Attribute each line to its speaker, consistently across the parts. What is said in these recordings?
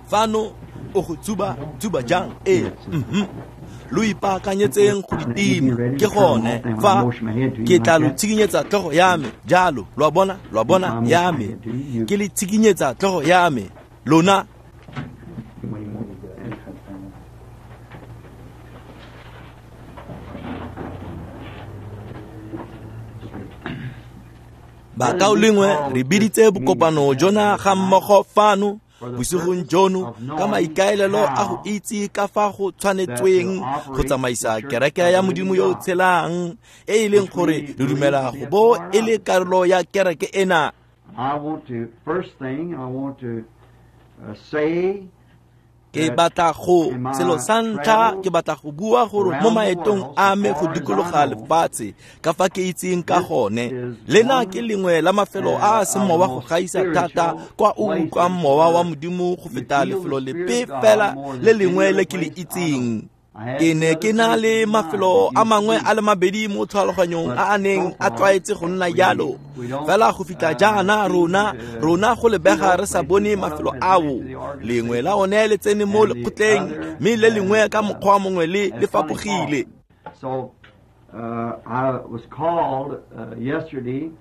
Speaker 1: Fano o go tsuba tsuba jang? Ee, lo ipaakanyetseng go di tima. Ke gone fa ke tla lo tshikinyetsa tlhogo ya me jalo. Lo a bona, lo a bona ya me. Ke le tshikinyetsa tlhogo ya me. Lona bakaulengwe re biditse bokopano jona ga mmogo fano bosigong jono ka maikaelelo a go itse ka fa go tshwanetsweng go tsamaisa kereke ya Modimo yo o tshelang, e e leng gore re dumela go bo e le karolo ya kereke ena. Ke batla go selo sa ntlha, ke batla go bua gore mo maetong a me go dikologa lefatshe ka fa ke itseng ka gone, lena ke lengwe la mafelo a a seng mowa go gaisa thata kwa o utlwang mowa wa Modimo go feta lefelo lepe fela le lengwe le ke le itseng. Ke ne ke na le mafelo a mangwe a le mabedi mo tlhaloganyong a a neng a tlwaetse go nna jalo, fela go fitlha jaana rona go lebega re sa bone mafelo ao. Lengwe la one le tsene mo lekgotleng, mme le lengwe ka mokgwa mongwe le le fapogile.
Speaker 2: I was called yesterday.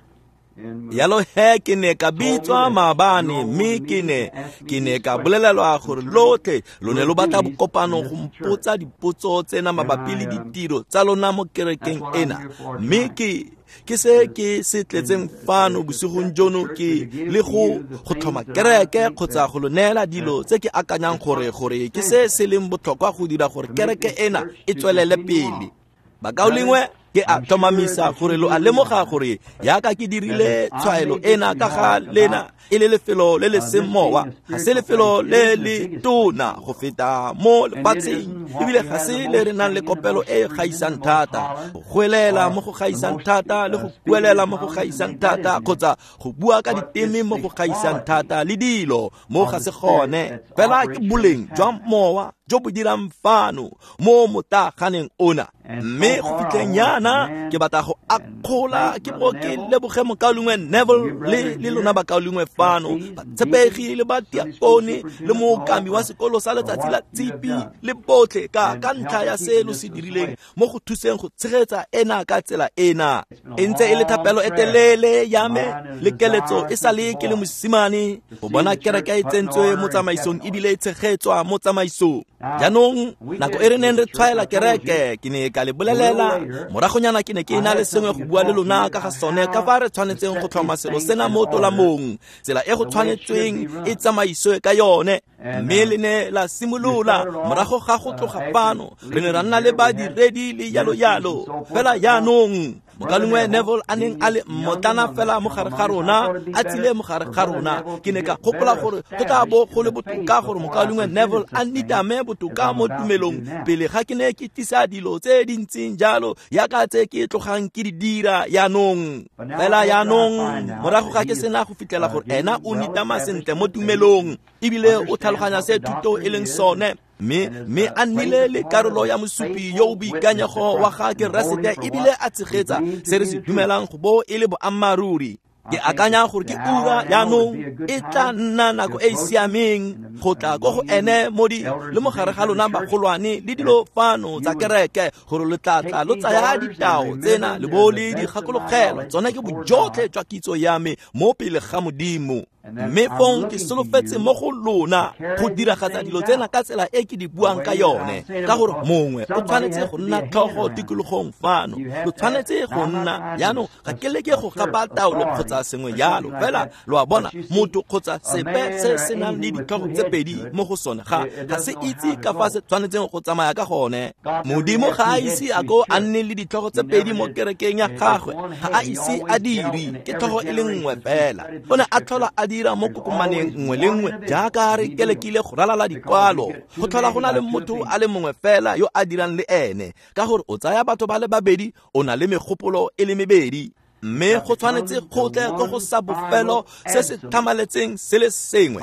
Speaker 1: Yalo he ke ne ka bitswa maabane, mme ke ne ka bolelelwa gore lotlhe lo ne lo batla bokopano go mpotsa dipotso tsena mabapi le ditiro tsa lona mo kerekeng ena. Mme ke se ke se tletseng fano bosigong jono ke le go tlhoma kereke kgotsa go lo neela dilo tse ke akanyang gore ke se se leng botlhokwa go dira gore kereke ena e tswelele pele. Bakaulengwe, ke a tlhomamisa gore lo a lemoga gore yaka ke dirile tshwaelo ena ka ga lena e le lefelo le le seng mowa, ga se lefelo le le tona go feta mo lefatsheng, ebile ga se le re nang le kopelo e e gaisang thata, go goelela mo go gaisang thata le go kuelela mo go gaisang thata kgotsa go bua ka diteme mo go gaisang thata le dilo mo ga se gone. Fela ke boleng jwa mowa jo bo dirang fano mo motlaganeng ona. Mme go fitlheng yana ke batla go akgola ke bo ke leboge mokaulengwe Neville le lona bakaulengwe fano, batshepegi le badiakone le mookami wa sekolo sa letsatsi la tshipi le botlhe ka ntlha ya se lo se dirileng mo go thuseng go tshegetsa ena ka tsela ena. E ntse e le thapelo e telele ya me le keletso e sa le ke le mosimane go bona kereke e tsentswe mo tsamaisong ebile e tshegetswa mo tsamaisong. Jaanong nako e re neng re tshwaela kereke, ke ne ka le bolelela moragonyana ke ne ke na le sengwe go bua le lona ka ga sone, ka fa re tshwanetseng go tlhoma selo sena mo tolamong, tsela e go tshwanetsweng e tsamaiswe ka yone. Mme le ne la simolola morago ga go tloga fano, re ne ra nna le badiredi le yalo yalo. Fela jaanong mokaulengwe Neville a neng a le mmotlana fela mo gare ga rona, a tsile mo gare ga rona, ke ne ka gopola gore go tla bo go le botoka gore mokaulengwe Neville a nitame botoka mo tumelong pele ga ke ne ke tlisa dilo tse di ntseng jalo yaka tse ke tlogang ke di dira jaanong. Fela jaanong morago ga ke sena go fitlhela gore ena o nitama sentle mo tumelong ebile o tlhaloganya se thuto e leng sone, mme a nnile le karolo ya mosupi yo o boikanyego wa ga Keresete ebile a tshegetsa se re se dumelang go bo e le boammaaruri. Ke akanya gore ke ura jaanong e tla nna nako e e siameng go tla ko go ene mo di le mo gare ga lona bagolwane le dilo fano tsa kereke, gore lo tla tla lo tsaya ditao tsena le bo le di gakologelwa. Tsone ke bojotlhe jwa kitso ya me mo pele ga Modimo. Mme fong ke solofetse mo go lona go diragatsa dilo tsena ka tsela e ke di buang ka yone, ka gore mongwe o tshwanetse go nna tlhogo tikologong fano, lo tshwanetse go nna jaanong. Ga ke leke go gapa taolo kgotsa sengwe jalo, fela lo a bona, motho kgotsa sepe se se nang le ditlhogo tse pedi mo go sone ga se itse ka fa se tshwanetseng go tsamaya ka gone. Modimo ga a ise a ko a nne le ditlhogo tse pedi mo kerekeng ya gagwe, ga a ise a dire, ke tlhogo e le nngwe fela. O ne a tlhola a dira mo kokomaneng nngwe le nngwe jaaka re kelekile go ralala dikwalo, go tlhola go na le motho a le mongwe fela yo a dirang le ene, ka gore o tsaya batho ba le babedi, o na le megopolo e le mebedi. Mme go tshwanetse go tle ko go sa bofelo se se tlhamaletseng se le sengwe,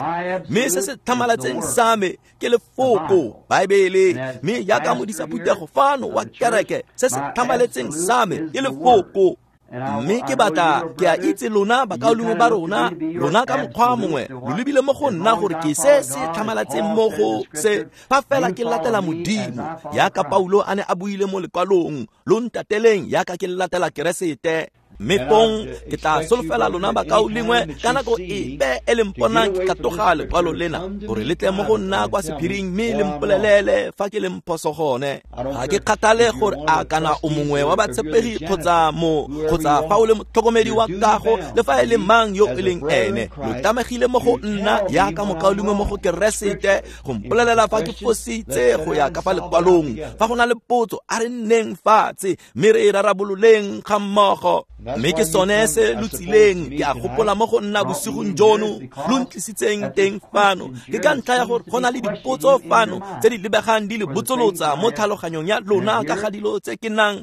Speaker 1: mme se se tlhamaletseng sa me ke lefoko Baebele. Mme jaaka modisa phuthego fano wa kereke, se se tlhamaletseng sa me ke lefoko. Mme ke batla ke a itse lona bakaulengwe ba rona, lona ka mokgwa mongwe lo lebile mo go nna gore ke se se tlhamalatseng mo go se fa fela ke latela Modimo yaka Paulo a ne a buile mo lekwalong, lo ntateleng yaka ke latela Keresete. Mme fong ke tla solofela lona bakaulengwe ka nako epe e le mponang ke katoga lekwalo lena gore le tle mo go nna kwa sephiring mme le mpolelele fa ke leng phoso gone. Ga ke kgathale gore a kana o mongwe wa batshepegi kgotsa mo kgotsa fa o le motlhokomedi wa kago le fa e le mang yo e leng ene, lo tlamegile mo go nna yaka mokaulengwe mo go Keresete go mpolelela fa ke fositse go ya ka fa lekwalong. Fa go na le potso, a re nneng fatshe mme re e rarabololeng ga mmogo. Mme ke sone se lo tsileng ke a gopola mo go nna bosigong jono lo ntlisitseng teng fano. Ke ka ntlha ya gore go na le dipotso fano tse di lebegang di le botsolotsa mo tlhaloganyong ya lona ka ga dilo tse ke nang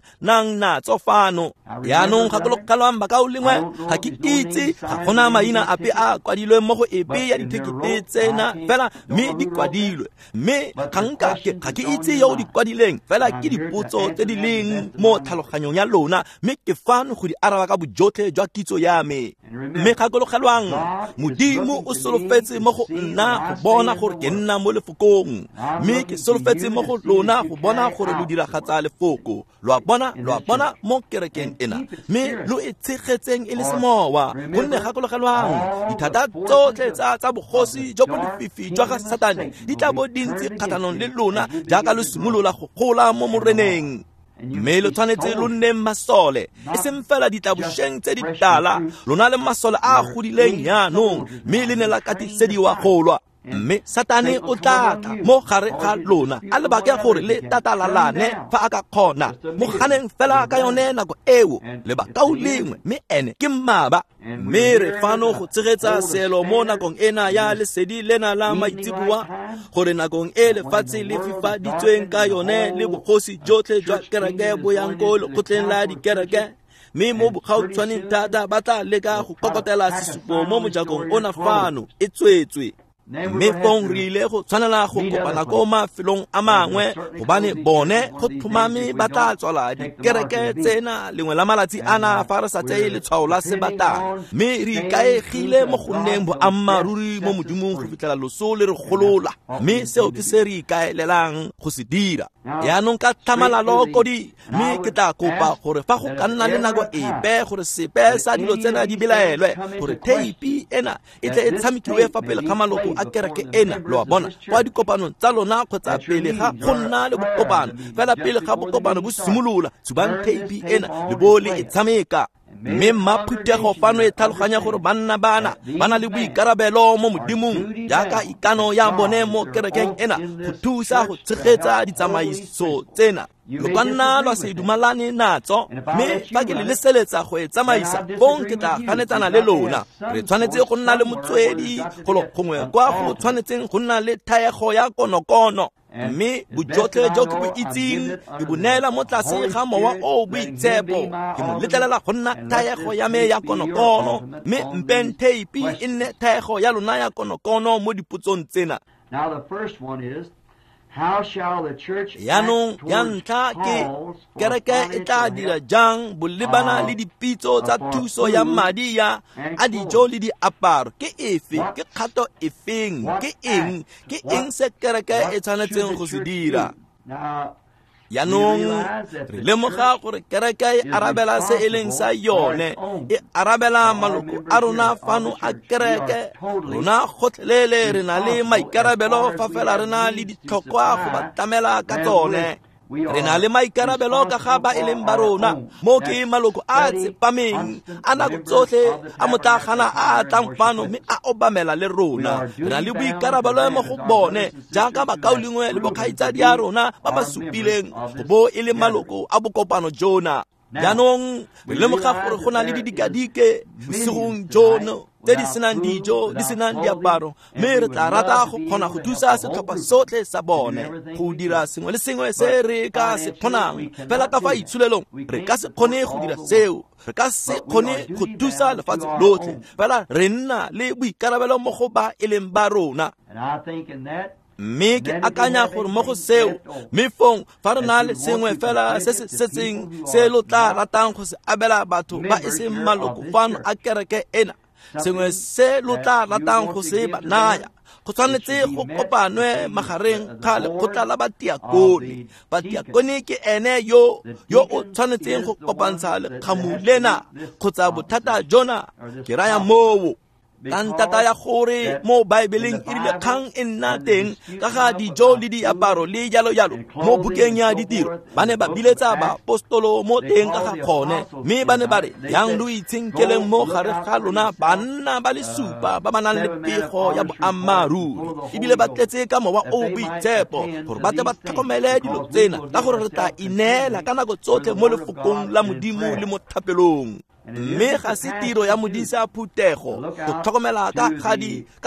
Speaker 1: natso fano. Yaanong gakologelwang bakaulengwe, ga ke itse ga gona maina ape a kwadilweng mo go epe ya dithekete tsena fela, mme di kwadilwe. Mme ga ke itse yo o di kwadileng, fela ke dipotso tse di leng mo tlhaloganyong ya lona, mme ke fano go di araba ka bojotlhe jwa kitso ya me. Mme gakologelwang, Modimo o solofetse mo go nna go bona gore ke nna mo lefokong, mme ke solofetse mo go lona go bona gore lo diragatsa lefoko. Lo a bona mo kerekeng ena, mme lo e tshegetseng e le semowa. Gonne gakologelwang, dithata tsotlhe tsa bogosi jo bo lefifi jwa ga Satane di tla bo di ntse kgatlhanong le lona jaaka lo simolola go gola mo Moreneng. Mme lo tshwanetse lo nneng masole, e seng fela ditlabošeng tse di tala, lona le masole a a godileng jaanong, mme le ne la katisediwa go lwa. Mme Satane o tla tla mo gare ga lona a lebake gore le tatalalane fa a ka kgona. Mo ganeng fela ka yone nako eo, le bakaulengwe, mme ene ke mmaba. Mme re fano go tshegetsa selo mo nakong ena ya lesedi lena la maitseboa, gore nakong e lefatshe le fifaditsweng ka yone le bogosi jotlhe jwa kereke bo yang ko lekgotleng la dikereke, mme mo bogautshwaneng thata ba tla leka go kokotela sesupo mo mojakong ona fano e tswetswe. Mme fong re ile go tshwanela go kopana ko mafelong a mangwe, gobane bone go tlhomame ba tla tswala dikereke tsena lengwe la malatsi ana fa re sa tseye letshwao la sebatana. Mme re ikaegile mo go nneng boammaaruri mo Modimong go fitlhela loso le re golola, mme seo ke se re ikaelelang go se dira. Yaanong ka tlhamalalo kodi, mme ke tla kopa gore fa go ka nna le nako epe gore sepe sa dilo tsena di belaelwe, gore theipi ena e tle e tshamekiwe fa pele ga maloko a kereke ena, lo a bona, kwa dikopanong tsa lona kgotsa pele ga go nna le bokopano. Fela pele ga bokopano bo simolola, tshubang theipi ena le bo le e tshameka. Mme mmaphutego fano e tlhaloganya gore banna bana ba na le boikarabelo mo Modimong jaaka ikano ya bone mo kerekeng ena go thusa go tshegetsa ditsamaiso tsena. Lo ka nna lwa se dumalane natso, mme fa ke le leseletsa go e tsamaisa, fong ke tla ganetsana le lona. Re tshwanetse go nna le motswedi golo gongwe kwa go tshwanetseng go nna le thaego ya konokono. Mme bojotlhe jo ke bo itseng ke bo neela mo tlase ga mowa o boitshepo, ke mo letlelela go nna thaego ya me ya konokono, mme mpeng theipi e nne thaego ya lona ya konokono mo dipotsong tsena. Yaanong ya ntlha ke kereke e tla dira jang bolebana le dipitso tsa thuso ya madi ya a dijo le diaparo? Ke efe? Ke kgato efeng? Ke eng se kereke e tshwanetseng go se dira? Yaanong re lemoga gore kereke e arabela se e leng sa yone, e arabela maloko a rona fano a kereke. Rona gotlhelele re na le maikarabelo fa fela re na le ditlhokwa go ba tlamela ka tsone. Re na le maikarabelo ka ga ba e leng ba rona, mo ke maloko a tsepameng a nako tsotlhe a motlagana a tlang fano mme a obamela le rona. Re na le boikarabelo mo go bone jaaka bakaulengwe le bokgaitsadi a rona ba ba supileng go bo e le maloko a bokopano jona. Jaanong re lemoga gore go na le didikadike bosigong jono tse di senang dijo, di senang diaparo, mme re tla rata go kgona go thusa setlhopha sotlhe sa bone go dira sengwe le sengwe se re ka se kgonang. Fela ka fa itsholelong re ka se kgone go dira seo, re ka se kgone go thusa lefatshe lotlhe, fela re nna le boikarabelo mo go ba e leng ba rona. Mme ke akanya gore mo go seo, mme fong fa re na le sengwe fela se se setseng se lo tla ratang go se abela batho ba e seng maloko fano a kereke ena, sengwe se lo tla ratang go se ba naya, go tshwanetse go kopanwe magareng ga lekgotla la batiakone. Batiakone ke ene yo o tshwanetseng go kopantsha lekgamu lena kgotsa bothata jona, ke raya moo. Ka ntata ya gore mo Baebeleng e rile kgang e nna teng ka ga dijo le diaparo le jalo jalo mo bukeng ya ditiro, ba ne ba biletsa baapostolo mo teng ka ga gone, mme ba ne ba re, yang lo itshenkeleng mo gare ga lona banna ba le supa ba ba nang le pego ya boammaaruri, ebile ba tletse ka mowa o boitshepo, gore ba tle ba tlhokomele dilo tsena, ka gore re tla ineela ka nako tsotlhe mo lefokong la Modimo le mo thapelong. Mme ga se tiro ya modisa phuthego go tlhokomela ka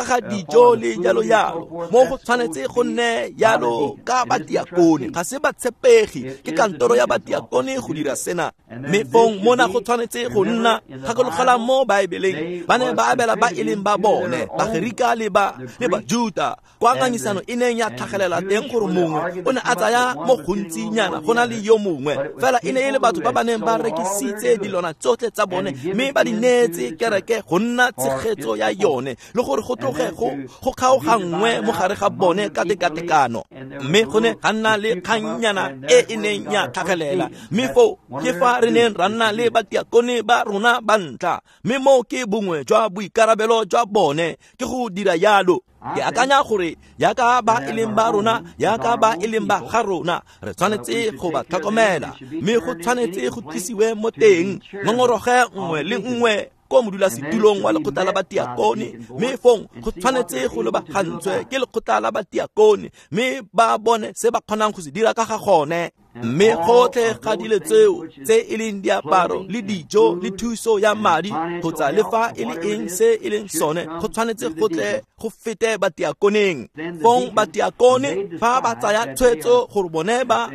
Speaker 1: ga dijo le jalo jalo, mo go tshwanetse go nne jalo ka batiakone. Ga se batshepegi, ke kantoro ya batiakone go dira sena. Mme fong mona go tshwanetse go nna, gakologela mo Baebeleng, ba ne ba abela ba e leng ba bone, Bagerika le Bajuta, kwa ngangisano e neng ya tlhagelela teng gore mongwe o ne a tsaya mo gontsinyana go na le yo mongwe, fela e ne e le batho ba ba neng ba rekisitse dilwana tsotlhe tsa bone mme ba di neetse kereke go nna tshegetso ya yone, le gore go tloge go kgaoganngwe mo gare ga bone ka tekatekano. Mme go ne ga nna le kgannyana e e neng ya tlhagelela, mme foo ke fa re neng ra nna le batiakone ba rona ba ntlha, mme moo ke bongwe jwa boikarabelo jwa bone ke go dira jalo. Ke akanya gore yaka ba e leng ba rona, yaka ba e leng ba ga rona, re tshwanetse go ba tlhokomela, mme go tshwanetse go tlisiwe mo teng ngongoroge nngwe le nngwe ko modulasetulong wa lekgotla la batiakone, mme fong go tshwanetse go lebagantswe ke lekgotla la batiakone, mme ba bone se ba kgonang go se dira ka ga gone. Mme gotlhe ga dilo tseo tse e leng diaparo le dijo le thuso ya madi kgotsa le fa e le eng se e leng sone, go tshwanetse go tle go fete batiakoneng. Fong batiakone fa ba tsaya tshwetso gore bone ba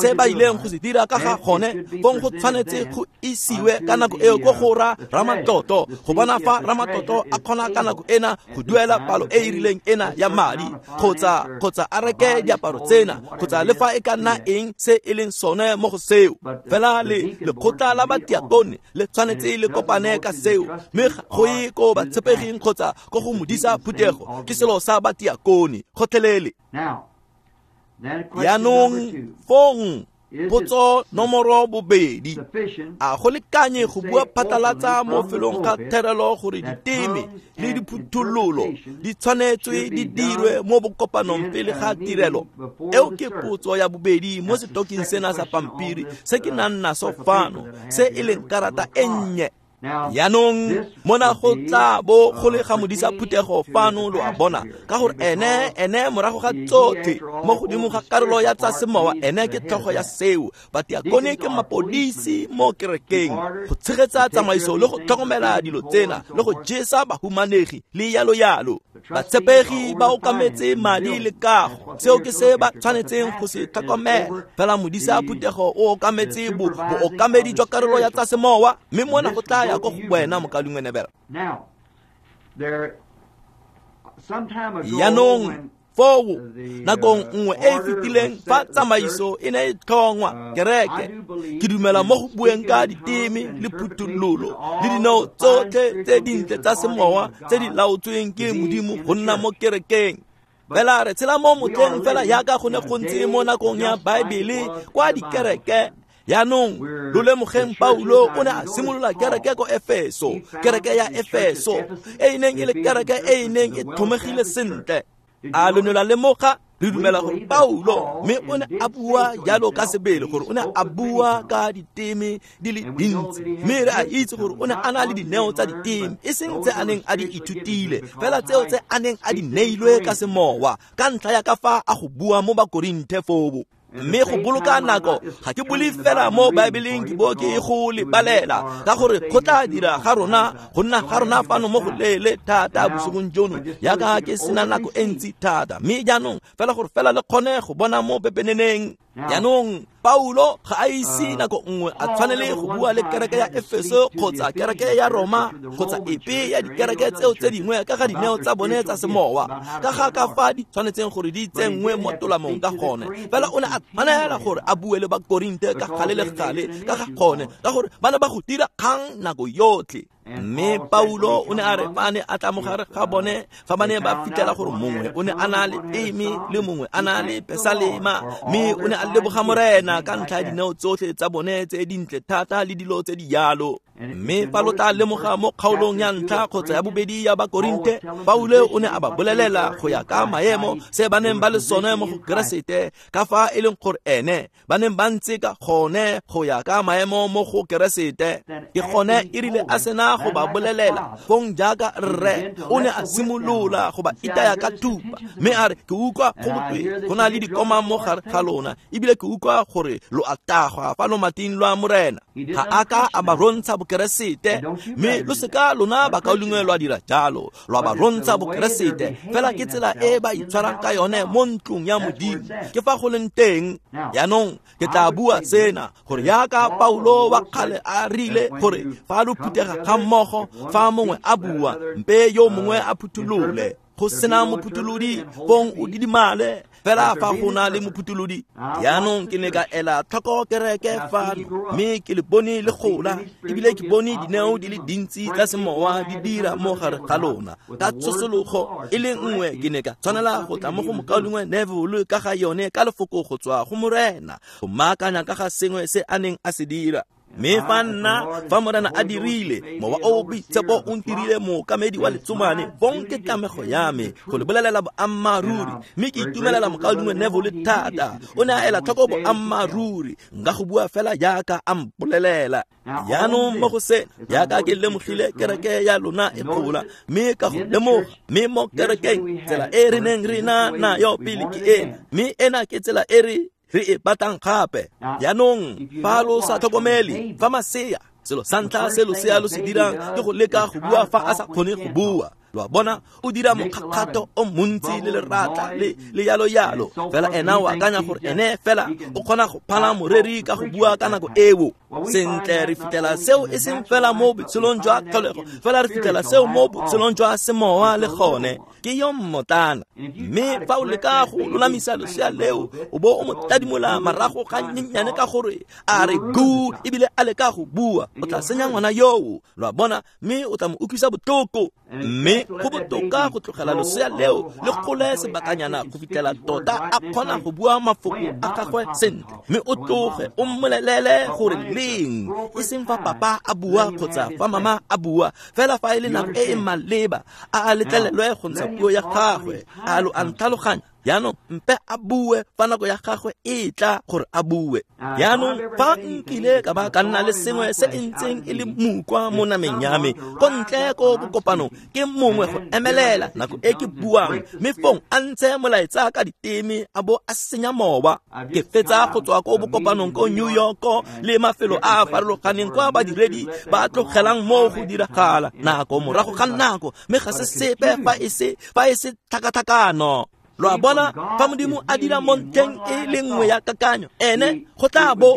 Speaker 1: se ba ileng go se dira ka ga gone, fong go tshwanetse go isiwe ka nako eo ko go ramatlotlo go bona fa ramatlotlo a kgona ka nako ena go duela palo e e rileng ena ya madi, kgotsa a reke diaparo tsena, kgotsa le fa e ka nna eng se e leng sone mo go seo. Fela le lekgotla la batiakone le tshwanetse le kopane ka seo, mme go ye ko batshepeging kgotsa ko go modisa phuthego, ke selo sa batiakone gotlhelele. Yaanong fong potso nomoro 2, a go lekanye go bua phatlalatsa mo felong ga therelo gore diteme le diphuthololo di tshwanetswe di dirwe mo bokopanong pele ga tirelo? Eo ke potso ya bobedi mo setoking sena sa pampiri se ke nang naso fano, se e leng karata e nnye. Yaanong mona go tla bo go le ga modisa phuthego fano, lo a bona, ka gore ene morago ga tsotlhe mo godimo ga karolo ya tsa semowa, ene ke tlhogo ya seo. Batiakone ke mapodisi mo kerekeng go tshegetsa tsamaiso le go tlhokomela dilo tsena le go jesa bahumanegi le yalo yalo. Batshepegi ba okametse madi le kago, seo ke se ba tshwanetseng go se tlhokomela. Fela modisa phuthego o okametse bookamedi jwa karolo ya tsa semowa, mme mona go tla ya ko go wena mokaulengwe Neville. Yaanong foo nakong nngwe e e fetileng fa tsamaiso e ne e tlhongwa kereke, ke dumela mo go bueng ka diteme le phuthololo le dinao tsotlhe tse dintle tsa semowa tse di laotsweng ke Modimo go nna mo kerekeng. Fela re tshela mo motlheng fela yaka go ne go ntse mo nakong ya Baebele kwa dikereke. Yaanong lo lemogeng Paulo o ne a simolola kereke ko Efeso, kereke ya Efeso e e neng e le kereke e e neng e tlhomegile sentle. A lo ne la lemoga? Re dumela gore Paulo, mme o ne a bua jalo ka sebele gore o ne a bua ka diteme di le dintsi, mme re a itse gore o ne a na le dineo tsa diteme, e seng tse a neng a di ithutile, fela tseo tse a neng a di neilwe ka semowa ka ntlha ya ka fa a go bua mo Bakorinthe foo. Mme go boloka nako ga ke bole fela mo Baebeleng ke bo ke go lebalela, ka gore go tla dira ga rona go nna ga rona fano mo go leele thata bosigong jono, yaka ke sena nako e ntsi thata. Mme jaanong fela gore fela le kgone go bona mo pepeneneng. Jaanong Paulo ga a ise nako nngwe a tshwanele go bua le kereke ya Efeso kgotsa kereke ya Roma kgotsa epe ya dikereke tseo tse dingwe ka ga dineo tsa bone tsa semowa, ka ga ka fa di tshwanetseng gore di tsenngwe mo tolamong ka gone. Fela o ne a tshwanela gore a bue le Bakorinte ka gale le gale ka ga gone, ka gore ba ne ba go dira kgang nako yotlhe. Mme Paulo o ne a re fa ne a tla mo gare ga bone, fa ba ne ba fitlhela gore mongwe o ne a na le teme le mongwe a na le pesalema, mme o ne a leboga Morena ka ntlha ya dineo tsotlhe tsa bone tse dintle thata le dilo tse di jalo. Mme fa lo tla lemoga mo kgaolong ya ntlha kgotsa ya bobedi ya Bakorinte, Paulo o ne a ba bolelela go ya ka maemo se ba neng ba le sone mo go Keresete, ka fa e leng gore ene ba neng ba ntse ka gone go ya ka maemo mo go Keresete. Ke gone e rile a sena go ba bolelela, fong jaaka rre o ne a simolola go ba itaya ka thupa, mme a re ke utlwa go botwe go na le dikoma mo gare ga lona, ebile ke utlwa gore lo a tagwa fa lomating lwa Morena. Ga a ka a ba rontsha Bokeresete, mme lo seka lona bakaulengwe lwa dira jalo, lwa ba rontsha Bokeresete. Fela ke tsela e ba itshwarang ka yone mo ntlong ya Modimo, ke fa go leng teng. Jaanong ke tla bua sena gore jaaka Paulo wa kgale a rile gore fa lo phuthega ga mmogo, fa mongwe a bua mpe yo mongwe a phutholole, go sena mophutholodi fong o didimale, fela fa go na le mophutholodi. Jaanong ke ne ka ela tlhoko kereke fano, mme ke le bone le gola, ebile ke bone dineo di le dintsi tsa semowa di dira mo gare ga lona. Ka tshosologo e le nngwe ke ne ka tshwanela go tla mo go mokaulengwe Neville ka ga yone ka lefoko go tswa go Morena, go maakanya ka ga sengwe se a neng a se dira. Mme fa nna fa Morena a dirile mowa o boitshepo o ntirile mookamedi wa letsomane, fong ke tlamego ya me go le bolelela boammaaruri. Mme ke itumelela mokaulengwe Neville thata, o ne a ela tlhoko boammaaruri, nka go bua fela jaaka a mpolelela. Jaanong mo go sena, jaaka ke lemogile kereke ya lona e gola, mme ka go lemoga, mme mo kerekeng tsela e re neng re na nayo pele ke ena, mme ena ke tsela e re e batlang gape. Jaanong fa lo sa tlhokomele, fa masea, selo sa ntlha se losea lo se dirang ke go leka go bua fa a sa kgone go bua. Lo a bona, o dira mokgakgato o montsi le leratla le yalo yalo, fela ena o akanya gore ene fela o kgona go phala moreri ka go bua ka nako eo. Sentle, re fitlhela seo e seng fela mo botshelong jwa tlholego, fela re fitlhela seo mo botshelong jwa semowa le gone. Ke yo mmotlana. Mme fa o leka go lolamisa losea leo, o bo o mo tadimola marago ga nyenyane ka gore a re gu, ebile a leka go bua, o tla senya ngwana yoo. Lo a bona, mme o tla mo utlwisa botlhoko. Mme go botoka go tlogela losea leo le gole sebakanyana go fitlhela tota a kgona go bua mafoko a gagwe sentle, mme o tloge o mmolelele gore leng, e seng fa papa a bua kgotsa fa mama a bua, fela fa e le nako e e maleba a letlelelwe go ntsha puo ya gagwe. A lo a ntlhaloganya? Jaanong mpe a bue fa nako ya gagwe e tla gore a bue. Jaanong fa nkile ka ba ka nna le sengwe se e ntseng e le mukwa mo nameng ya me ko ntle ko bokopanong, ke mongwe go emelela nako e ke buang, mme fong a ntshe molaetsa ka diteme a bo a senya mowa. Ke fetsa go tswa ko bokopanong ko New York le mafelo a a farologaneng kwa badiredi ba tlogelang mo go diragala nako morago ga nako, mme ga se sepe fa e se tlhakatlhakano. Lo a bona, fa Modimo a dira mo ntlheng e le nngwe ya kakanyo, ene go tla bo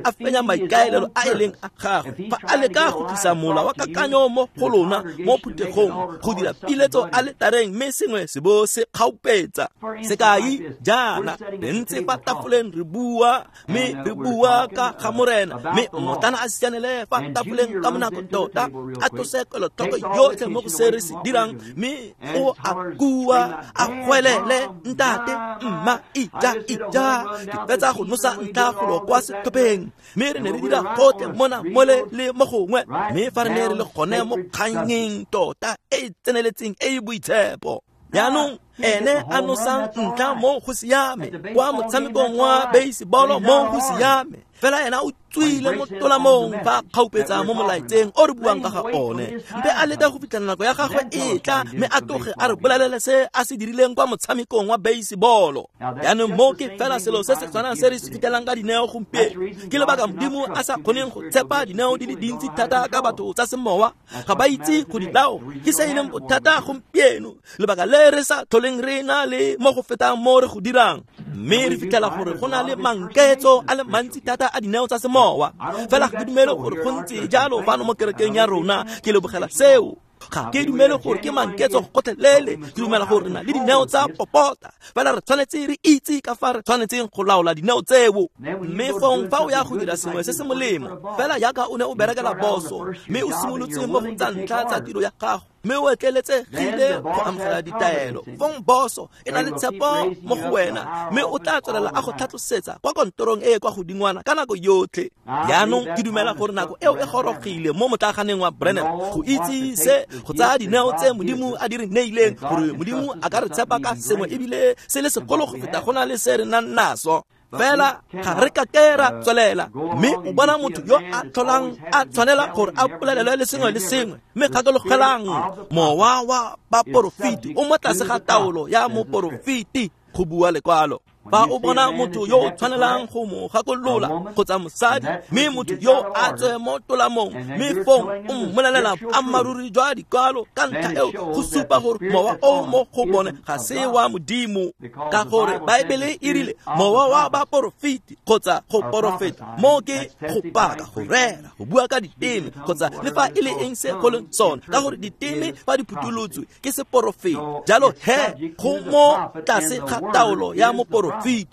Speaker 1: a fenya maikaelelo a e leng a gagwe. Fa a leka go tlisa mola wa kakanyo mo go lona mo phuthegong, go dira piletso a letareng, mme sengwe se bo se kgaupetsa. Sekai jaana, re ntse fa tafoleng re bua, mme re bua ka ga Morena, mme mmotlana a sianele fa tafoleng ka bonako tota, a tlose kelotlhoko yotlhe mo go se re se dirang, mme o a kua a gwelele ntate mma ija ija, ke fetsa go nosa ntlha golo kwa setlhopheng, mme re ne re dira gotlhe mona mole le mo gongwe, mme fa re ne re le gone mo kganyeng tota e e tseneletseng e e boitshepo. Jaanong ene a nosang ntlha mo go siame kwa motshamekong wa baseball mo go siame, fela ena o tswile mo tolamong fa kgaupetsa mo molaetseng o re buang ka ga one, mpe a leka go fitlhela nako ya gagwe e tla, mme a tloge a re bolelele se a se dirileng kwa motshamekong wa baseball. Jaanong mo ke fela selo se se tshwanang se re se fitlhelang ka dineo gompieno. Ke lebaka Modimo a sa kgoneng go tshepa dineo di le dintsi thata ka batho tsa semowa, ga ba itse go di laola. Ke se e leng bothata gompieno, lebaka le re sa tlholeng tlholeng re na le mo go fetang mo re go dirang. Mme re fitlhela gore go na le manketso a le mantsi thata a dineo tsa semowa. Fela ga ke dumele gore go ntse jalo fano mo kerekeng ya rona. Ke lebogela seo. Ga ke dumele gore ke manketso gotlhelele. Ke dumela gore re na le dineo tsa popota. Fela re tshwanetse re itse ka fa re tshwanetseng go laola dineo tseo. Mme fong fa o ya go dira sengwe se se molemo, fela jaaka o ne o berekela boso, mme o simolotse mo go tsa ntlha tsa tiro ya gago, mme o etleletsegile go amogela ditaelo, fong boso e na le tshepo mo go wena, mme o tla tswelela a go tlhatlosetsa kwa kantorong e e kwa godingwana ka nako yotlhe. Jaanong ke dumela gore nako eo e gorogile mo motlaganeng wa Branham go itse se, go tsaya dineo tse Modimo a di re neileng, gore Modimo a ka re tshepa ka sengwe ebile se le segolo go feta go na le se re nang naso. Fela ga re ka ke ra tswelela. Mme o bona motho yo a tlholang a tshwanela gore a bolelelwe le sengwe le sengwe. Mme gakologelang, mowa wa baporofeti o mo tlase ga taolo ya moporofeti, go bua lekwalo. Fa o bona motho yo o tshwanelang go mo gakolola kgotsa mosadi, mme motho yo a tswe mo tolamong, mme fong o mmolelela boammaaruri jwa dikwalo, ka ntlha eo go supa gore mowa o mo go bone ga se wa Modimo. Ka gore Baebele e rile mowa wa baporofeti kgotsa go porofeta, mo ke go paka, go rera, go bua ka diteme, kgotsa le fa e le eng se go leng sone, ka gore diteme fa di phutolotswe ke seporofeti. Jalo he go mo tlase ga taolo ya moporofeti,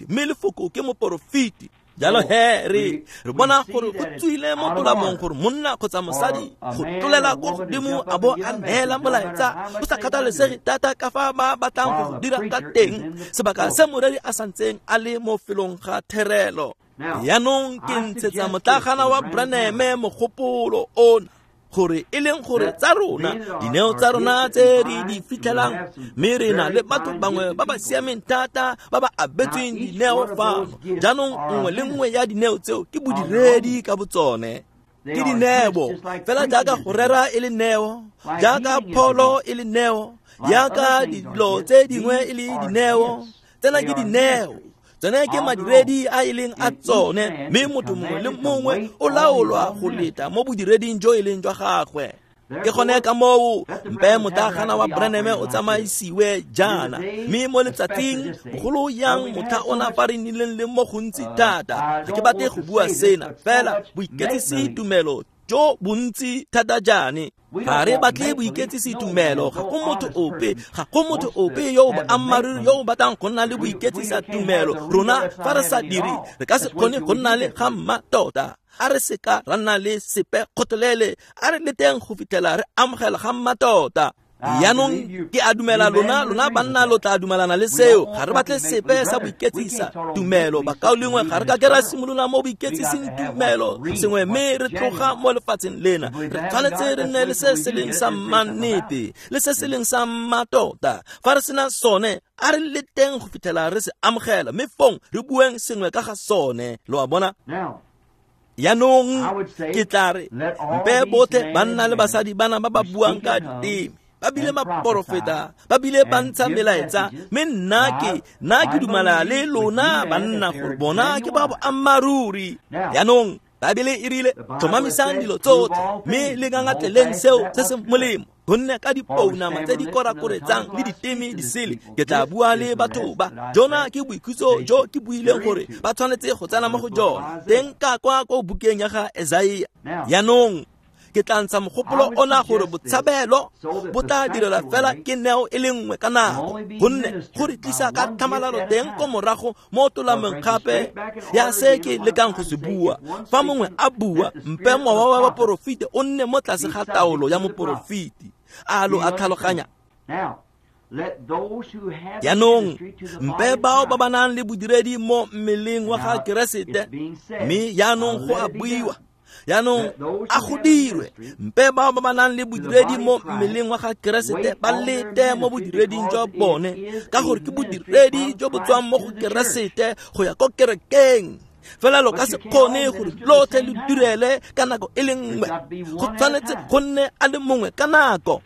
Speaker 1: mme lefoko ke moporofeti. Jalo he re bona gore go tswile mo tolamong gore monna kgotsa mosadi go tlolela ko godimo a bo a neela molaetsa, go sa kgathalesege thata ka fa ba batlang go dira ka teng, sebaka se moreri a santseng a le mo felong ga therelo. Jaanong ke ntshetsa motlagana wa Branham mogopolo ona, gore e leng gore tsa rona dineo tsa rona tse re di fitlhelang, mme re na le batho bangwe ba ba siameng thata ba ba abetsweng dineo fano. Jaanong nngwe le nngwe ya dineo tseo ke bodiredi ka botsone, ke dineo fela jaaka go rera e le neo, jaaka pholo e le neo, jaaka dilo tse dingwe e le dineo. Tsena ke dineo, tsone ke madiredi a e leng a tsone, mme motho mongwe le mongwe o laolwa go leta mo bodireding jo e leng jwa gagwe. Ke gone ka moo mpe motlagana wa Branham o tsamaisiwe jaana, mme mo letsatsing bogolo yang motlha ona fa re nnileng le mo gontsi thata. Ga ke batle go bua sena, fela boiketsisi tumelo jo bontsi thata jaane. Ga re batle boiketsisi tumelo, ga go motho ope, ga go motho ope yo o boammaaruri yo o batlang go nna le boiketsisa tumelo. Rona fa re sa dire, re ka se kgone go nna le ga mmatota. A re seka ra nna le sepe kgotlelele, a re leteng go fitlhela re amogela ga mmatota. Jaanong ke a dumela lona banna lo tla dumelana le seo. Ga re batle sepe sa boiketsisa tumelo, bakaulengwe. Ga re ka ke ra simolola mo boiketsiseng tumelo sengwe mme re tloga mo lefatsheng lena. Re tshwanetse re nne le se se leng sa mannete le se se leng sa mmatota. Fa re sena sone, a re leteng go fitlhela re se amogela, mme fong re bueng sengwe ka ga sone. Lo a bona? Jaanong ke tla re mpe botlhe banna le basadi bana ba ba buang ka diteme, ba bile baporofeta, ba bile ba ntsha melaetsa, mme nna ke dumela le lona banna gore bona ke ba boammaaruri. Jaanong Baebele e rile tlhomamisang dilo tsotlhe, mme le ngangatleleng seo se se molemo, gonne ka dipounama tse di korakoretsang le diteme di sele ke tla bua le batho ba. Jona ke boikhutso jo ke buileng gore ba tshwanetse go tsena mo go jona, teng ka kwa ko bukeng ya ga Esaia. Jaanong ke tla ntsha mogopolo ona gore botshabelo bo tla direla fela ke neo e le nngwe ka nako, gonne go re tlisa ka tlhamalalo teng ko morago mo tolameng gape ya se ke lekang go se bua. Fa mongwe a bua, mpe mowa wa baporofeti o nne mo tlase ga taolo ya moporofeti. A lo a tlhaloganya? Jaanong mpe bao ba ba nang le bodiredi mo mmeleng wa ga Keresete, mme jaanong go a buiwa, jaanong a go dirwe, mpe bao ba ba nang le bodiredi mo mmeleng wa ga Keresete ba lete mo bodireding jwa bone, ka gore ke bodiredi jo bo tswang mo go Keresete go ya ko kerekeng. Fela lo ka se kgone gore lotlhe le direle ka nako e le nngwe, go tshwanetse go nne a le mongwe ka nako.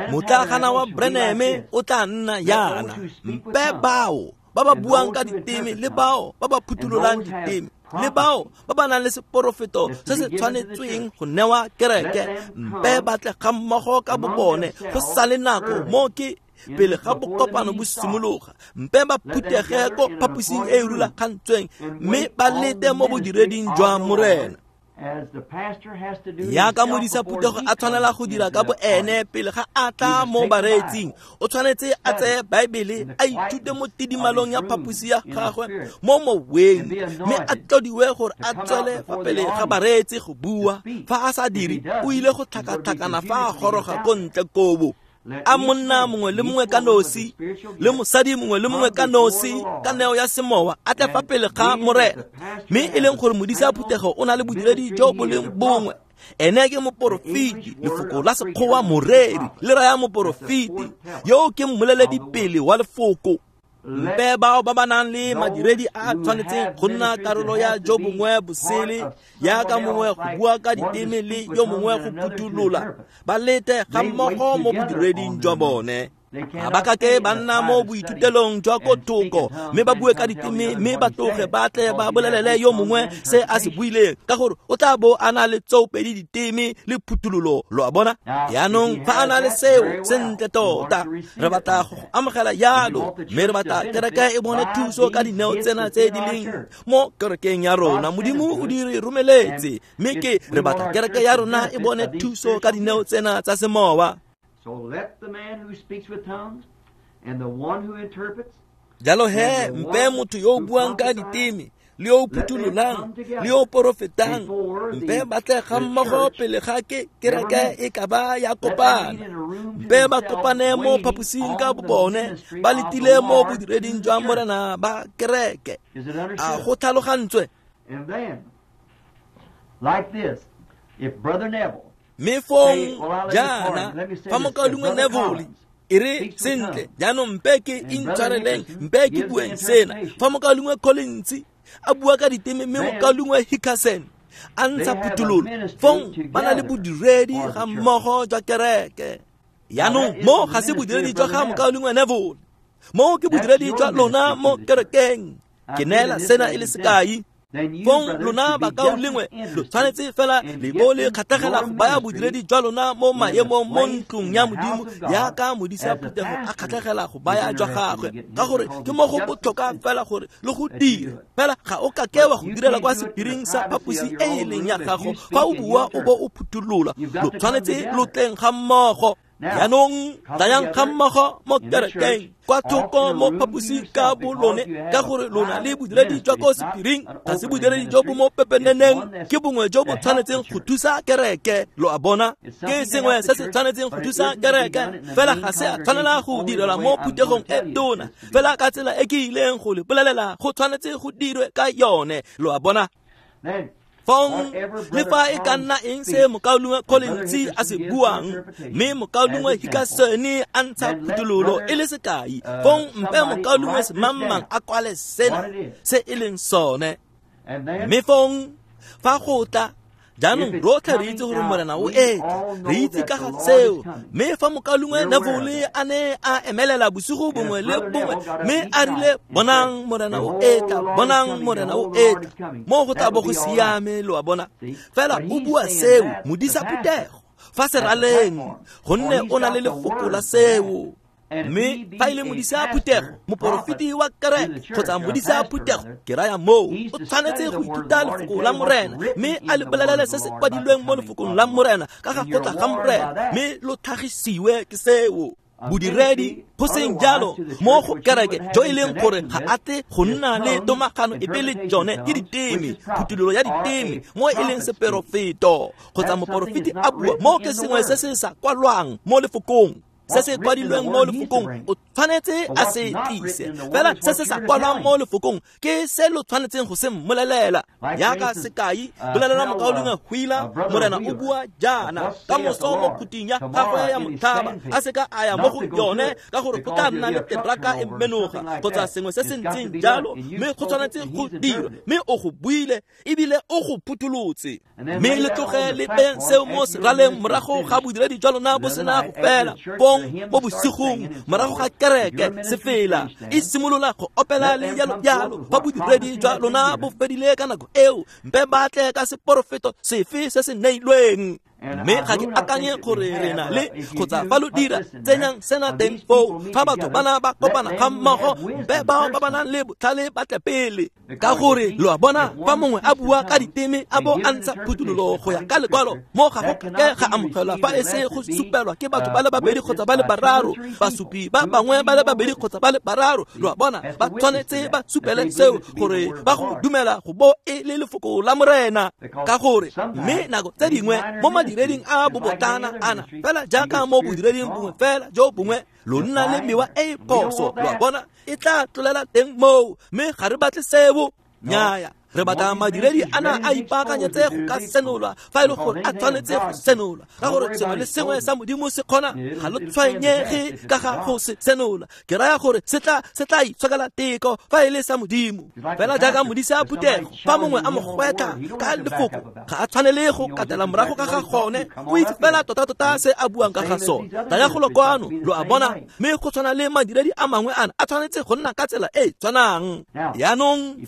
Speaker 1: Motlagana wa Branham o tla nna yana, mpe bao ba ba buang ka diteme le bao ba ba phuthulolang diteme le bao ba ba nang le seporofeto se se tshwanetsweng go newa kereke, mpe ba tle ga mmogo ka bobone go sale nako mo ke pele ga bokopano bo simologa, mpe ba phuthege ko phaposing e e rulagantsweng mme ba lete mo bodireding jwa Morena. Yaka modisa phuthego a tshwanela go dira ka bo ene pele ga a tla mo bareetsing, o tshwanetse a tseye Baebele a ithute mo tidimalong ya phaposi ya gagwe mo moweng, mme a tlodiwe gore a tswele fa pele ga bareetsi go bua. Fa a sa dire, o ile go tlhakatlhakana fa a goroga ko ntle kobo. A monna mongwe le mongwe ka nosi le mosadi mongwe le mongwe ka nosi ka neo ya semowa a tle fa pele ga Morena, mme e leng gore modisa phuthego o na le bodiredi jo bo leng bongwe. Ene ke moporofeti, lefoko la sekgowa moreri le raya moporofeti, yo ke mmoleledi pele wa lefoko. Mpe bao ba ba nang le madiredi a tshwanetseng go nna karolo ya jo bongwe bosele, yaka mongwe go bua ka diteme le yo mongwe go phuthulola, ba lete ga mmogo mo bodireding jwa bone. Ga ba kake ba nna mo boithutelong jwa ko thoko mme ba bue ka diteme mme ba tloge ba tle ba bolelele yo mongwe se a se buileng, ka gore o tla bo a na le tsoopedi diteme le phuthololo, lo a bona. Yaanong fa a na le seo sentle tota, re batla go amogela yalo, mme re batla kereke e bone thuso ka dineo tsena tse di leng mo kerekeng ya rona. Modimo o di re romeletse, mme ke re batla kereke ya rona e bone thuso ka dineo tsena tsa semowa.
Speaker 2: So let the man who speaks with tongues and the one who interprets,
Speaker 1: jalo he mpe motho yo o buang ka diteme le yo o phuthulolang le yo o porofetang, mpe ba tle ga mmogo pele ga ke kereke e ka ba ya kopana. Mpe ba kopane mo phaposing ka bobone, ba letile mo bodireding jwa Morena ba kereke. A go tlhalogantswe?
Speaker 2: And then, like this, if Brother Neville
Speaker 1: mme fong jaana fa mokaulengwe Neville e re sentle, jaanong mpe ke intshwareleng, mpe ke bueng sena. Fa mokaulengwe Collins a bua ka diteme mme mokaulengwe Hickerson a ntsha phuthololo, fong ba na le bodiredi ga mmogo jwa kereke. Yaanong mo ga se bodiredi jwa ga mokaulengwe Neville, mo ke bodiredi jwa lona mo kerekeng. Ke neela sena e le sekai. Fong lona bakaulengwe lo tshwanetse fela le bo le kgatlhegela go baya bodiredi jwa lona mo maemong mo ntlong ya Modimo, yaka modisa phuthego a kgatlhegela go baya jwa gagwe, ka gore ke mo go botlhokwa fela gore le go dira. Fela ga o ka ke wa go direla kwa sephiring sa phaposi e e leng ya gago fa o bua o bo o phuthulola. Lo tshwanetse lo tleng ga mmogo. Yaanong tlayang ga mmogo mo kerekeng kwa thoko mo phaposing ka bolone, ka gore lona le bodiredi jwa ko sephiring ga se bodiredi jo bo mo pepeneneng, ke bongwe jo bo tshwanetseng go thusa kereke. Lo a bona, ke sengwe se se tshwanetseng go thusa kereke, fela ga se a tshwanela go direlwa mo phuthegong e tona. Fela ka tsela e ke ileng go le bolelela go tshwanetse go dirwe ka yone, lo a bona. Fong le fa e ka nna eng se mokaulengwe Collins a se buang, mme mokaulengwe Hickerson a ntsha phuthololo e le sekai, fong mpe mokaulengwe semangmang a kwale sena se e leng sone. Mme fong fa go tla jaanong rotlhe re itse gore Morena o etla, re itse ka ga seo. Mme fa mokaulengwe Neville a ne a emelela bosigo bongwe le bongwe mme a rile, bonang Morena o etla, bonang Morena o etla, mo go tla bo go siame, lo a bona. Fela o bua seo modisa phuthego fa seraleng, gonne o na le lefoko la seo. Mme fa e le modisa phuthego, moporofeti wa kereke kgotsa modisa phuthego, ke raya moo, o tshwanetse go ithuta lefoko la Morena mme a le bolelele se se kwadilweng mo lefokong la Morena ka ga go tla ga Morena, mme lo tlhagisiwe ke seo. Bodiredi go seng jalo mo go kereke jo e leng gore ga a tle go nna le tomagano epe le jone ke diteme, phuthololo ya diteme mo e leng seperofeto kgotsa moporofeti a bua mo ke sengwe se se sa kwalwang mo lefokong. Se se kwadilweng mo lefokong o tshwanetse a se tlise, fela se se sa kwalwang mo lefokong ke se lo tshwanetseng go se mmolelela. Yaka sekai, bolelela mokaulengwe Wheeler, Morena o bua jaana ka moso mo khuting ya gagwe ya motlhaba, a seka a ya mo go yone ka gore go tla nna le teraka e menoga kgotsa sengwe se se ntseng jalo, mme go tshwanetse go dirwa, mme o go buile ebile o go phutholotse. Mme le tloge le beyeng seo mo seraleng morago ga bodiredi jwa lona bo sena go fela. Fong mo bosigong morago ga kereke sefela e simolola go opela le jalo jalo, fa bodiredi jwa lona bo fedile ka nako eo, mpe ba tle ka seporofeto sefe se se neilweng. Mme ga ke akanye gore re na le kgotsa fa lo dira tsenyang sena teng foo fa batho bana ba kopana ga mmogo be bao ba ba nang le botlhale ba tle pele ka gore lo a bona fa mongwe a bua ka diteme a bo a ntsha phuthololo go ya ka lekwalo mo ga go ke ga amogelwa fa e se go supelwa ke batho ba le babedi kgotsa ba le bararo basupi ba bangwe ba le babedi kgotsa ba le bararo lo a bona ba tshwanetse ba supele seo gore ba go dumela go bo e le lefoko la morena ka gore mme nako tse dingwe mo madireding a bobotlana ana fela jaaka mo bodireding bongwe fela jo bongwe lo nna le mewa e e phoso lo a bona e tla tlolela teng moo mme ga re batle seo nnyaya re batla madiredi ana a ipaakanyetse go ka senolwa fa e le gore a tshwanetse go senolwa ka gore sengwe le sengwe sa modimo se kgona ga lo tshwenyege ka ga go se senola ke raya gore se tla itshokela teko fa e le sa modimo fela jaaka modise a phuthego fa mongwe a mo gwetlha ka lefoko ga a tshwanele go katela morago ka ga gone o itse fela tota-tota se a buang ka ga sone tlaya golo kwano lo a bona mme go tshwana le madiredi a mangwe ana a tshwanetse go nna ka tsela e e tshwanang yaanong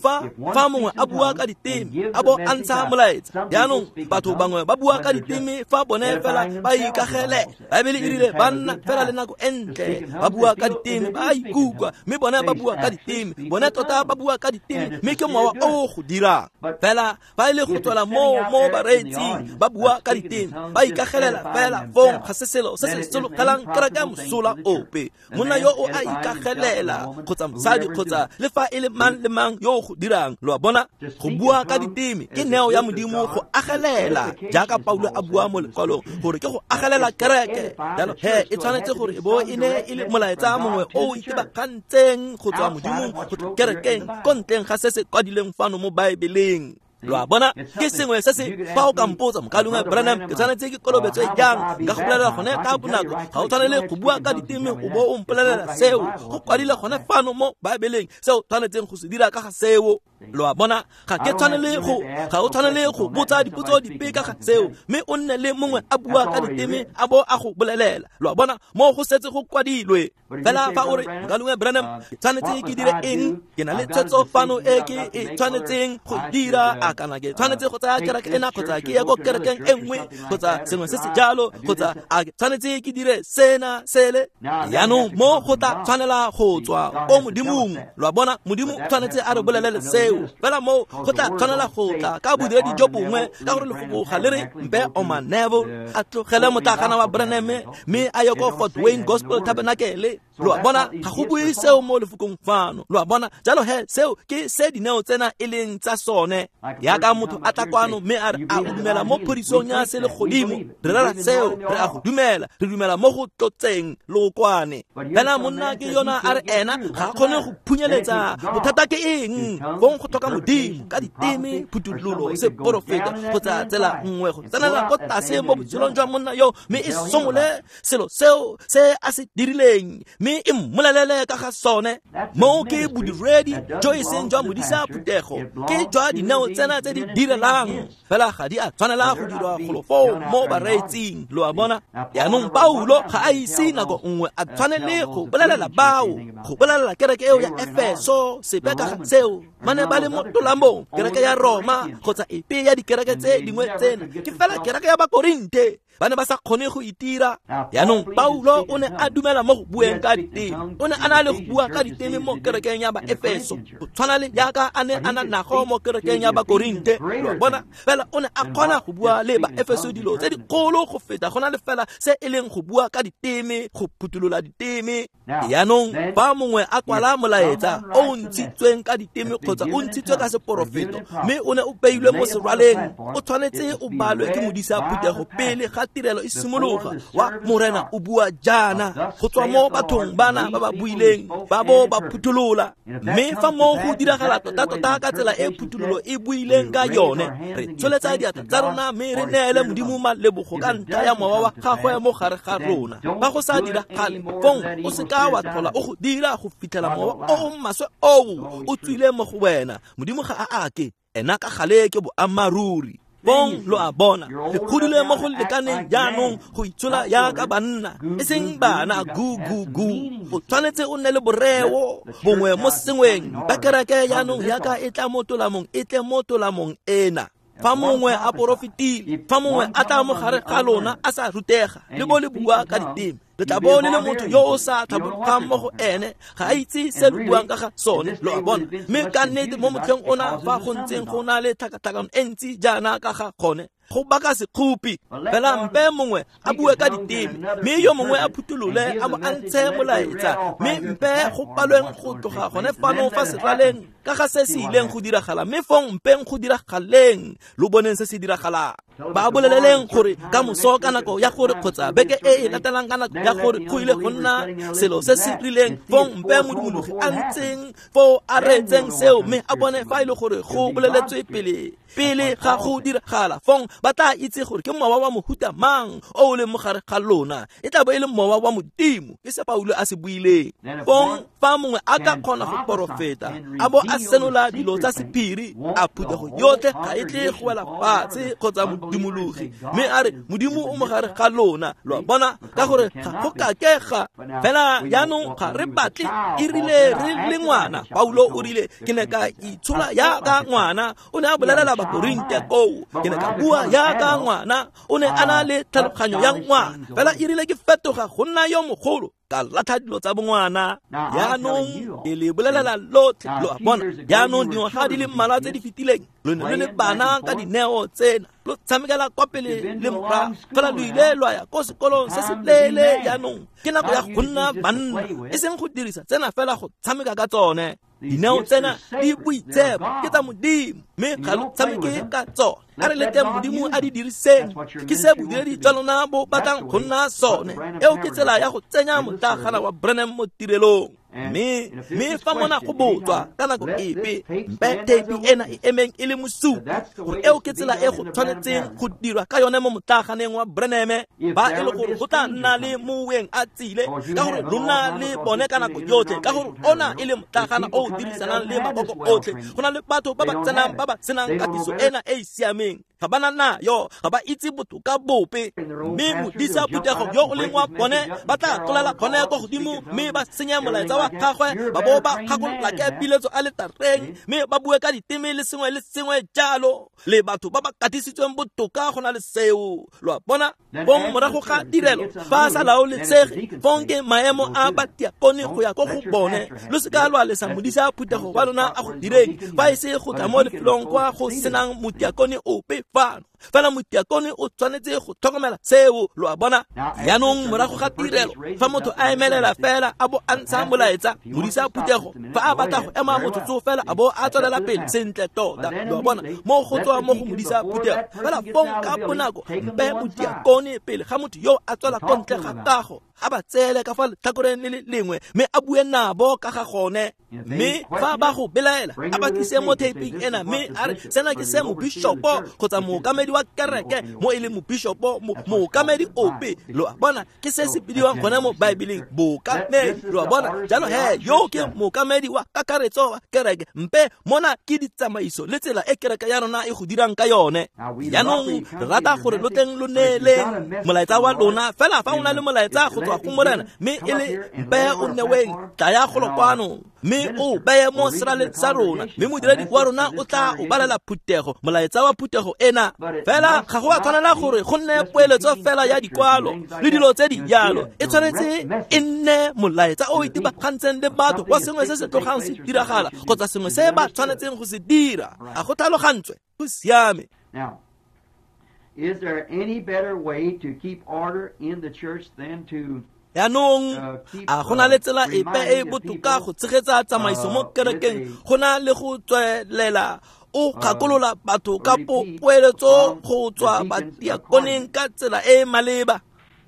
Speaker 1: fa mongwe a bua ka diteme a bo a ntsha molaetsa yaanong batho bangwe ba bua ka diteme fa bone fela ba ikagele baebele e rile ba nna fela le nako e ntle ba bua ka diteme ba ikutlwa mme bone ba bua ka diteme bone tota ba bua ka diteme mme ke mowa o go dirang fela fa e le go tswela mo bareetsing ba bua ka diteme ba ikagelela fela fong ga se selo se se sologelang kereke mosola ope monna yo o a ikagelela kgotsa mosadi kgotsa le fa e le mang le mang yo o go dirang lo a bona go bua ka diteme ke neo ya modimo go agelela jaaka Paulo a bua mo lekwalong gore ke go agelela kereke jalo he e tshwanetse gore e bo e ne e le molaetsa mongwe o o itebagantseng go tswa modimong go tla kerekeng ko ntleng ga se se kwadileng fano mo baebeleng lo a bona ke sengwe se se fa o ka mpotsa mokalengwe Branham ke tshwanetse ke kolobetswe jang nka go bolelela gone ka bonako ga o tshwanele go bua ka diteme o bo o mpolelela seo go kwadile gone fano mo baebeleng seo tshwanetseng go se dira ka ga seo lo a bona ga ke tshwanele go ga o tshwanele go botsa dipotso dipe ka ga seo mme o nne le mongwe a bua ka diteme a bo a go bolelela lo a bona mo go setse go kwadilwe fela fa o re mokalengwe Branham ke tshwanetse ke dire eng ke na le tshwetso fano e ke e tshwanetseng go dira a kana ke tshwanetse go tsaya kereke ena kgotsa ke ye ko kerekeng e nngwe kgotsa sengwe se se jalo kgotsa a ke tshwanetse ke dire sena sele yaanong mo go tla tshwanela go tswa ko modimong lo a bona modimo tshwanetse a re bolelele seo fela mo go tla tshwanela go tla ka bodiredi jo bongwe ka gore lefoko ga le re mpe Oma Neville a tlogele motlagana wa Branham mme a ye ko Fort Wayne Gospel Tabernacle lo a bona ga go bue seo mo lefokong fano lo a bona jalo he seo ke se dineo tsena e leng tsa sone yaka motho a tla kwano mme a re a o dumela mo phodisong ya selegodimo re rera seo re a go dumela re dumela mo go tlotseng lookwane fela monna ke yona a re ena ga a kgone go phunyeletsa bothata ke eng fong go tlhoka modimo ka diteme phuthololo seporofeta kgotsa tsela nngwe go tsenela ko tlase mo botshelong jwa monna yo mme e somole selo seo se a se dirileng mme e mmolelele ka ga sone moo ke bodiredi jo e seng jwa modisa phuthego ke jwa dineo tsena tse di direlang fela ga di a tshwanela go dirwa golo foo mo bareetsing lo a bona yaanong Paulo ga a ise nako nngwe a tshwanele go bolelela bao go bolelela kereke eo ya Efeso sepe ka ga seo ba ne ba le mo tolamong kereke ya Roma kgotsa epe ya dikereke tse dingwe tsena ke fela kereke ya Bakorinte ba ne ba sa kgone go itira yaanong Paulo o ne a dumela mo go bueng ka diteme o ne a na le go bua ka diteme mo kerekeng ya Baefeso go tshwana le jaaka a ne a na nago mo kerekeng ya Bakorinte lo a bona fela o ne a kgona go bua le Baefeso dilo tse dikgolo go feta go na le fela se e leng go bua ka diteme go phuthulola diteme yaanong fa mongwe a kwala molaetsa o o ntshitsweng ka diteme kgotsa o ntshitswe ka seporofeto mme o ne o beilwe mo serwaleng o tshwanetse o balwe ke modisa phuthego pele ga tirelo e simologa wa morena o bua jaana go tswa mo bathong bana ba ba buileng ba bo ba phutholola mme fa moo go diragala tota-tota ka tsela e phuthololo e buileng ka yone re tsholetsa diatla tsa rona mme re neele modimo malebogo ka ntlha ya mowa wa gagwe mo gare ga rona fa go sa diragale fong o se ka wa tlhola o go dira go fitlhela mowa o o maswe oo o tswile mo go wena modimo ga a ake ena ka gale ke boammaaruri bong lo a bona le godile mo go lekaneng jaanong go itshola yaka banna e seng bana gu gu gu o tshwanetse o nne le boreo bongwe mo sengweng ba kereke jaanong yaka e tla mo tolamong e tle mo tolamong ena. Fa mongwe a porofetile, fa mongwe a tla mo gare ga lona a sa rutega le bo le bua ka diteme, le tla bo le le motho yo o sa tlhabologang mo go ene, ga a itse se le buang ka ga sone, lo a bona. Mme ka nnete mo motlheng ona fa go ntseng go na le tlhakatlhakano e ntsi jaana ka ga gone, go baka sekgopi. Fela mpe mongwe a bue ka diteme, mme yo mongwe a phutholole a mo a ntshe molaetsa, mme mpe go palweng go tloga gone fano fa seraleng ka ga se se ileng go diragala, mme fong mpeng go diragaleng, lo boneng se se diragalang. Ba boleleleng gore ka moso ka nako ya gore kgotsa beke e e latelang ka nako ya gore go ile go nna selo se se rileng, fong mpe modumologi a ntseng foo a reetseng seo, mme a bone fa e le gore go boleletswe pele ga go diragala, fong ba tla itse gore ke mowa wa mohuta mang o o leng mo gare ga lona. E tla bo e le mowa wa Modimo, ke se Paulo a se buileng. Fong fa mongwe a ka kgona go porofeta a bo a senola dilo tsa sephiri, a phuthego yotlhe ga e tle go wela fatshe kgotsa modumologi, mme a re Modimo o mo gare ga lona, lo a bona, ka gore ga go kakega. Fela jaanong ga re batle, e rile re le ngwana, Paulo o rile ke ne ka itshola yaka ngwana, o ne a bolelela Bakorinte koo, ke ne ka bua yaka ngwana, o ne a na le tlhaloganyo ya ngwana, fela e rile ke fetoga go nna yo mogolo, ka latlha dilo tsa bongwana. Jaanong ke le bolelela lotlhe, lo a bona. Jaanong dingwaga di le mmalwa tse di fetileng lo ne lo le bana ka dineo tsena, lo tshamekela kwa pele le morago, fela lo ile lwa ya ko sekolong se se leele. Jaanong ke nako ya go nna banna, e seng go dirisa tsena fela go tshameka ka tsone. Dineo tsena di boitshepo, ke tsa Modimo, mme ga lo tshameke ka tsone. A re leteng Modimo a di diriseng, ke se bodiredi jwa lona bo batlang go nna sone. Eo ke tsela ya go tsenya motlagana wa Branham mo tirelong. Mme fa mona go botswa ka nako epe, mpe theipi ena e emeng e le mosupi gore eo ke tsela e go tshwanetseng go dirwa ka yone mo motlaganeng wa Branham. Ba e le gore go tla nna le moweng a tsile, ka gore lo nna le bone ka nako yotlhe, ka gore ona e le motlagana o o dirisanang le makoko otlhe. Go na le batho ba ba tsenang ba ba senang katiso ena e e siameng, ga ba na nayo, ga ba itse botoka bope, mme modisa phuthego yo o leng wa bone ba tla tlolela gone kwa godimo mme ba senya molaetsa wa gagwe, ba bo ba gakolola ke piletso a letareng, mme ba bue ka diteme le sengwe le sengwe jalo, le batho ba ba katisitsweng botoka go na le seo, lo a bona. Fong morago ga tirelo fa a sa laolesege, fong ke maemo a batiakone go ya ko go bone. Lo seka lwa lesa modisa phuthego wa lona a go direng, fa e se go tla mo lefelong kwa go senang motiakone ope fano. Fela motiakone o tshwanetse go tlhokomela seo, lo a bona. Jaanong morago ga tirelo fa motho a emelela fela a bo a ntsha molaetsa, modisa phuthego fa a batla go ema motsotso fela a bo a tswelela pele sentle tota, lo a bona, mo go tswa mo go modisa phuthego. Fela fong ka bonako mpe motiakone pele ga motho yo a tswela ko ntle ga kago, a ba tseele ka fa letlhakoreng le le lengwe, mme a bue nabo ka ga gone. Mme fa ba go belaela, a ba tlise mo theiping ena, mme a re sena ke se mobishopo kgotsa mookamedi wa kereke, mo e leng mobishopo, mookamedi ope, lo a bona, ke se se bidiwang gone mo Baebeleng bookamedi, lo a bona. Jalo he yo ke mookamedi wa kakaretso wa kereke, mpe mona ke ditsamaiso le tsela e kereke ya rona e go dirang ka yone. Jaanong re rata gore lo tleng lo neeleng molaetsa wa lona, fela fa o na le molaetsa go tswa go Morena, mme e le mpe o neweng, tlaya golo kwano mme o beye mo seraleng sa rona, mme modiredi wa rona o tla o balela phuthego molaetsa wa phuthego ena. Fela ga go a tshwanela gore go nne poeletso fela ya dikwalo le dilo tse di jalo, e tshwanetse e nne molaetsa o itebagantseng le batho wa sengwe se se tlogang se diragala kgotsa sengwe se ba tshwanetseng go se dira. A go tlhalogantswe? Go siame.
Speaker 2: Is there any better way to keep order in the church than to
Speaker 1: Jaanong a go na le tsela epe e e botoka go tshegetsa tsamaiso mo kerekeng go na le go tswelela o gakolola batho ka poeletso go tswa batiakoneng ka tsela e e maleba?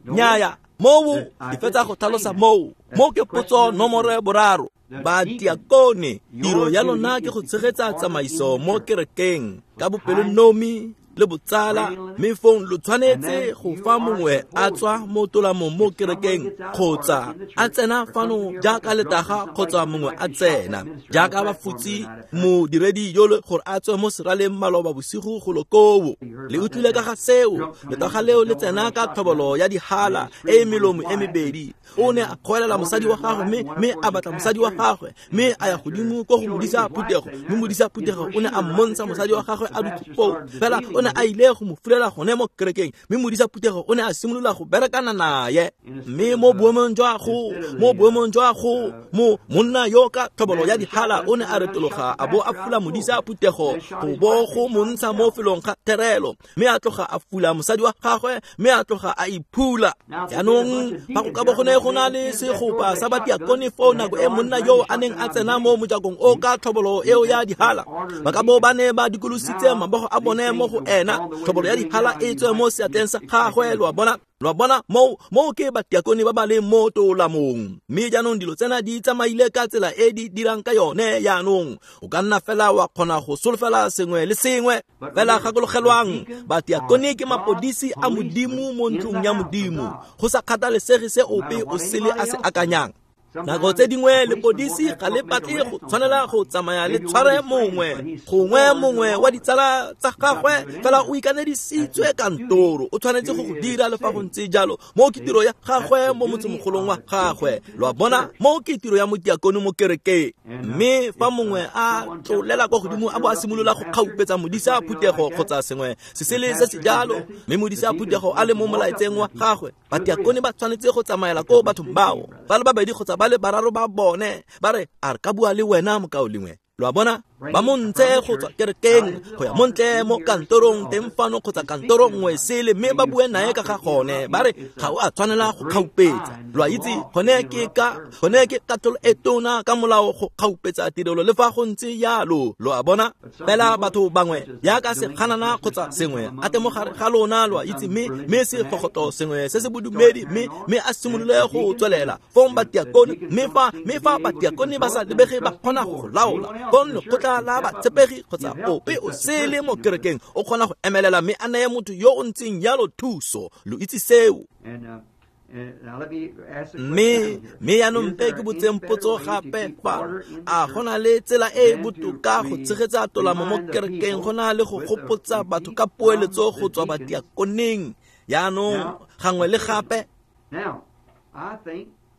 Speaker 1: Nnyaya, moo ke fetsa go tlhalosa moo. Mo ke potso nomoro ya boraro. Batiakone, tiro ya lona ke go tshegetsa tsamaiso mo kerekeng ka bopelonomi le botsala, mme fong lo tshwanetse go fa mongwe a tswa mo tolamong mo kerekeng kgotsa a tsena fano jaaka letaga kgotsa mongwe a tsena jaaka bafutsi modiredi yole gore a tswe mo seraleng maloba bosigo golo koo. Le utlwile ka ga seo, letaga leo le tsena ka tlhobolo ya dihala e melomo e mebedi. O ne a kgoelela mosadi wa gagwe mme a batla mosadi wa gagwe mme a ya godimo ko go modisa phuthego, mme modisa phuthego o ne a mmontsha mosadi wa gagwe a dutse foo. Fela o ne a ile go mo fulela gone mo kerekeng, mme modisa phuthego o ne a simolola go berekana naye. Mme mo boemong jwa go mo monna yo ka tlhobolo ya dihala o ne a retologa a bo a fula modisa phuthego go bo go montsha mo felong ga therelo, mme a tloga a fula mosadi wa gagwe mme a tloga a iphula. Jaanong fa go ka bo go ne go na le segopa sa batiakone foo nako e monna yo a neng a tsena mo mojakong o ka tlhobolo eo ya dihala, ba ka bo ba ne ba dikolositse mabogo a bone mo go ena, tlhobolo ya dihala e tswe mo seatleng sa gagwe. Lo a bona moo ke batiakone ba ba leng mo tolamong. Mme jaanong dilo tsena di tsamaile ka tsela e di dirang ka yone. Jaanong o ka nna fela wa kgona go solofela sengwe le sengwe. Fela gakologelwang, batiakone ke mapodisi a Modimo mo ntlong ya Modimo, go sa kgathalesege se ope o sele a se akanyang. Nako tse dingwe lepodisi ga le batle go tshwanela go tsamaya le tshware mongwe, gongwe mongwe wa ditsala tsa gagwe, fela o ikanedisitswe kantoro, o tshwanetse go go dira le fa go ntse jalo. Moo ke tiro ya gagwe mo motsemogolong wa gagwe. Lo a bona, moo ke tiro ya motiakone mo kerekeng. Mme fa mongwe a tlolela kwa godimo a bo a simolola go kgaupetsa modisa phuthego kgotsa sengwe se sele se se jalo, mme modisa phuthego a le mo molaetseng wa gagwe, batiakone ba tshwanetse go tsamaela ko bathong bao ba le babedi kgotsa ba le bararo ba bone, ba re a re ka bua le wena mokaulengwe. Lo a bona, ba mo ntshe go tswa kerekeng go ya montle mo kantorong teng fano kgotsa kantoro nngwe sele, mme ba bue naye ka ga gone, ba re ga o a tshwanela go kgaupetsa. Lo a itse, gone ke katlholo e tona ka molao go kgaupetsa tirelo le fa go ntse jalo. Lo a bona, fela batho bangwe jaaka seganana kgotsa sengwe a te mo gare ga lona, lo a itse, mme segogoto sengwe se se bodumedi, mme a simolole go tswelela fong batiakone. Mme fa batiakone ba sa lebege ba kgona go laola, fong lekgotla la batshepegi kgotsa ope o sele mo kerekeng o kgona go emelela mme a neye motho yo o ntseng jalo thuso. Lo itse seo. Mme jaanong mpe ke botseng potso gape fa a go na le tsela e e botoka go tshegetsa tolamo mo kerekeng go na le go gopotsa batho ka poeletso go tswa batiakoneng jaanong gangwe le gape?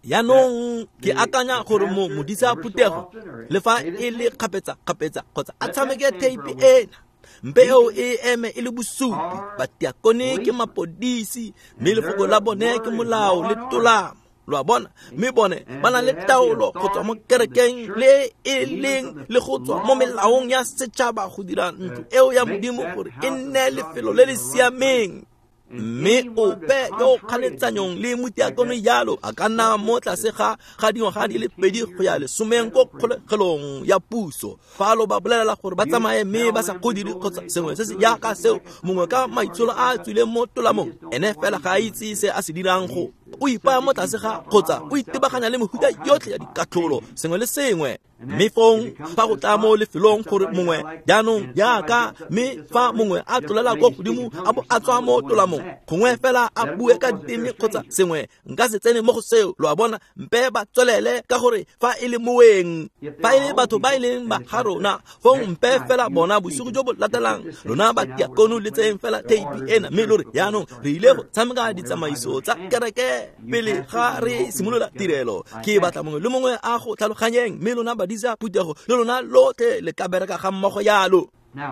Speaker 1: Jaanong ke akanya gore mo modisa phuthego le fa e le kgapetsa-kgapetsa kgotsa a tshameke theipi ena, mpe eo e eme e le bosupi. Batiakone ke mapodisi, mme lefoko la bone ke molao le tolamo. Lo a bona, mme bone ba na le taolo go tswa mo kerekeng le e leng le go tswa mo melaong ya setšhaba go dira ntlo eo ya Modimo gore e nne lefelo le le siameng. Mme ope yo kganetsanyong le motiakone jalo a ka nna mo tlase ga dingwaga di le 2 go ya 10 ko kgolegelong ya puso. Fa lo ba bolelela gore ba tsamaye mme ba sa go dire kgotsa sengwe se se jaaka seo, mongwe ka maitsholo a a tswileng mo tolamong, ene fela ga a itse se a se dirang, go o ipaya mo tlase ga kgotsa o itebaganya le mehuta yotlhe ya dikatlholo, sengwe le sengwe. Mme fong fa go tla mo lefelong gore mongwe jaanong jaaka mme fa mongwe a tlolela ko godimo a bo a tswa mo tolamong, gongwe fela a bue ka diteme kgotsa sengwe, nka se tsene mo go seo. Lo a bona, mpe ba tswelele ka gore fa e le moeng, fa e le batho ba e leng ba ga rona, fong mpe fela bona bosigo jo bo latelang lona batiakone le tseyeng fela theipi ena, mme lo re jaanong re ile go tshameka ditsamaiso tsa kereke pele ga re simolola tirelo. Ke batla mongwe le mongwe a go tlhaloganyeng, mme lona badisa phuthego le lona lotlhe le ka bereka ga mmogo jalo.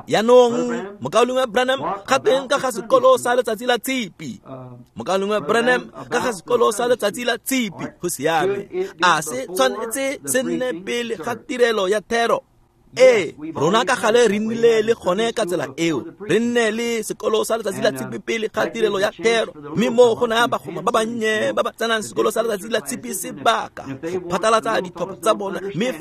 Speaker 1: Jaanong mokaulengwe Branham ga teng ka ga sekolo sa letsatsi la tshipi. Mokaulengwe Branham ka ga sekolo sa letsatsi la tshipi, go siame, a se tshwanetse se nne pele ga tirelo ya thero? Ee, rona ka gale re nnile le gone ka tsela eo, re nne le sekolo sa letsatsi la tshipi pele ga tirelo ya thero, mme mo go naya bagoma ba bannye ba ba tsenang sekolo sa letsatsi la tshipi sebaka go phatlalatsa ditlhopha tsa bona. Mme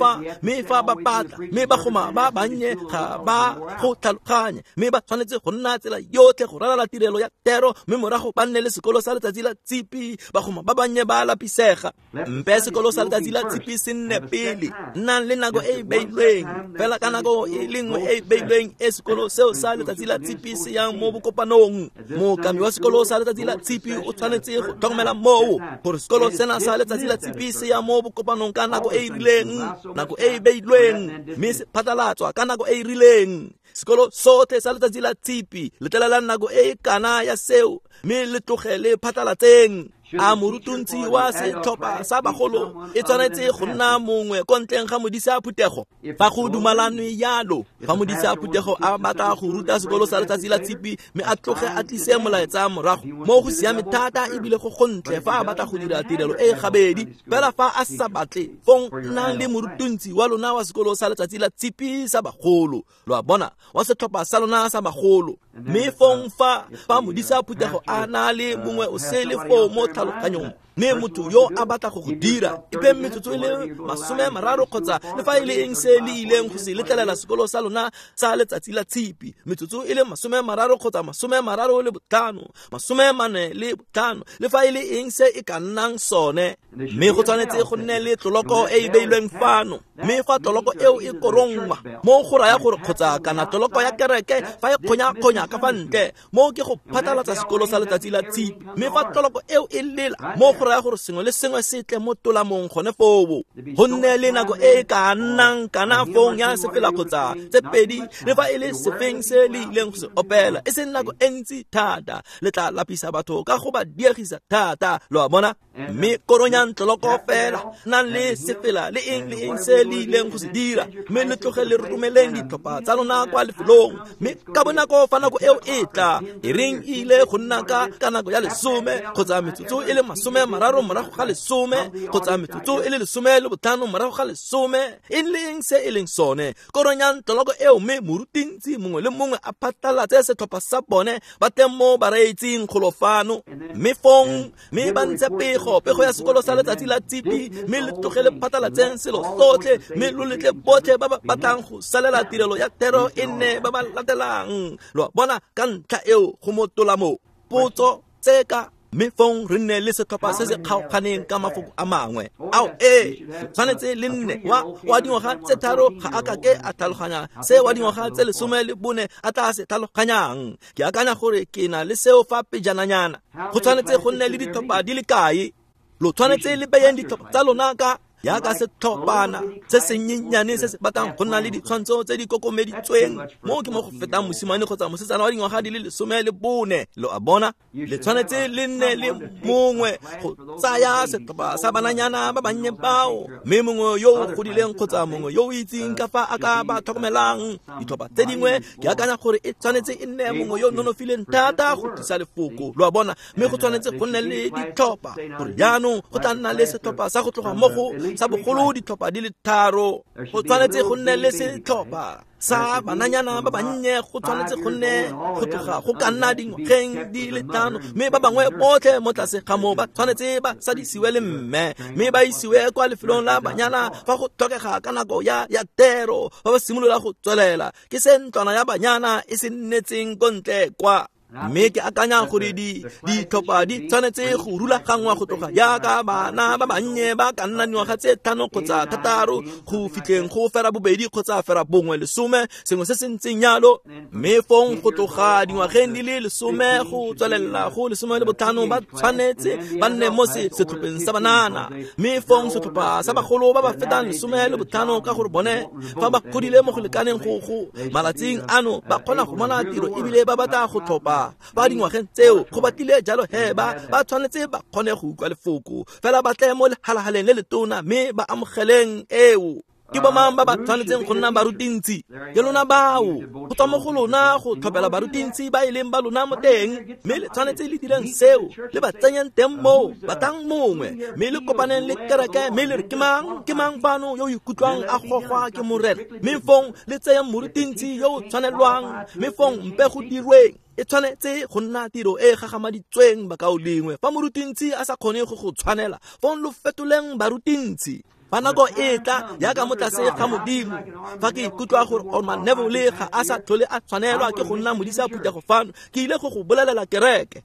Speaker 1: fa ba batla, mme bagoma ba bannye ga ba go tlhaloganye, mme ba tshwanetse go nna tsela yotlhe go ralala tirelo ya thero, mme morago ba nne le sekolo sa letsatsi la tshipi. Bagoma ba bannye ba lapisega. Mpe sekolo sa letsatsi la tshipi se nne pele, nnang le nako e e beilweng. Fela ka nako e le nngwe e beilweng e sekolo seo sa letsatsi la tshipi se yang mo bokopanong. Mookamedi wa sekolo sa letsatsi la tshipi o tshwanetse go tlhokomela moo gore sekolo sena sa letsatsi la tshipi se ya mo bokopanong ka nako e e rileng, nako e e beilweng, mme se phatlalatswa ka nako e e rileng. Sekolo sotlhe sa letsatsi la tshipi letlelela nako e e kana ya seo mme le tloge le phatlalatseng. A morutuntsi wa setlhopha sa bagolo e tshwanetse go nna mongwe ko ntleng ga modisa phuthego? Fa go dumalanwe yalo, fa modisa phuthego a batla go ruta sekolo sa letsatsi la tshipi mme a tloge a tlise molaetsa morago, mo go siame thata ebile go gontle fa a batla go dira tirelo e gabedi. Fela fa a sa batle, fong nnang le morutuntsi wa lona wa sekolo sa letsatsi la tshipi sa bagolo, lo a bona, wa setlhopha sa lona sa bagolo. Mme fong fa modisa phuthego a na le mongwe o sele foo mo tlhaloganyong, mme motho yo a batla go go dira, ipe metsotso e le 30 kgotsa le fa e le eng se le ileng go se letlelela sekolo sa lona sa letsatsi la tshipi, metsotso e le 30 kgotsa 35, 45, le fa e le eng se e ka nnang sone. Mme go tshwanetse go nne le tloloko e e beilweng fano, mme fa tloloko eo e korongwa, mo go raya gore kgotsa kana tloloko ya kereke fa e kgonya-kgonya ka fa ntle, mo ke go phatlalatsa sekolo sa letsatsi la tshipi. Mme fa tloloko eo e lela, mo go raya gore sengwe le sengwe se tle mo tolamong gone foo. Go nne le nako e e ka nnang kana fong ya sefela kgotsa tse pedi, le fa e le sefeng se le ileng go se opela, e seng nako e ntsi thata, le tla lapisa batho ka go ba diegisa thata, lo a bona. Mme koronyang tloloko fela, nang le sefela le eng le eng se le ileng go se dira, mme le tloge le romeleng ditlhopha tsa lona kwa lefelong. Mme ka bonako fa nako eo e tla, e reng e ile go nna ka nako ya 10 kgotsa metsotso e le 30 morago ga 10 kgotsa metsotso e le 15 morago ga 10, e leng se e leng sone, koronyang tloloko eo, mme morutintsi mongwe le mongwe a phatlalatse setlhopha sa bone ba teng mo bareetsing golo fano. Mme fong mme ba ntshe pego ya sekolo sa letsatsi la tshipi, mme le tloge le phatlalatseng selo sotlhe, mme lo letle botlhe ba ba batlang go salela tirelo ya thero e nne ba ba latelang. Lo a bona, ka ntlha eo go mo tolamong. Potso tseka, mme fong re nne le setlhopha se se kgaoganeng ka mafoko a mangwe. Ao ee, tshwanetse le nne wa dingwaga tse 3 ga a ka ke a tlhaloganya se wa dingwaga tse 14 a tla se tlhaloganyang. Ke akanya gore ke na le seo fa pejananyana. Go tshwanetse go nne le ditlhopha di le kae? Lo tshwanetse le beyeng ditlhopha tsa lona ka yaka setlhophana se senyenyane se se batlang go nna le ditshwantsho tse di kokomeditsweng. Mo ke mo go fetang mosimane kgotsa mosetsana wa dingwaga di le 14, lo a bona. Le tshwanetse le nne le mongwe go tsaya setlhopha sa bananyana ba bannye bao, mme mongwe yo o godileng kgotsa mongwe yo o itseng ka fa a ka ba tlhokomelang. Ditlhopha tse dingwe ke akanya gore e tshwanetse e nne mongwe yo nonofileng thata go tlisa lefoko, lo a bona. Mme go tshwanetse go nne le ditlhopha gore jaanong go tla nna le setlhopha sa go tloga mo go sa bogolo ditlhopha di le 3. Go tshwanetse go nne le setlhopha sa bananyana ba bannye, go tshwanetse go nne go tloga go ka nna dingwageng di le 5, mme ba bangwe botlhe mo tlase ga moo ba tshwanetse ba sadisiwe le mme, mme ba isiwe kwa lefelong la banyana fa go tlhokega ka nako ya thero, fa ba simolola go tswelela. Ke se ntlwana ya banyana e se nnetseng ko ntle kwa. Mme ke akanya gore ditlhopha di tshwanetse go rulaganngwa go tloga yaka bana ba bannye ba ka nna dingwaga tse 5 kgotsa 6 go fitlheng go 2 kgotsa 1 10, sengwe se se ntseng yalo. Mme fong go tloga dingwageng di le 10 go tswelela go 15 ba tshwanetse ba nne mo setlhopheng sa banana. Mme fong setlhopha sa bagolo ba ba fetang 15, ka gore bone fa ba godile mo go lekaneng go malatsing ano ba kgona go bona tiro ebile ba batla go tlhopha ba dingwageng tseo go batlile jalo he ba tshwanetse ba kgone go utlwa lefoko fela ba tle mo lehalahaleng le letona mme ba amogeleng eo. Ke bomang ba ba tshwanetseng go nna barutintsi? Ke lona bao. Go tswa mo go lona go tlhophela barutintsi ba e leng ba lona mo teng, mme le tshwanetse le direng seo, le ba tsenyeng teng moo, batlang mongwe, mme le kopaneng le kereke, mme le re ke mang fano yo o ikutlwang a gogwa ke Morena, mme fong le tseyeng morutintsi yo o tshwanelwang, mme fong mpe go dirweng. E tshwanetse go nna tiro e gagamaditsweng bakaulengwe. Fa morutintsi a sa kgone go go tshwanela, fong lo fetoleng barutintsi. Fa nako e tla yaka mo tlase ga Modimo, fa ke ikutlwa gore Orman Neville ga a sa tlhole a tshwanelwa ke go nna modisa phuthego fano, ke ile go go bolelela kereke.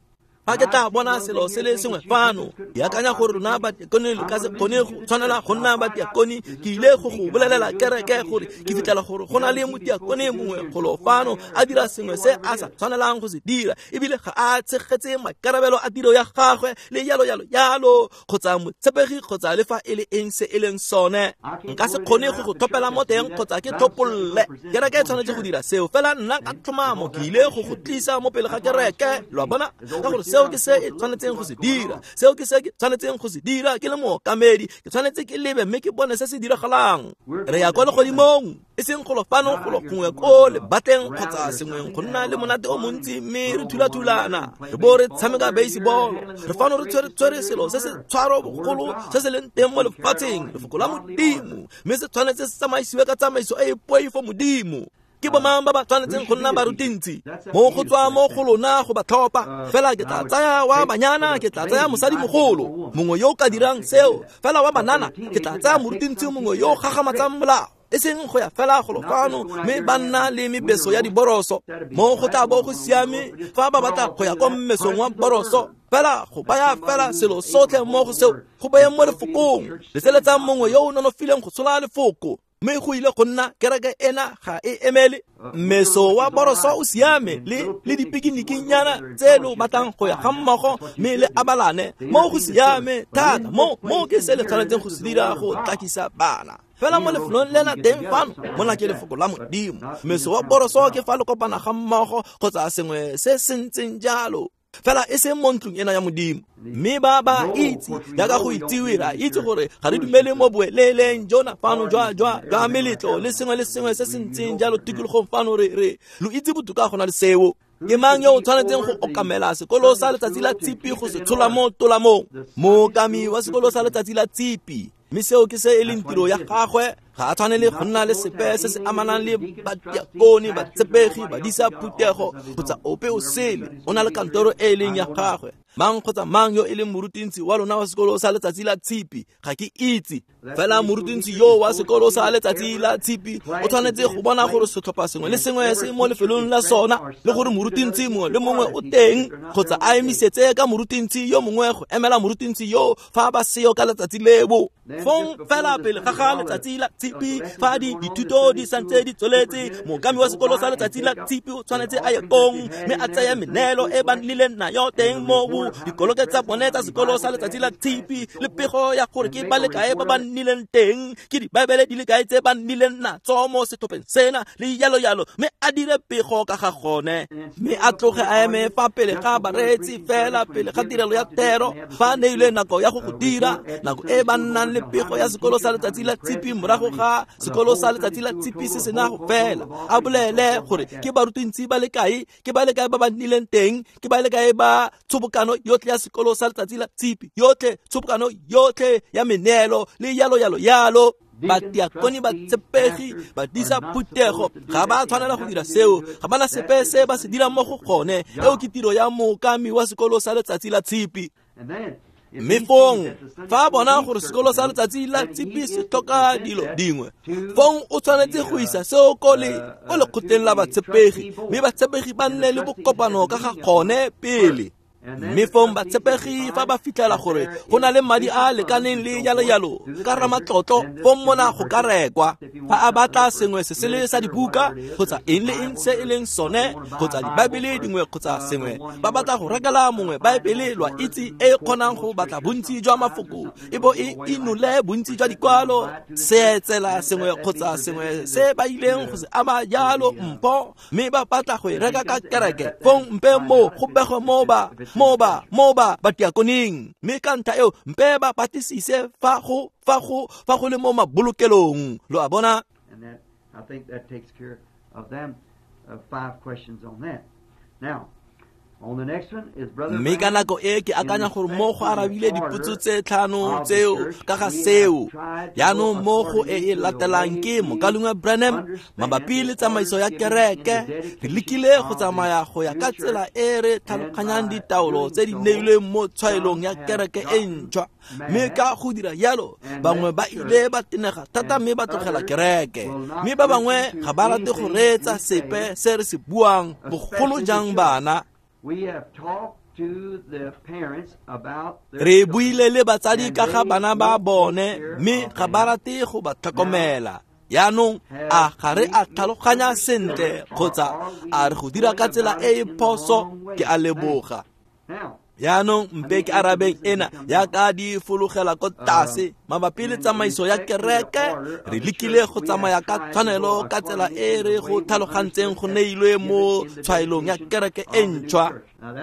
Speaker 1: Fa ke tla bona selo se le sengwe fano, ke akanya gore rona batiakone le ka se kgone go tshwanela go nna batiakone. Ke ile go go bolelela kereke gore ke fitlhela gore go na le motiakone mongwe golo fano a dira sengwe se a sa tshwanelang go se dira, ebile ga a tshegetse maikarabelo a tiro ya gagwe le yalo yalo yalo, kgotsa motshepegi kgotsa le fa e le eng se e leng sone. Nka se kgone go go tlhophela mo teng kgotsa ke tlhopolle. Kereke e tshwanetse go dira seo, fela nna ka tlhomamo ke ile go go tlisa mo pele ga kereke, lo a bona, ka gore seo ke se e tshwanetseng go se dira, seo ke se ke tshwanetseng go se dira ke le mookamedi. Ke tshwanetse ke lebe mme ke bone se se diragalang. Re ya kwa legodimong, e seng golo fano golo gongwe ko lebatleng kgotsa sengweng go nna le monate o montsi mme re thulathulana re bo re tshameka baseball. Re fano re tshwere selo se se tshwaro bogolo se se leng teng mo lefatsheng, lefoko la Modimo, mme se tshwanetse se tsamaisiwe ka tsamaiso e e poifo Modimo. Ke bomang ba ba tshwanetseng go nna barutintsi? Mo go tswa mo go lona go ba tlhopha. Fela ke tla tsaya wa banyana, ke tla tsaya mosadimogolo mongwe yo o ka dirang seo. Fela wa banana, ke tla tsaya morutintsi mongwe yo o gagamatsang molao, e seng go ya fela golo fano mme ba nna le mebeso ya diboroso. Mo go tla bo go siame fa ba batla go ya kwa mmesong wa boroso, fela go baya fela selo sotlhe mo go seo, go bayeng mo lefokong. Leseletsang mongwe yo o nonofileng go tshola lefoko, mme go ile go nna kereke ena ga e emele. Mmeso wa boroso o siame le dipikinikinyana tse lo batlang go ya ga mmogo mme le abalane, mo go siame thata. Mo ke se le tshwanetseng go se dira go tlakisa bana. Fela mo lefelong lena teng fano, mona ke lefoko la Modimo. Mmeso wa boroso ke fa le kopana ga mmogo kgotsa sengwe se se ntseng jalo, fela e seng mo ntlong ena ya Modimo. Mme ba ba itse, jaaka go itsiwe, ra itse gore ga re dumele mo boeleleng jona fano jwa meletlo le sengwe le sengwe se se ntseng jalo tikologong fano. Re lo itse botoka go na le seo. Ke mang yo o tshwanetseng go okamela sekolo sa letsatsi la tshipi go se tshola mo tolamong? Mookami wa sekolo sa letsatsi la tshipi, mme seo ke se e leng tiro ya gagwe. Ga a tshwanele go nna le sepe se se amanang le batiakone, batshepegi, badisa phuthego kgotsa ope o sele. O na le kantoro e e leng ya gagwe. Mang kgotsa mang yo e leng morutintsi wa lona wa sekolo sa letsatsi la tshipi, ga ke itse. Fela morutintsi yo wa sekolo sa letsatsi la tshipi o tshwanetse go bona gore setlhopha sengwe le sengwe se mo lefelong la sona, le gore morutintsi mongwe le mongwe o teng, kgotsa a emisetse ka morutintsi yo mongwe go emela morutintsi yo fa ba seo ka letsatsi leo. Fong fela pele ga ga letsatsi la tshipi, fa dithuto di santse di tsweletse, mookami wa sekolo sa letsatsi la tshipi o tshwanetse a ye kong mme a tseye meneelo e ba nnileng nayo teng mo dikoloke tsa bone tsa sekolo sa letsatsi la tshipi, le pego ya gore ke ba le kae ba ba nnileng teng, ke dibaebele di le kae tse ba nnileng natso mo setlhopheng sena, le yalo yalo, mme a dire pego ka ga gone. Mme a tloge a eme fa pele ga bareetsi fela pele ga tirelo ya thero, fa neilwe nako ya go go dira, nako e ba nnang le pego ya sekolo sa letsatsi la tshipi morago ga sekolo sa letsatsi la tshipi se sena go fela, a bolele gore ke barutintsi ba le kae, ke ba le kae ba ba nnileng teng, ke ba le kae ba tshobokano yotlhe ya sekolo sa letsatsi la tshipi, yotlhe tshobokano yotlhe ya meneelo le yalo yalo yalo. Batiakone, batshepegi, badisa phuthego ga ba tshwanela go dira seo, ga bana sepe se ba se dirang mo go gone. Eo ke tiro ya mookami wa sekolo sa letsatsi la tshipi. Mme fong fa bona gore sekolo sa letsatsi la tshipi se tlhoka dilo dingwe, fong o tshwanetse go isa seo ko lekgotleng la batshepegi, mme batshepegi ba nne le bokopano ka ga gone pele. Mme fong batshepegi fa ba fitlhela gore go na le madi a a lekaneng le yalo yalo ka ramatlotlo, fong mona go ka rekwa. Fa a batla sengwe se sele sa dibuka kgotsa eng le eng se e leng sone, kgotsa dibaebele dingwe kgotsa sengwe, ba batla go rekela mongwe baebele, lwa itse, e kgonang go batla bontsi jwa mafoko e bo e inole bontsi jwa dikwalo, seetsela sengwe kgotsa sengwe se ba ileng go se ama jalo mpho, mme ba batla go e reka ka kereke, fong mpe mo go begwe mo ba batiakoneng, mme ka ntlha eo mpe ba batlisise fa go le mo mabolokelong, lo a bona.
Speaker 2: And that, I think that takes care of them, 5 questions on that. Now,
Speaker 1: Mme ka nako e ke akanya gore mo go arabile dipotso tse tlhano tseo ka ga seo. Jaanong mo go e e latelang ke Mokalengwe Branham mabapi le tsamaiso ya kereke. Re lekile go tsamaya go ya ka tsela e re tlhaloganyang ditaolo tse di neilweng mo tshwaelong ya kereke e ntšhwa. Mme ka go dira jalo, bangwe ba ile ba tenega thata mme ba tlogela kereke. Mme ba bangwe ga ba rate go reetsa sepe se re se buang, bogolo jang bana. Re buile le batsadi ka ga bana ba bone, mme ga ba rate go ba tlhokomela. Yaanong a ga re a tlhaloganya sentle kgotsa a re go dira ka tsela e e phoso? Ke a leboga. Yaanong mpe ke arabeng ena yaka di fologela ko tlase mabapi le tsamaiso ya kereke. Re lekile go tsamaya ka tshwanelo ka tsela e re go tlhalogantseng go neilwe mo tshwaelong ya kereke e ntšhwa.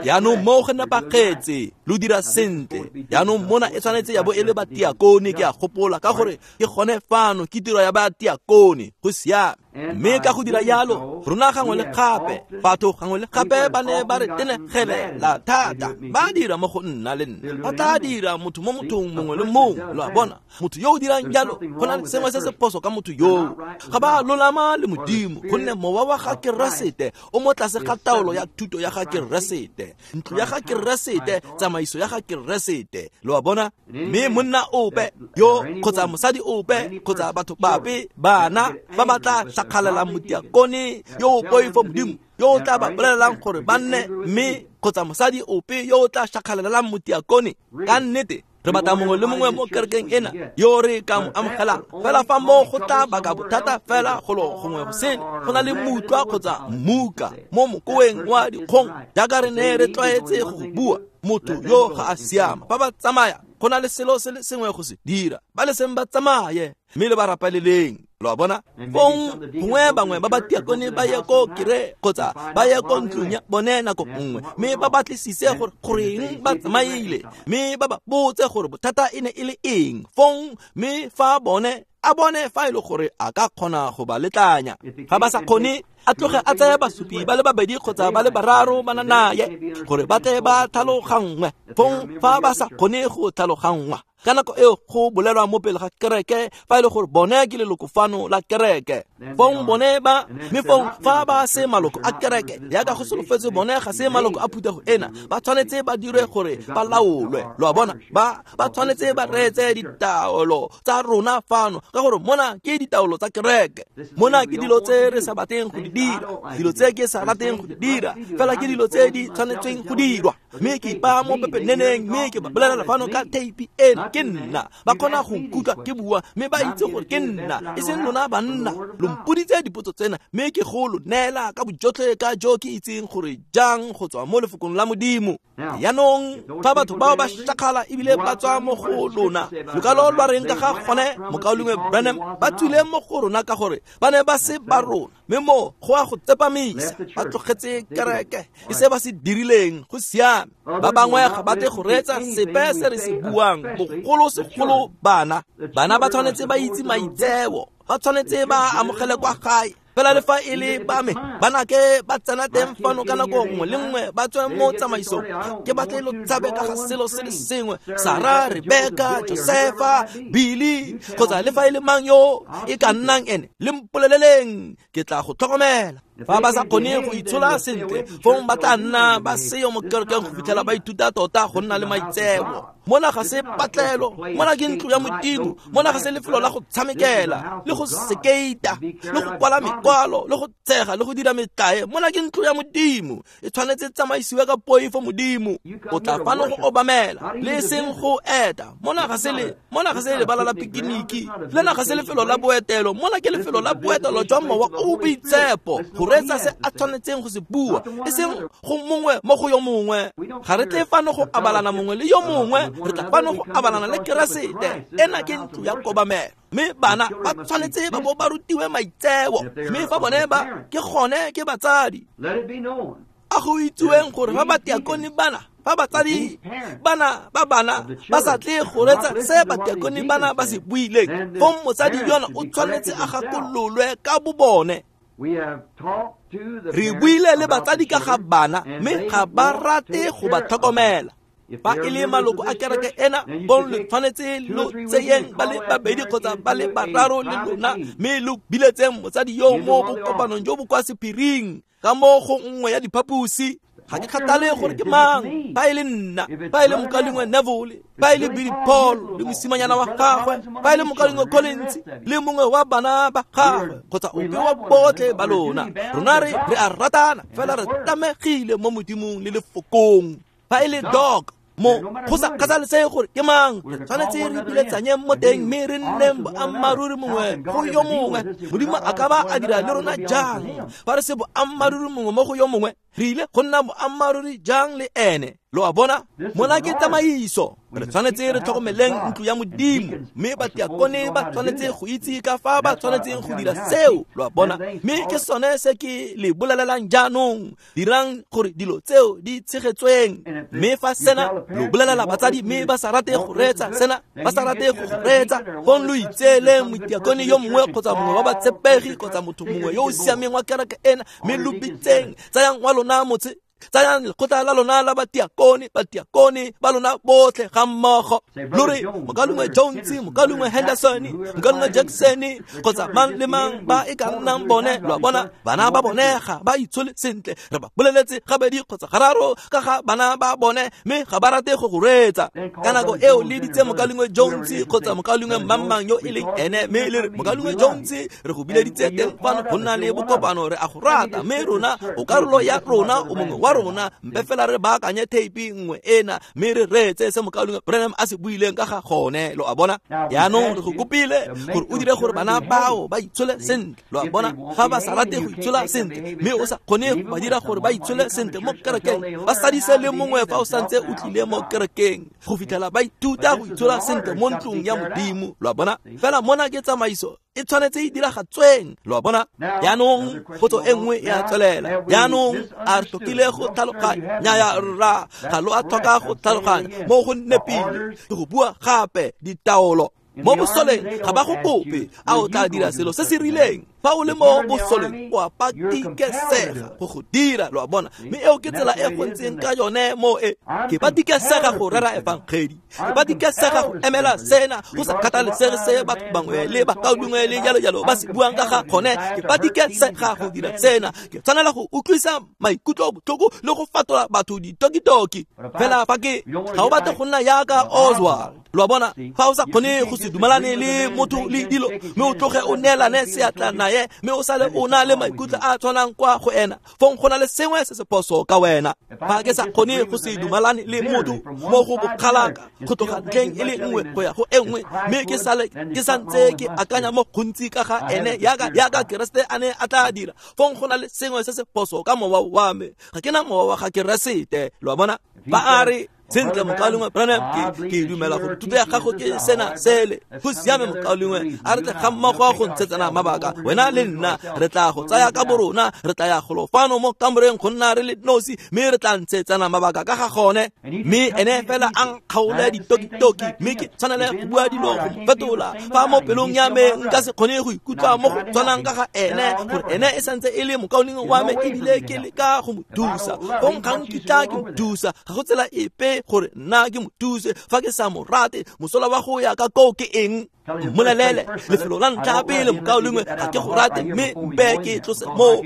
Speaker 1: Yaanong mo go nepagetse, lo dira sentle. Yaanong mona e tshwanetse ya bo e le batiakone, ke a gopola, ka gore ke gone fano ke tiro ya batiakone. Go siame. Mme ka go dira yalo, rona gangwe le gape, batho gangwe le gape ba ne ba re tenegelela thata. Ba dira mo go nna le nna, ba tla dira motho mo mothong mongwe le mongwe. Lo a bona, motho yo o dirang jalo, go na le sengwe se se phoso ka motho yoo. Ga ba lolama le Modimo, gonne mowa wa ga Keresete o mo tlase ga taolo ya thuto ya ga Keresete, ntlo ya ga Keresete, tsamaiso ya ga Keresete. Lo a bona? Mme monna ope yo kgotsa mosadi ope kgotsa batho bape bana ba ba tla shakgalela motiakone yo o poifo Modimo, yo o tla ba bolelelang gore ba nne, mme kgotsa mosadi ope yo o tla shakgalelang motiakone. Ka nnete re batla mongwe le mongwe mo kerekeng ena yo re ka mo amogelang. Fela fa mo go tla baka bothata fela golo gongwe go sele, go na le mutlwa kgotsa mmuka mo mokoeng wa dikgong, jaaka re ne re tlwaetse go bua, motho yo ga a siama. Fa ba tsamaya, go na le selo se le sengwe go se dira, ba le seng ba tsamaye, mme le ba rapaleleng. Lo a bona? Fong gongwe bangwe ba batiakone ba ye ko kere kgotsa ba ye ko ntlong ya bone nako nngwe, mme ba batlisise gore goreng ba tsamaile, mme ba ba botse gore bothata e ne e le eng. Fong mme fa bone a bone fa e le gore a ka kgona go ba letlanya. Ga ba sa kgone, a tloge a tseye basupi ba le babedi kgotsa ba le bararo ba na naye gore ba tle ba tlhaloganngwe. Fong fa ba sa kgone go tlhaloganngwa, ka nako eo go bolelwa mo pele ga kereke fa e le gore bone ke leloko fano la kereke. Fong bone ba, mme fong fa ba se maloko a kereke, yaka go solofetse bone ga se maloko a phuthego ena, ba tshwanetse ba dirwe gore ba laolwe. Lo a bona? Ba tshwanetse ba reetse ditaolo tsa rona fano, ka gore mona ke ditaolo tsa kereke. Mona ke dilo tse re sa batleng go di dira, dilo tse ke sa rateng go di dira, fela ke dilo tse di tshwanetseng go dirwa. Mme ke ipaya mo pepeneneng, mme ke ba bolelela fano ka theipi ena, ke nna. Ba kgona go nkutlwa ke bua, mme ba itse gore ke nna, e seng lona banna. Lo mpoditse dipotso tsena, mme ke go lo neela ka bojotlhe ka jo ke itseng gore jang go tswa mo lefokong la Modimo. Yaanong fa batho bao ba shakgala ebile ba tswa mo go lona, lokalo lwa reng ka ga gone, mokaulengwe Branham? Ba tswile mo go rona ka gore ba ne ba se ba rona, mme mo go a go tsepamisa, ba tlogetse kereke e se ba se dirileng. Go siame. Ba bangwe ga ba tle go reetsa sepe se re se buang, bogolo segolo bana. Bana ba tshwanetse ba itse maitseo, ba tshwanetse ba amogele kwa gae. Fela le fa e le ba me, bana ke ba tsena teng fano ka nako nngwe le nngwe, ba tswe mo tsamaisong. Ke batle lo tshabe ka ga selo se le sengwe, Sara, Rebeka, Josefa, Billy, kgotsa le fa e le mang yo e ka nnang ene, le mpoleleleng, ke tla go tlhokomela. Fa ba sa kgone go itshola sentle, fong ba tla nna ba seyo mo kerekeng go fitlhela ba ithuta tota go nna le maitseo. Mona ga se patlelo, mona ke ntlo ya Modimo, mona ga se lefelo la go tshamekela, le go sekeita, le go kwala mekwalo, le go tshega, le go dira metlae. Mona ke ntlo ya Modimo, e tshwanetse tsamaisiwe ka poifo Modimo. O tla fano go obamela, le seng go eta. Mona ga se lebala la pikiniki, lena ga se lefelo la boetelo. Mona ke lefelo la boetelo jwa mowa o boitshepo, go reetsa se a tshwanetseng go se bua, e seng go mongwe mo go yo mongwe. Ga re tle fano go abalana mongwe le yo mongwe, re tla fano go abalana le Keresete. Ena ke ntlo ya kobamelo, mme bana ba tshwanetse ba bo ba rutiwe maitseo. Mme fa bone ba ke gone ke batsadi, a go itsiweng gore fa batiakone bana, fa batsadi bana ba bana ba sa tle go reetsa se batiakone bana ba se buileng, fong motsadi yona o tshwanetse a gakololwe ka bobone. Re buile le batsadi ka ga bana, mme ga ba rate go ba tlhokomela. Fa e le maloko a kereke ena, bong le tshwanetse lo tseyeng ba le babedi kgotsa ba le bararo le lona, mme lo biletseng motsadi yo mo bokopanong jo bo kwa sephiring ka mo go nngwe ya diphaposi. Ga ke kgathale gore ke mang, fa e le nna, fa e le mokaulengwe Neville, fa e le Billy Paul le mosimanyana wa gagwe, fa e le mokaulengwe Collins le mongwe wa bana ba gagwe, kgotsa ope wa botlhe ba lona. Rona re a ratana, fela re tlamegile mo Modimong le lefokong. Fa e le dog mo go sa kgathalesege gore ke mang, tshwanetse re biletsanyeng mo teng mme re nneng boammaaruri mongwe go yo mongwe. Modimo a ka ba a dira le rona jang fa re se boammaaruri mongwe mo go yo mongwe? Re ile go nna boammaaruri jang le ene? Lo a bona, mona ke tsamaiso. Re tshwanetse re tlhokomeleng ntlo ya Modimo, mme batiakone ba tshwanetse go itse ka fa ba tshwanetseng go dira seo. Lo a bona, mme ke sone se ke le bolelelang jaanong. Dirang gore dilo tseo di tshegetsweng. Mme fa sena lo bolelela batsadi mme ba sa rate go reetsa sena, ba sa rate go reetsa, fong lo itseeleng motiakone yo mongwe kgotsa mongwe wa batshepegi kgotsa motho mongwe yo o siameng wa kereke ena, mme lo bitseng, tsayang wa lona motse, tsayang lekgotla la lona la batiakone, batiakone ba lona botlhe ga mmogo. Lo re mokalungwe Jones, mokalungwe Henderson, mokalungwe Jackson, kgotsa mang le mang ba e ka nnang bone. Lo a bona, bana ba bone ga ba itshole sentle. Re ba boleletse gabedi kgotsa gararo ka ga bana ba bone, mme ga ba rate go go reetsa. Ka nako eo le ditse mokalungwe Jones kgotsa mokalungwe mang yo e leng ene, mme le re mokalungwe Jones, re go bileditse teng fano go nna le bokopano, re a go rata, mme rona o karolo ya rona, o mongwe wa rona, mpe fela re baakanye theipi nngwe ena mme re reetse se mokalungwe Branham a se buileng ka ga gone. Lo a bona, jaanong re go kopile gore o dire gore bana bao ba itshole sentle. Lo a bona, ga ba sa rate go itshola sentle mme o sa kgone go ba dira gore ba itshole sentle mo kerekeng, ba sadise le mongwe fa o santse o tlile mo kerekeng go fitlhela ba ithuta go itshola sentle mo ntlong ya Modimo. Lo a bona, fela mona ke tsamaiso e tshwanetse e diragatsweng. Lo a bona, jaanong potso e nngwe e a tswelela. Jaanong a re tlhokile go tlhaloganya? Nnyaya rra, ga lo a tlhoka go tlhaloganya mo go nepile. Ke go bua gape, ditaolo mo bosoleng ga ba go kope a o tla dira selo se se rileng. Fa o le mo bosoleng o a patikesega go go dira. Lo a bona, mme eo ke tsela e go ntseng ka yone mo e. Ke patikesega go rera efangedi, ke patikesega go emela sena, go sa kgathalesege se batho bangwe le bakaulengwe le jalo jalo ba se buang ka ga gone. Ke patikesega go dira sena, ke tshwanela go utlwisa maikutlo botlhoko le go fatola batho ditokitoki. Fela fa ke ga o batle go nna yaka Oswald. Lo a bona, fa o sa kgone go se dumalane le motho le dilo, mme o tloge o neelane seatla naye, mme o sale o na le maikutlo a tshwanang kwa go ena, fong go na le sengwe se se phoso ka wena. Fa ke sa kgone go se dumalane le motho mo go bokgalaka go tloga ntlheng e le nngwe go ya go e nngwe, mme ke sale ke santse ke akanya mo gontsi ka ga ene yaka Keresete a ne a tla dira, fong go na le sengwe se se phoso ka mowa wa me. Ga ke na mowa wa ga Keresete. Lo a bona, ba a re sentle mokalungwe Branham, ke dumela gore thuto ya gago ke sena sele. Go siame mokalungwe, a re tle ga mmogo go ntshetsana mabaka, wena le nna re tla go tsaya ka borona, re tla ya golo fano mo kamoreng go nna re le nosi, mme re tla ntshetsana mabaka ka ga gone. Mme ene fela a nkgaole ditokitoki, mme ke tshwanele go bua dilo go mo fetola. Fa mo pelong ya me nka se kgone go ikutlwa mo go tshwanang ka ga ene, gore ene e santse e le mokaulengwe wa me ebile ke leka go mo thusa, fong ga nkitla ke mo thusa. Ga go tsela epe gore nna ke mo thuse fa ke sa mo rate. Mosola wa go ya ka koo ke eng? Mmolelele lefelo la ntlha pele, mokaulengwe, ga ke go rate, mme mpe ke tlose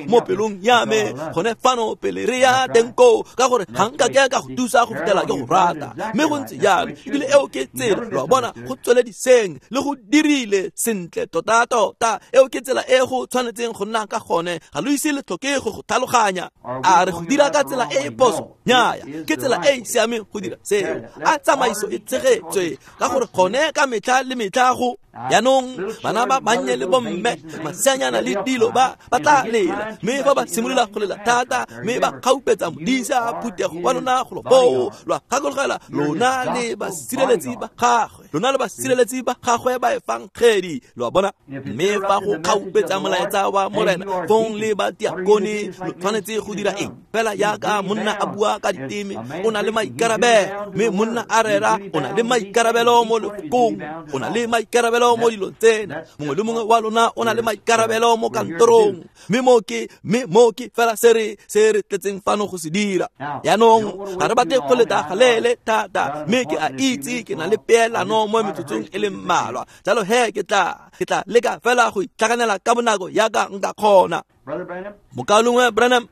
Speaker 1: mo pelong ya me gone fano pele re ya teng koo, ka gore ga nka ke ka go thusa go fitlhela ke go rata. Mme go ntse jalo, ebile eo ke tsela. Lo a bona, go tswelediseng le go dirile sentle tota-tota. Eo ke tsela e go tshwanetseng go nna ka gone. Ga lo ise le tlhoke go go tlhaloganya. A re go dira ka tsela e e phoso? Nnyaya, ke tsela e e siameng go dira seo. A tsamaiso e tshegetswe, ka gore gone ka metlha le metlha go. Jaanong bana ba bannye le bomme, maseanyana le dilo ba tla lela, mme fa ba simolola go lela thata, mme ba kgaupetsa modisa phuthego wa lona golo foo. Lo a gakologela, lona le basireletsi ba gagwe, lona le basireletsi ba gagwe ba efangedi. Lo a bona, mme fa go kgaupetsa molaetsa wa Morena, fong le batiakone lo tshwanetse go dira eng? Fela yaka monna a bua ka diteme, o na le maikarabelo, mme monna a rera, o na le maikarabelo mo lefokong, o na le maikarabelo mo dilong tsena. Mongwe le mongwe wa lona o na le maikarabelo mo kantorong, mme mo ke fela se re tletseng fano go se dira. Jaanong ga re batle go leta galele thata, mme ke a itse ke na le peelano mo metsotsong e le mmalwa, jalo he ke tla leka fela go itlhaganela ka bonako yaka nka kgona. Mokalungwe Branham,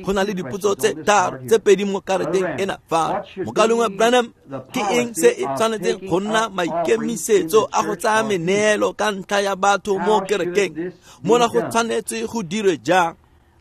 Speaker 1: go na le dipotso tse tharo tse pedi mo kareteng ena fa. Mokalungwe Branham, ke eng se e tshwanetseng go nna maikemisetso a go tsaya meneelo ka ntlha ya batho mo kerekeng? Mona go tshwanetse go dirwe jang?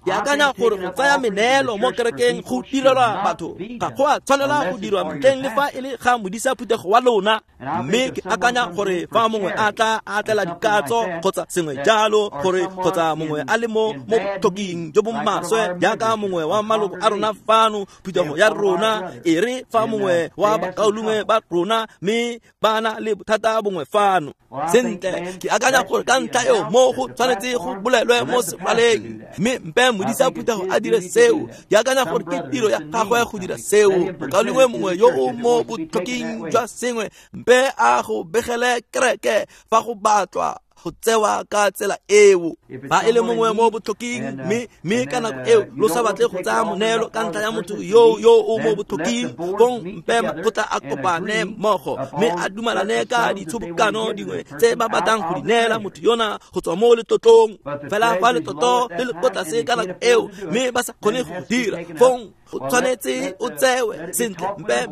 Speaker 1: Ke akanya gore go tsaya meneelo mo kerekeng go direlwa batho ga go a tshwanela go dirwa ntleng le fa e le ga modisa phuthego wa lona. Mme ke akanya gore fa mongwe a tla a tlela dikatso kgotsa sengwe jalo, gore kgotsa mongwe a le mo botlhoking jo bo maswe jaaka mongwe wa maloko a rona fano phuthego ya rona, e re fa mongwe wa bakaulengwe ba rona mme ba na le bothata bongwe fano. Sentle, ke akanya gore ka ntlha eo mo go tshwanetse go bolelwe mo seraleng, mme mpe modisa phuthego a dire seo. Ke akanya gore ke tiro ya gagwe go dira seo. Mokaulengwe mongwe yo o mo botlhoking jwa sengwe, mpe a go begele kereke fa go batlwa go tsewa ka tsela eo. Fa e le mongwe mo botlhoking, mme ka nako eo lo sa batle go tsaya moneelo ka ntlha ya motho yo o mo botlhoking, fong mpe makgotla a kopane mmogo mme a dumalane ka ditshobokano dingwe tse ba batlang go di neela motho yona go tswa mo letlotlong. Fela fa letlotlo le le ko tlase ka nako eo mme ba sa kgone go dira, fong go tshwanetse o tsewe. Sentle, mpe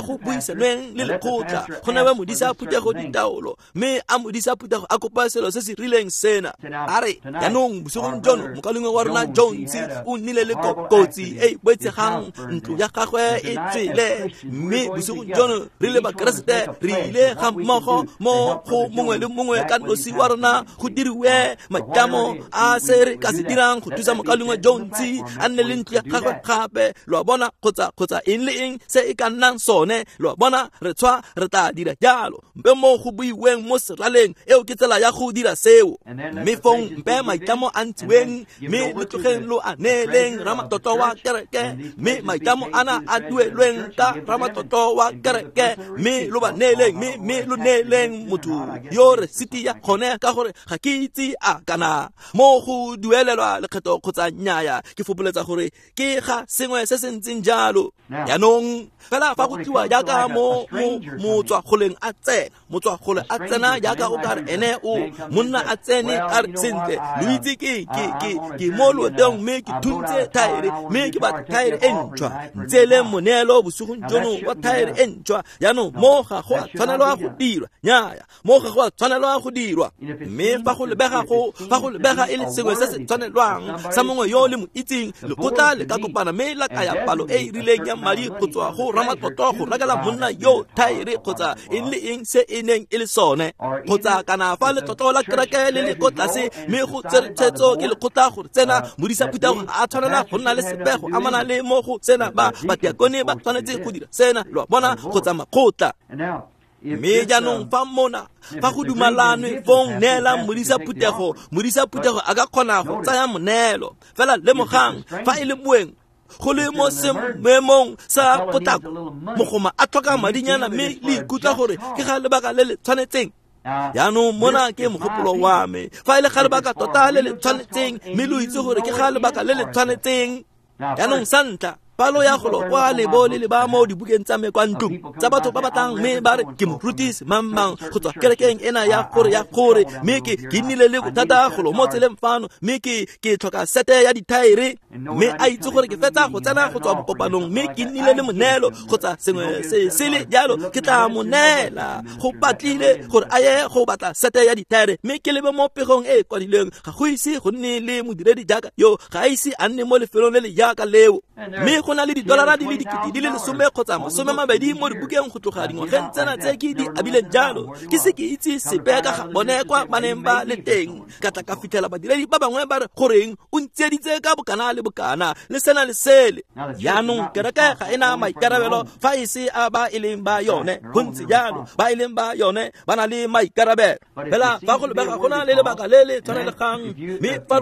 Speaker 1: go buisanweng le lekgotla, go newe modisa phuthego ditaolo, mme a modisa phuthego a kopa selo se se rileng sena. A re jaanong bosigong jono mokaulengwe wa rona Jones o nnile le kotsi e e boitshegang, ntlo ya gagwe e tswele, mme bosigong jono re le Bakeresete re ile ga mmogo mo go mongwe le mongwe ka nosi wa rona go diriwe maitlamo a se re ka se dirang go thusa mokaulengwe Jones a nne le ntlo ya gagwe gape. Lo a bona, kgotsa eng le eng se e ka nnang sone, lo a bona, re tshwa re tla dira jalo. Mpe mo go buiweng mo seraleng, eo ke tsela ya go dira seo. Mme fong mpe maitlamo a ntshiweng, mme le tlogeng lo a neeleng ramatlotlo wa kereke, mme maitlamo ana a duelweng ka ramatlotlo wa kereke, mme lo ba neeleng, mme lo neeleng motho yo resiti ya gone, ka gore ga ke itse a kana mo go duelelwa lekgetho kgotsa nnyaya. Ke fopoletsa gore ke ga sengwe se se ntseng jalo. Jaanong fela fa go tliwa jaaka mo motswagoleng a tsena, motswagole a tsena jaaka o ka re ene o monna a tsene a re sentle, lo itse ke mo loetong mme ke thuntse thaere, mme ke batla thaere e ntšhwa, ntseeleng moneelo bosigong jono wa thaere e ntšhwa. Jaanong mo ga go a tshwanelwa go dirwa, nnyaya, mo ga go a tshwanelwa go dirwa. Mme fa go lebega e le sengwe se se tshwanelwang sa mongwe yo le mo itseng, lekgotla le ka kopana mme la kaya palo e e rileng ya madi go tswa go ramatlotlo go rekela monna yo thaere kgotsa eng le eng se e neng e le sone. Kgotsa kana fa letlotlo la kereke le le ko tlase mme go tsere tshwetso ke lekgotla gore tsena modisa phuthego a tshwanela go nna le sebego amana le mo go sena, ba badiakone ba tshwanetse go dira sena, lo a bona, kgotsa makgotla. Mme jaanong fa mona fa go dumalanwe, fong neelang modisa phuthego, modisa phuthego a ka kgona go tsaya moneelo. Fela lemogang, fa e le moeng go le mo seemong sa potlako, mogoma a tlhoka madinyana mme le ikutlwa gore ke ga lebaka le le tshwanetseng. Jaanong mona ke mogopolo wa me, fa e le ga lebaka tota le le tshwanetseng, mme lo itse gore ke ga lebaka le le tshwanetseng. Jaanong sa ntlha, palo ya golo kwa lebo le leba mo dibukeng tsa me kwa ntlong tsa batho ba batlang mme ba re ke morutisi mang go tswa kerekeng ena ya gore mme ke nnile le bothata golo mo tseleng fano, mme ke tlhoka sete ya dithaere, mme a itse gore ke fetsa go tsena go tswa bokopanong mme ke nnile le moneelo kgotsa sengwe se sele jalo, ke tla mo neela. Go batlile gore a ye go batla sete ya dithaere, mme ke lebe mo pegong e e kwadilweng, ga go ise go nne le modiredi jaaka yo, ga a ise a nne mo lefelong le le jaaka leo. Mme go na le didolara di le 10,000 kgotsa 20 mo dibukeng go tloga dingwageng tsena tse ke di abileng jalo. Ke se ke itse sepe ka ga bone kwa ba neng ba le teng. Ka tla ka fitlhela badiredi ba bangwe ba re goreng o ntsieditse ka bokana le bokana le sena le sele. Jaanong kereke ga e na maikarabelo fa e se a ba e leng ba yone. Go ntse jalo, ba e leng ba yone ba na le maikarabelo. Fela fa go lebega go na le lebaka le le tshwanelegang, mme fa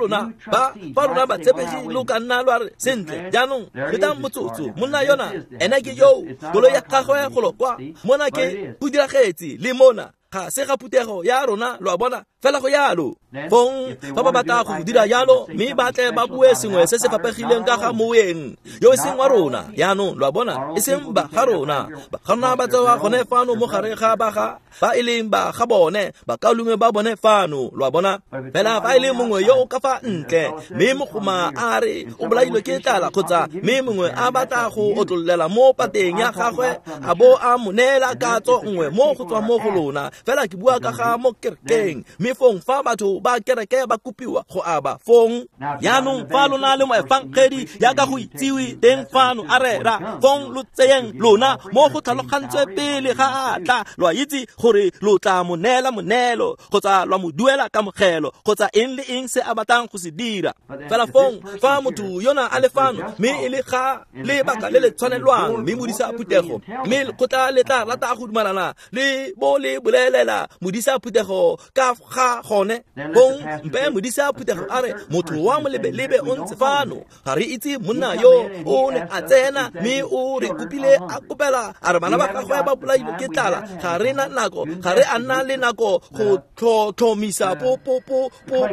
Speaker 1: lona batshepegi lo ka nna lwa re sentle, jaanong letang motsotso, monna yona ene ke yo, koloi ya gagwe golo kwa, mona ke go diragetse le mona, ga se ga phuthego ya rona, lo a bona, fela go yalo. Fong fa ba batla go dira jalo, mme ba tle ba bue sengwe se se fapegileng ka ga moeng yo e seng wa rona. Jaanong lo a bona, e seng ba ga rona, ba ga rona ba tsewa gone fano mo gare ga ba ga ba e leng ba ga bone, bakaulengwe ba bone fano, lo a bona. Fela fa e le mongwe yo o ka fa ntle, mme mogoma a re o bolailwe ke tlala, kgotsa mme mongwe a batla go otlollela mo pateng ya gagwe, a bo a mo neela katso nngwe mo go tswa mo go lona, Fela ke bua ka ga mo kerekeng, mme fong fa batho ba kereke ba kopiwa go aba fong jaanong fa lona le moefangedi jaaka go itsiwe teng fano a rera, fong lo tseyeng lona mo go tlhalogantswe pele ga a tla, lo a itse gore lo tla mo neela moneelo kgotsa lwa mo duela kamogelo kgotsa eng le eng se a batlang go se dira. Fela fong fa motho yona a le fano mme e le ga lebaka le le tshwanelwang, mme modisa phuthego mme lekgotla le tla rata go dumalana le bo le bolelela modisa phuthego ka ga gone, fong mpe modisa phuthego a re motho wa molebelebe o ntse fano, ga re itse monna yo o ne a tsena mme o re kopile a kopela a re bana ba gagwe ba bolailwe ke tlala, ga re na nako, ga re a nna le nako go tlhotlhomisa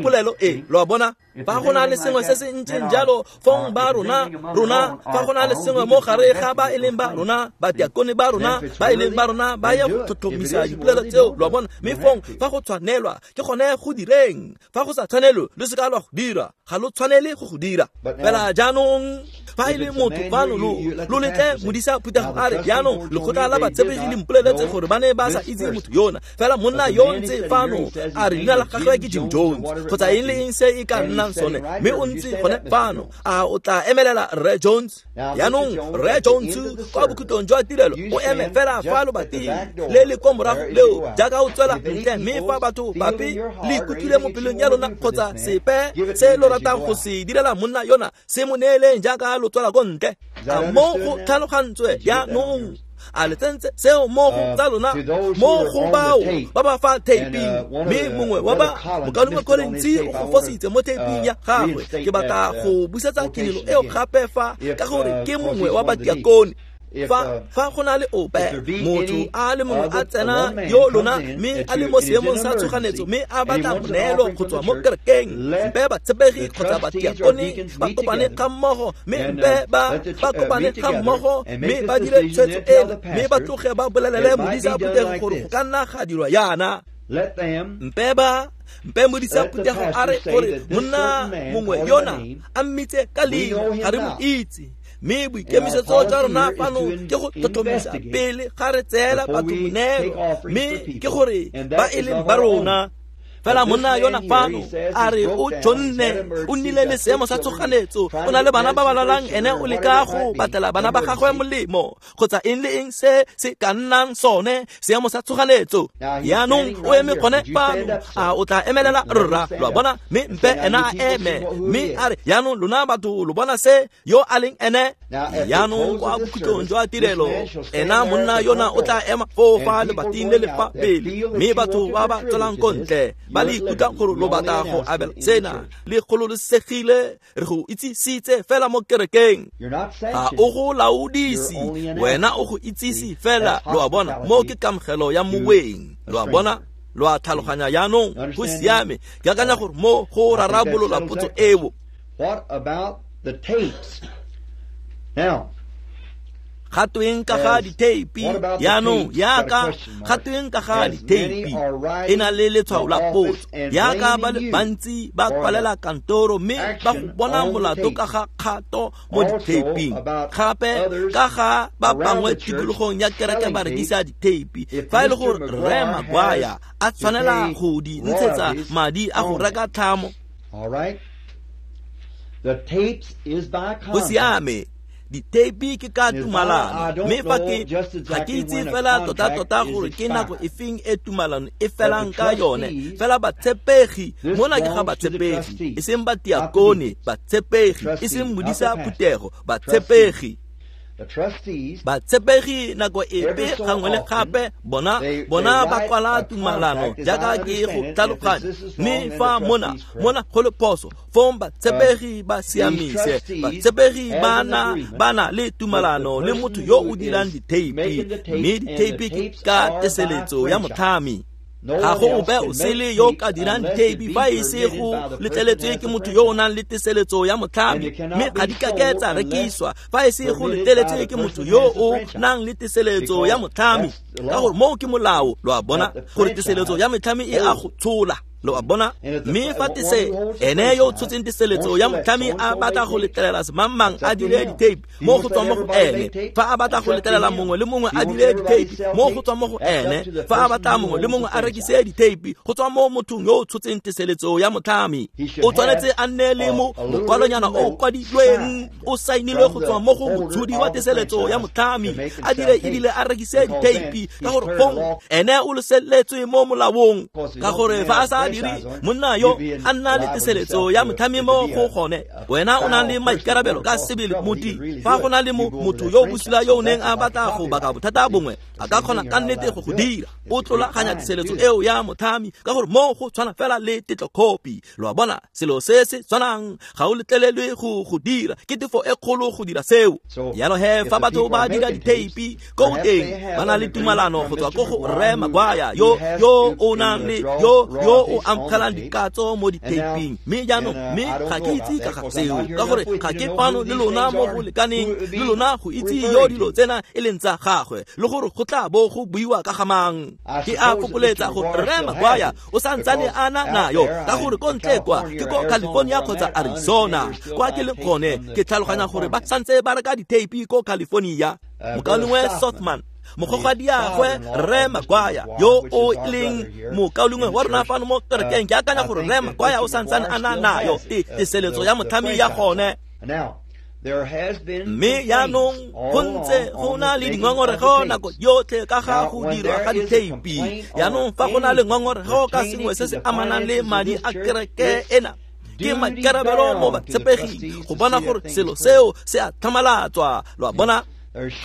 Speaker 1: polelo e. Lo a bona? Fa go na le sengwe se se ntseng jalo, fong ba rona fa go na le sengwe mo gare ga ba e leng ba rona, badiakone ba rona ba e leng ba rona ba ye go tlhotlhomisa dipolelo tseo, lo a bona? Mme fong fa go tshwanelwa ke gone go direng, fa go sa tshwanelwe lo se ka lwa go dira, ga lo tshwanele go go dira. Fela jaanong fa e le motho fano lo letle modisa phuthego a re jaanong lekgotla la batshepegi le mpoleletse gore ba ne ba sa itse motho yona, fela monna yo ntse fano a re leina la gagwe ke Jim Jones kgotsa eng le eng se e ka nnang sone, mme o ntse gone fano, a o tla emelela Rre Jones? Jaanong Rre Jones kwa bokhutlong jwa tirelo o eme fela fa lobating le le kwa morago leo jaaka o tswela ntle, mme fa batho bape le ikutlwile mo pelong ya lona kgotsa sepe se lo ratang go se direla monna yona, se mo neeleng jaaka lo tswela ko ntle. A mo go tlhalogantswe jaanong? A le tsentse seo mo go tsa lona, mo go bao ba ba fa taping, mme mongwe wa ba mokaulengwe Collins o go fositse mo taping ya gagwe. Ke batla go busetsa kinelo eo gape fa, ka gore ke mongwe wa badiakone. Fa go na le ope motho a le mongwe a tsena yo lona mme a le mo seemong sa tshoganetso mme a batla moneelo go tswa mo kerekeng, mpe batshepegi kgotsa badiakone ba kopane ga mmogo, mme mpe ba kopane ga mmogo mme ba dire tshwetso eno, mme ba tloge ba bolelele modisa phuthego gore go ka nna ga dirwa yana. Mpe modisa phuthego a re gore monna mongwe yona a mmitse ka leina, ga re mo itse, mme boikemisetso jwa rona fano ke go tlhotlhomisa pele ga re tseela batho moneelo, mme ke gore ba e leng ba rona. Fela monna yona fano a re o tšhonne, o nnile le seemo sa tshoganetso, o na le bana ba ba lwalang, ene o leka go batlela bana ba gagwe molemo kgotsa eng le eng se se ka nnang sone seemo sa tshoganetso. Jaanong o eme gone fano, a o tla emelela rra, lo a bona? Mme mpe ena a eme mme a re jaanong lona batho lo bona se yo a leng ene. Jaanong kwa bokhutlong jwa tirelo ena monna yona o tla ema foo fa lebating le le fa pele, mme batho ba ba tswelang ko ntle ba le ikutlwa gore lo batla go abela sena, le gololosegile, re go itsisitse fela mo kerekeng. Ga o go laodise, wena o go itsise fela, lo a bona? Mo ke kamogelo ya moweng, lo a bona? Lo a tlhaloganya jaanong? Go siame. Ke akanya gore mo go rarabolola potso eo.
Speaker 2: What about the tapes? Now,
Speaker 1: ga tweng ka ga ditheipi? Jaanong yaka ga tweng ka ga ditheipi e na le letshwao la potso, yaka ba le bantsi ba kwalela kantoro mme ba go bona molato ka ga kgato mo ditheiping, gape ka ga ba bangwe tikologong ya kereke ba rekisa ditheipi. Fa e le gore Rre Maguire a tshwanela go di ntshetsa madi a go reka tlhamo, go siame. Ditheipi ke ka tumalano, mme fa ke ga ke itse fela tota-tota gore ke nako e feng e tumalano e felang ka yone. Fela batshepegi mona ke ga batshepegi, e seng batiakone, batshepegi, e seng modisa phuthego, batshepegi. Batshepegi nako epe gangwe le gape bona ba kwala tumalano jaaka ke go tlhaloganya, mme fa mona go le phoso, fong batshepegi ba siamise. Batshepegi ba na le tumalano le motho yo o dirang ditheipi, mme ditheipi ke ka teseletso ya motlhami. Ga go ope o sele yo ka dirang ditheipi fa e se go letleletswe ke motho yo o nang le teseletso ya motlhami, mme ga di kake tsa rekiswa fa e se go letleletswe ke motho yo o nang le teseletso ya motlhami, ka gore moo ke molao, lo a bona, gore teseletso ya metlhami e a go tshola. Lo a bona? Mme fa tese ene yo o tshotseng teseletso ya motlhami a batla go letlelela semangmang a dire ditape, mo go tswang mo go ene. Fa a batla go letlelela mongwe le mongwe a dire ditape, mo go tswang mo go ene. Fa a batla mongwe le mongwe a rekise ditape, go tswa mo mothong yo o tshotseng teseletso ya motlhami. O tshwanetse a nne le mokwalonyana o kwadilweng o sainilwe go tswa mo go motshodi wa teseletso ya motlhami, a dire ebile a rekise ditape, ka gore fong ene o leseletswe mo molaong. Ka gore fa a sa dire, monna yo a nna le teseletso ya motlhami mo go gone, wena o na le maikarabelo ka sebele moti. Fa go na le motho yo bosula yo o neng a batla go baka bothata bongwe, a ka kgona ka nnete go go dira. O tlolaganya teseletso eo ya motlhami, ka gore mo go tshwana fela le tetlokhopi. Lo a bona, selo se se tshwanang ga o letlelelwe go dira, ke tefo e kgolo go dira seo. Jalo he fa batho ba dira ditheipi ko teng, ba na le tumalano go tswa ko go Rre Maguire yo o nang le yo o amogelang dikatso mo ditheiping. Mme jaanong, mme ga ke itse ka ga seo, ka gore ga ke fano le lona mo go lekaneng le lona go itse yo dilo tsena e leng tsa gagwe, le gore go tla bo go buiwa ka ga mang. Ke a fokoletsa gore Rre Maguire o santsane a na nayo, ka gore ko ntle kwa ke ko California kgotsa Arizona kwa ke leng gone, ke tlhaloganya gore ba santse ba reka ditheipi ko California. Mokaulengwe Sothman, mogogadiagwe Rre Maguire yo o leng mokaulengwe wa rona fano mo kerekeng, ke akanya gore Rre Maguire o santsane a na nayo teseletso ya motlhami ya gone. Mme jaanong go ntse go na le dingongorego nako yotlhe ka ga go dirwa ga ditheipi. Jaanong fa go na le ngongorego ka sengwe se se amanang le madi a kereke ena, ke maikarabelo mo batshepeging go bona gore selo seo se a tlhamalatswa. Lo a bona?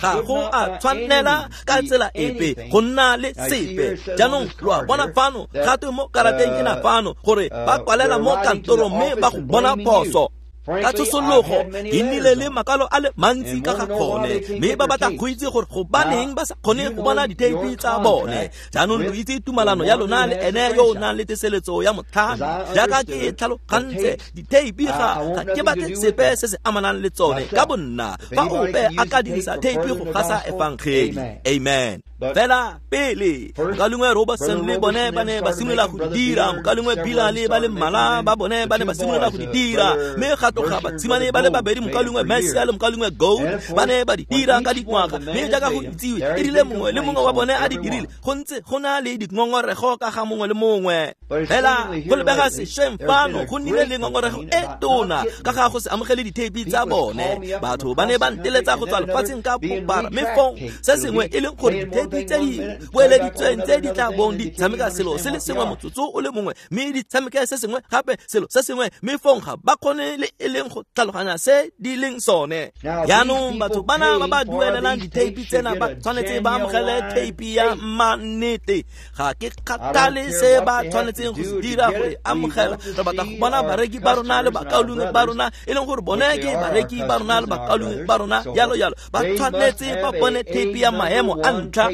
Speaker 1: Ga go a tshwanela ka tsela epe go nna le sepe. Jaanong lo a bona fano gape mo karateng ena fano gore ba kwalela mo kantorong mme ba go bona phoso. Ka tshosologo ke nnile le makwalo a le mantsi ka ga gone, mme ba batla go itse gore gobaneng ba sa kgone go bona ditheipi tsa bone. Jaanong lo itse tumalano ya lona le ene yo o nang le teseletso ya motlhami. Jaaka ke tlhalogantse, ditheipi ga ke batle sepe se se amanang le tsone ka bonna. Fa ope a ka dirisa theipi go gasa efangeli, amen. Fela pele mokaulengwe Robertson le bone ba ne ba simolola go di dira, mokaulengwe Bila le ba le mmalwa ba bone ba ne ba simolola go di dira, mme ga tloga batshimane ba le babedi, mokaulengwe Mercier le mokaulengwe Gold, ba ne ba di dira ka dingwaga. Mme jaaka go itsiwe, e rile mongwe le mongwe wa bone a di dirile, go ntse go na le dingongorego ka ga mongwe le mongwe. Fela go lebega sešweng fano go nnile le ngongorego e tona ka ga go se amogele ditheipi tsa bone. Batho ba ne ba nteletsa go tswa lefatsheng ka bophara, mme fong se sengwe e leng gore ditheipi tse di boeleditsweng tse di tla bong di tshameka selo se le sengwe motsotso o le mongwe, mme di tshameke se sengwe gape selo se sengwe, mme fong ga ba kgone le e leng go tlhaloganya se di leng sone. Jaanong batho bana ba ba duelelang ditheipi tsena ba tshwanetse ba amogele theipi ya mannete. Ga ke kgathale se ba tshwanetseng go se dira go e amogela. Re batla go bona bareki ba rona le bakaulengwe ba rona, e leng gore bone ke bareki ba rona le bakaulengwe ba rona, jalo jalo. Ba tshwanetse ba bone theipi ya maemo a ntlha.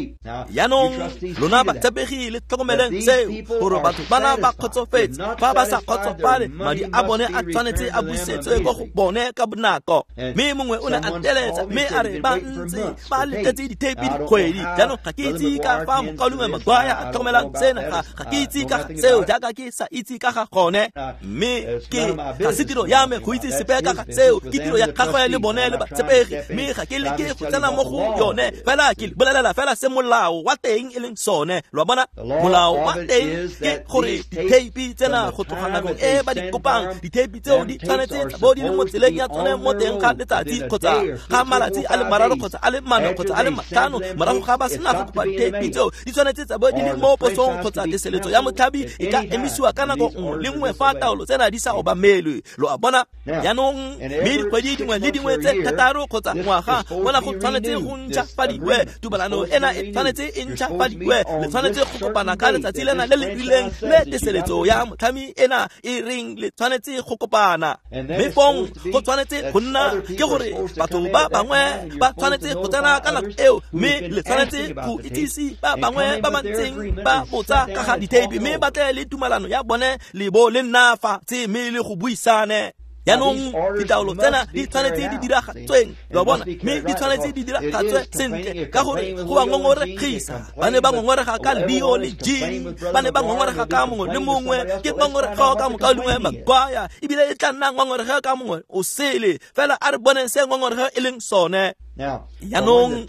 Speaker 1: Jaanong lona batshepegi le tlhokomeleng seo, gore batho bana ba kgotsofetse. Fa ba sa kgotsofale, madi a bone a tshwanetse a busetswe ko go bone ka bonako. Mme mongwe o ne a teletsa mme a re ba ntse ba letetse ditheipi dikgwedi. Jaanong ga ke itse ka fa mokaulengwe Maguire a tlhokomelang sena, ga ke itse ka ga seo jaaka ke sa itse ka ga gone. Mme ke ga se tiro ya me go itse sepe ka ga seo, ke tiro ya gagwe le bone le batshepegi, mme ga ke leke go tsena mo go yone. Fela ke bolelela fela se molao wa teng e leng sone. Lo a bona, molao wa teng ke gore ditheipi tsena go tloga nakong e ba di kopang, ditheipi tseo di tshwanetse tsa bo di le mo tseleng ya tsone mo teng ga letsatsi kgotsa ga malatsi a le mararo kgotsa a le mane kgotsa a le matlhano morago ga ba sena go kopa ditheipi tseo, di tshwanetse tsa bo di le mo posong kgotsa teseletso ya motlhabi e ka emisiwa ka nako nngwe le nngwe fa taolo tsena di sa obamelwe. Lo a bona? Jaanong mme dikgwedi dingwe le dingwe tse thataro kgotsa ngwaga mona go tshwanetse go ntšhafadiwe. Tumalano ena e tshwanetse e ntšhafadiwe. Le tshwanetse go kopana ka letsatsi lena le le rileng le teseletso ya motlhami ena e reng le tshwanetse go kopana. Mme fong go tshwanetse go nna ke gore batho ba bangwe ba tshwanetse go tsena ka nako eo, mme le tshwanetse go itsise ba bangwe ba ba ntseng ba botsa ka ga ditheipi, mme ba tle le tumalano ya bone le bo le nna fatshe mme le go buisane. Jaanong ditaolo tsena di tshwanetse di diragatsweng, lo a bona, mme di tshwanetse di diragatswe sentle, ka gore go ba ngongoregisa. Ba ne ba ngongorega ka Leo le Jean, ba ne ba ngongorega ka mongwe le mongwe, ke ngongorego ka mokaulengwe Maguire, ebile e tla nna ngongorego ka mongwe o sele. Fela a re boneng se ngongorego e leng sone. Jaanong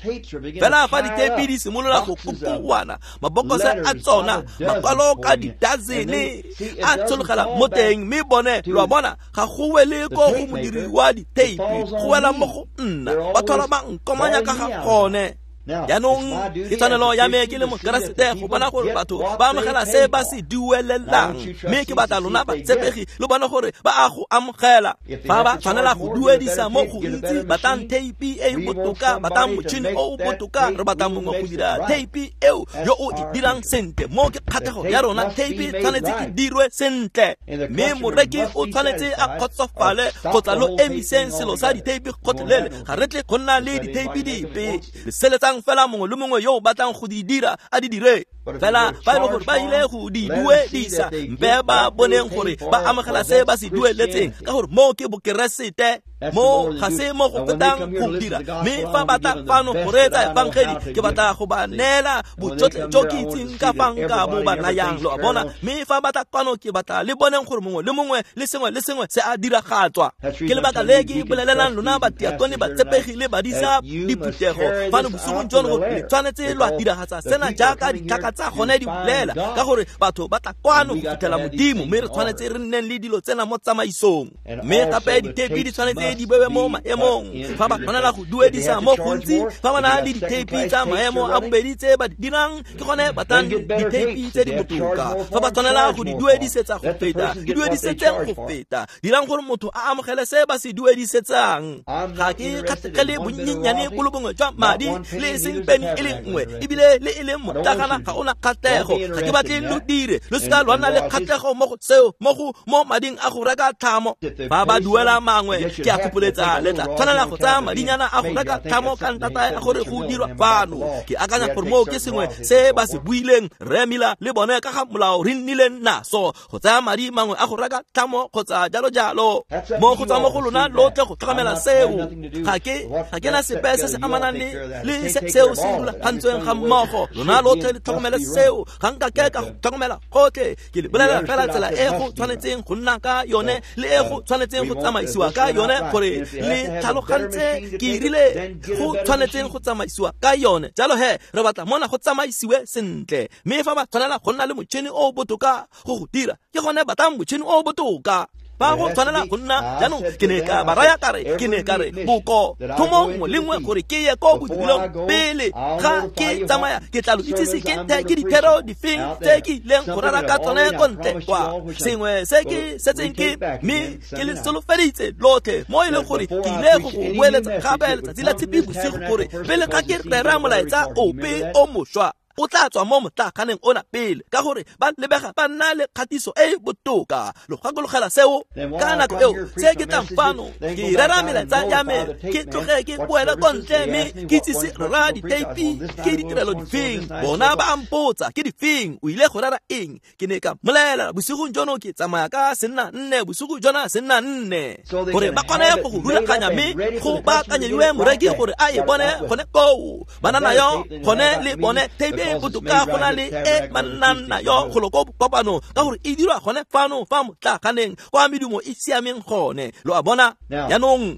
Speaker 1: fela fa ditheipi di simolola go kokoana, mabokose a tsona, makwalo ka didazene a tshologela mo teng, mme bone, lo a bona, ga go wele ko go modiri wa ditheipi, go wela mo go nna, ba tlhola ba nkomanya ka ga gone. Jaanong ke tshwanelo ya me ke le Mokeresete go bona gore batho ba amogela se ba se duelelang, mme ke batla lona batshepegi lo bone gore ba a go amogela. Fa ba tshwanela go duedisa mo gontsi, batlang theipi e e botoka, batlang motšhini o o botoka, re batla mongwe go dira theipi eo yo o e dirang sentle. Mo ke kgatlhego ya rona, theipi tshwanetse e dirwe sentle, mme moreki o tshwanetse a kgotsofale kgotsa lo emiseng selo sa ditheipi gotlhelele. Ga re tle go nna le ditheipi dipe. Le seletsang fela mongwe le mongwe yo o batlang go di dira a di dire. Fela fa e le gore ba ile go di duedisa, mpe ba boneng gore ba amogela se ba se dueletseng, ka gore moo ke bokeresete, mo ga se mo go fetang go dira. Mme fa batla fano go reetsa efangedi, ke batla go ba neela bojotlhe jo ke itseng ka fa nka bo ba nayang, lo a bona. Mme fa batla kwano, ke batla le boneng gore mongwe le mongwe le sengwe le sengwe se a diragatswa. Ke lebaka le ke bolelelang lona batiakone, batshepegi le badisa diphuthego fano bosigong jono gore le tshwanetse lwa diragatsa sena jaaka ditlhaka tsa gone di bolela, ka gore batho ba tla kwano go fitlhela Modimo, mme re tshwanetse re nneng le dilo tsena mo tsamaisong. Mme gape ditheipi di tshwanetse di bewe mo maemong. Fa ba tshwanela go duedisa mo gontsi, fa ba na le ditheipi tsa maemo a bobedi tse ba di dirang, ke gone batlang ditheipi tse di botoka. Fa ba tshwanela go di duedisetsa go feta, di duedisetseng go feta. Dirang gore motho a amogele se ba se duedisetsang. Ga ke kgatlhegele bonnyenyane bo le bongwe jwa madi, le e seng peni e le nngwe, ebile le e leng motlagana ga ona kgatlhego. Ga ke batle lo dire, lo seka lwa nna le kgatlhego mo go seo, mo go mo mading a go reka tlhamo. Fa ba duela mangwe, ke a fopholetsa le tla tshwanela go tsaya madinyana a go reka tlhamo ka ntata ya gore go dirwa fano. Ke akanya gore moo ke sengwe se ba se buileng Rre Miller le bone ka ga molao re nnileng naso, go tsaya madi mangwe a go reka tlhamo kgotsa jalo jalo. Mo go tswa mo go lona lotlhe go tlhokomela seo. Ga ke na sepe se se amanang le seo se rulagantsweng ga mmogo. Lona lotlhe le tlhokomele seo. Ga nka ke ka go tlhokomela gotlhe. Ke le bolela fela tsela e go tshwanetseng go nna ka yone le e go tshwanetseng go tsamaisiwa ka yone, gore le tlhalogantse ke rile go tshwanetseng go tsamaisiwa ka yone. Jalo he re batla mona go tsamaisiwe sentle, mme fa ba tshwanela go nna le motšhini o o botoka go go dira, ke gone batlang motšhini o o botoka. Ba go tshwanela go nna jaanong. Ke ne ka ba raya kare, ke ne ka re boko thomo nngwe le nngwe gore ke ye ko bodirelong pele ga ke tsamaya, ke tla lo itsise ke dithero difeng tse ke ileng go rera ka tsone ko ntle kwa, sengwe se ke setseng ke mme ke le solofeditse lotlhe, mo e leng gore ke ile go go boeletsa gape letsatsi la Tshipi bosigo, gore pele ga ke rera molaetsa ope o mošwa, o tla tswa mo motlaganeng ona pele, ka gore ba lebega ba nna le kgatiso e e botoka. Lo gakologela seo ka nako eo se ke tlang fano ke rera melaetsa ya me, ke tloge ke boele ko ntle mme ke itsise rra ditheipi ke ditirelo difeng. Bona ba mpotsa ke difeng, o ile go rera eng? Ke ne ka mmolelela bosigong jono ke tsamaya ka senna nne, bosigo jona senna nne, gore ba kgone go go rulaganya mme go baakanyediwe moreki gore a e bone gone koo. Ba na nayo gone le bone theipi e botoka go na le e ba nnang nayo golo ko kopano, ka gore e dirwa gone fano fa motlaganeng kwa medumo e siameng gone. Lo a bona? Jaanong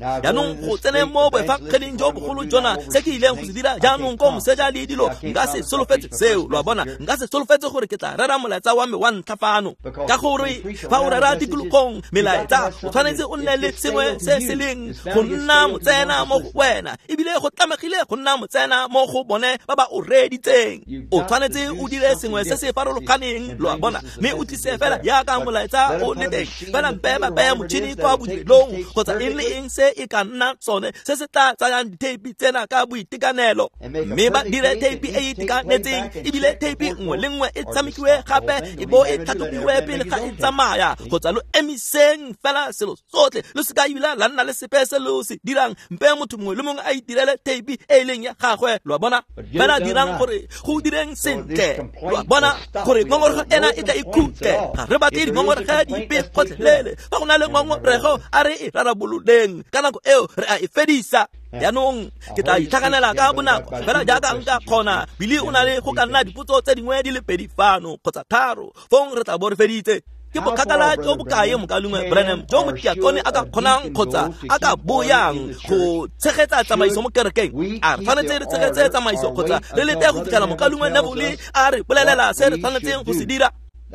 Speaker 1: go tsene mo boefangeding jo bogolo jona, se ke ileng go se dira jaanong ko moseja le dilo, nka se solofetse seo. Lo a bona? Nka se solofetse gore ke tla rera molaetsa wa me wa ntlha fano, ka gore fa o rera tikologong melaetsa, o tshwanetse o nne le sengwe se se leng go nna motsena mo go wena, ebile go tlamegile go nna motsena mo go bone ba ba o reeditseng. O tshwanetse o dire sengwe se se farologaneng, lo a bona, mme o tlise fela jaaka molaetsa o le teng. Fela mpe ba beye motšhini kwa bodirelong kgotsa eng le eng se e ka nna sone se se tla tsayang ditheipi tsena ka boitekanelo, mme ba dire theipi e e itekanetseng, ebile theipi nngwe le nngwe e tshamekiwe gape e bo e tlhatlhobiwe pele ga e tsamaya, kgotsa lo emiseng fela selo sotlhe, lo seka ebile la nna le sepe se lo se dirang. Mpe motho mongwe le mongwe a itirele theipi e e leng ya gagwe, lo a bona. Fela dirang gore go o direng sentle. Lo a bona gore ngongorego ena e tla ikhutle. Ga re batle dingongorego dipe gotlhelele. Fa go na le ngongorego a re e rarabololeng, ka nako eo re a e fedisa. Jaanong ke tla itlhaganela ka bonako fela jaaka nka kgona. Bili o na le go ka nna dipotso tse dingwe di le pedi fano kgotsa tharo, fong re tla bo re feditse. Ke bokgakala jo bokae mokalengwe Branham jo motiakone a ka kgonang kgotsa a ka boyang go tshegetsa tsamaiso mo kerekeng? A re tshwanetse re tshegetse tsamaiso kgotsa re lete go fitlhela mokalengwe Neville a re bolelela se re tshwanetseng go se dira?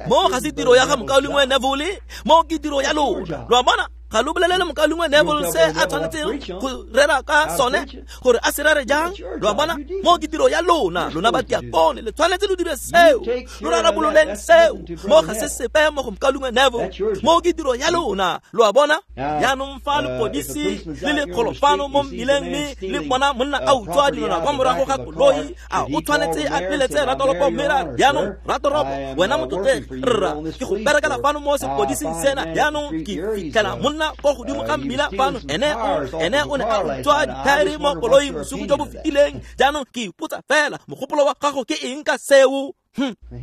Speaker 1: Mo ga se tiro ya ga mokalengwe Neville, mo ke tiro ya lona. Lo a bona? Ga lo bolelele mokalengwe Neville se a tshwanetseng go rera ka sone, gore a se rere jang. Lo a bona? Mo ke tiro ya lona, lona batiakone, le tshwanetse lo dire seo, lo rarabololeng seo. Mo ga se sepe mo go mokalengwe Neville, mo ke tiro ya lona. Lo a bona? Jaanong fa lepodisi le le kgolofano mo mmileng mme le bona monna a utswa dilwana kwa morago ga koloi, a o tshwanetse a peletse ratoropo mme ra jaanong ratoropo wena motlotlegi rra ke go berekela fano mo sepodising sena, jaanong ke fitlhela monna ko godimo ga mmila fano, ene o ne a utswa dithaere mo koloing bosigo jo bo fetileng, jaanong ke ipotsa fela mogopolo wa gago ke eng ka seo?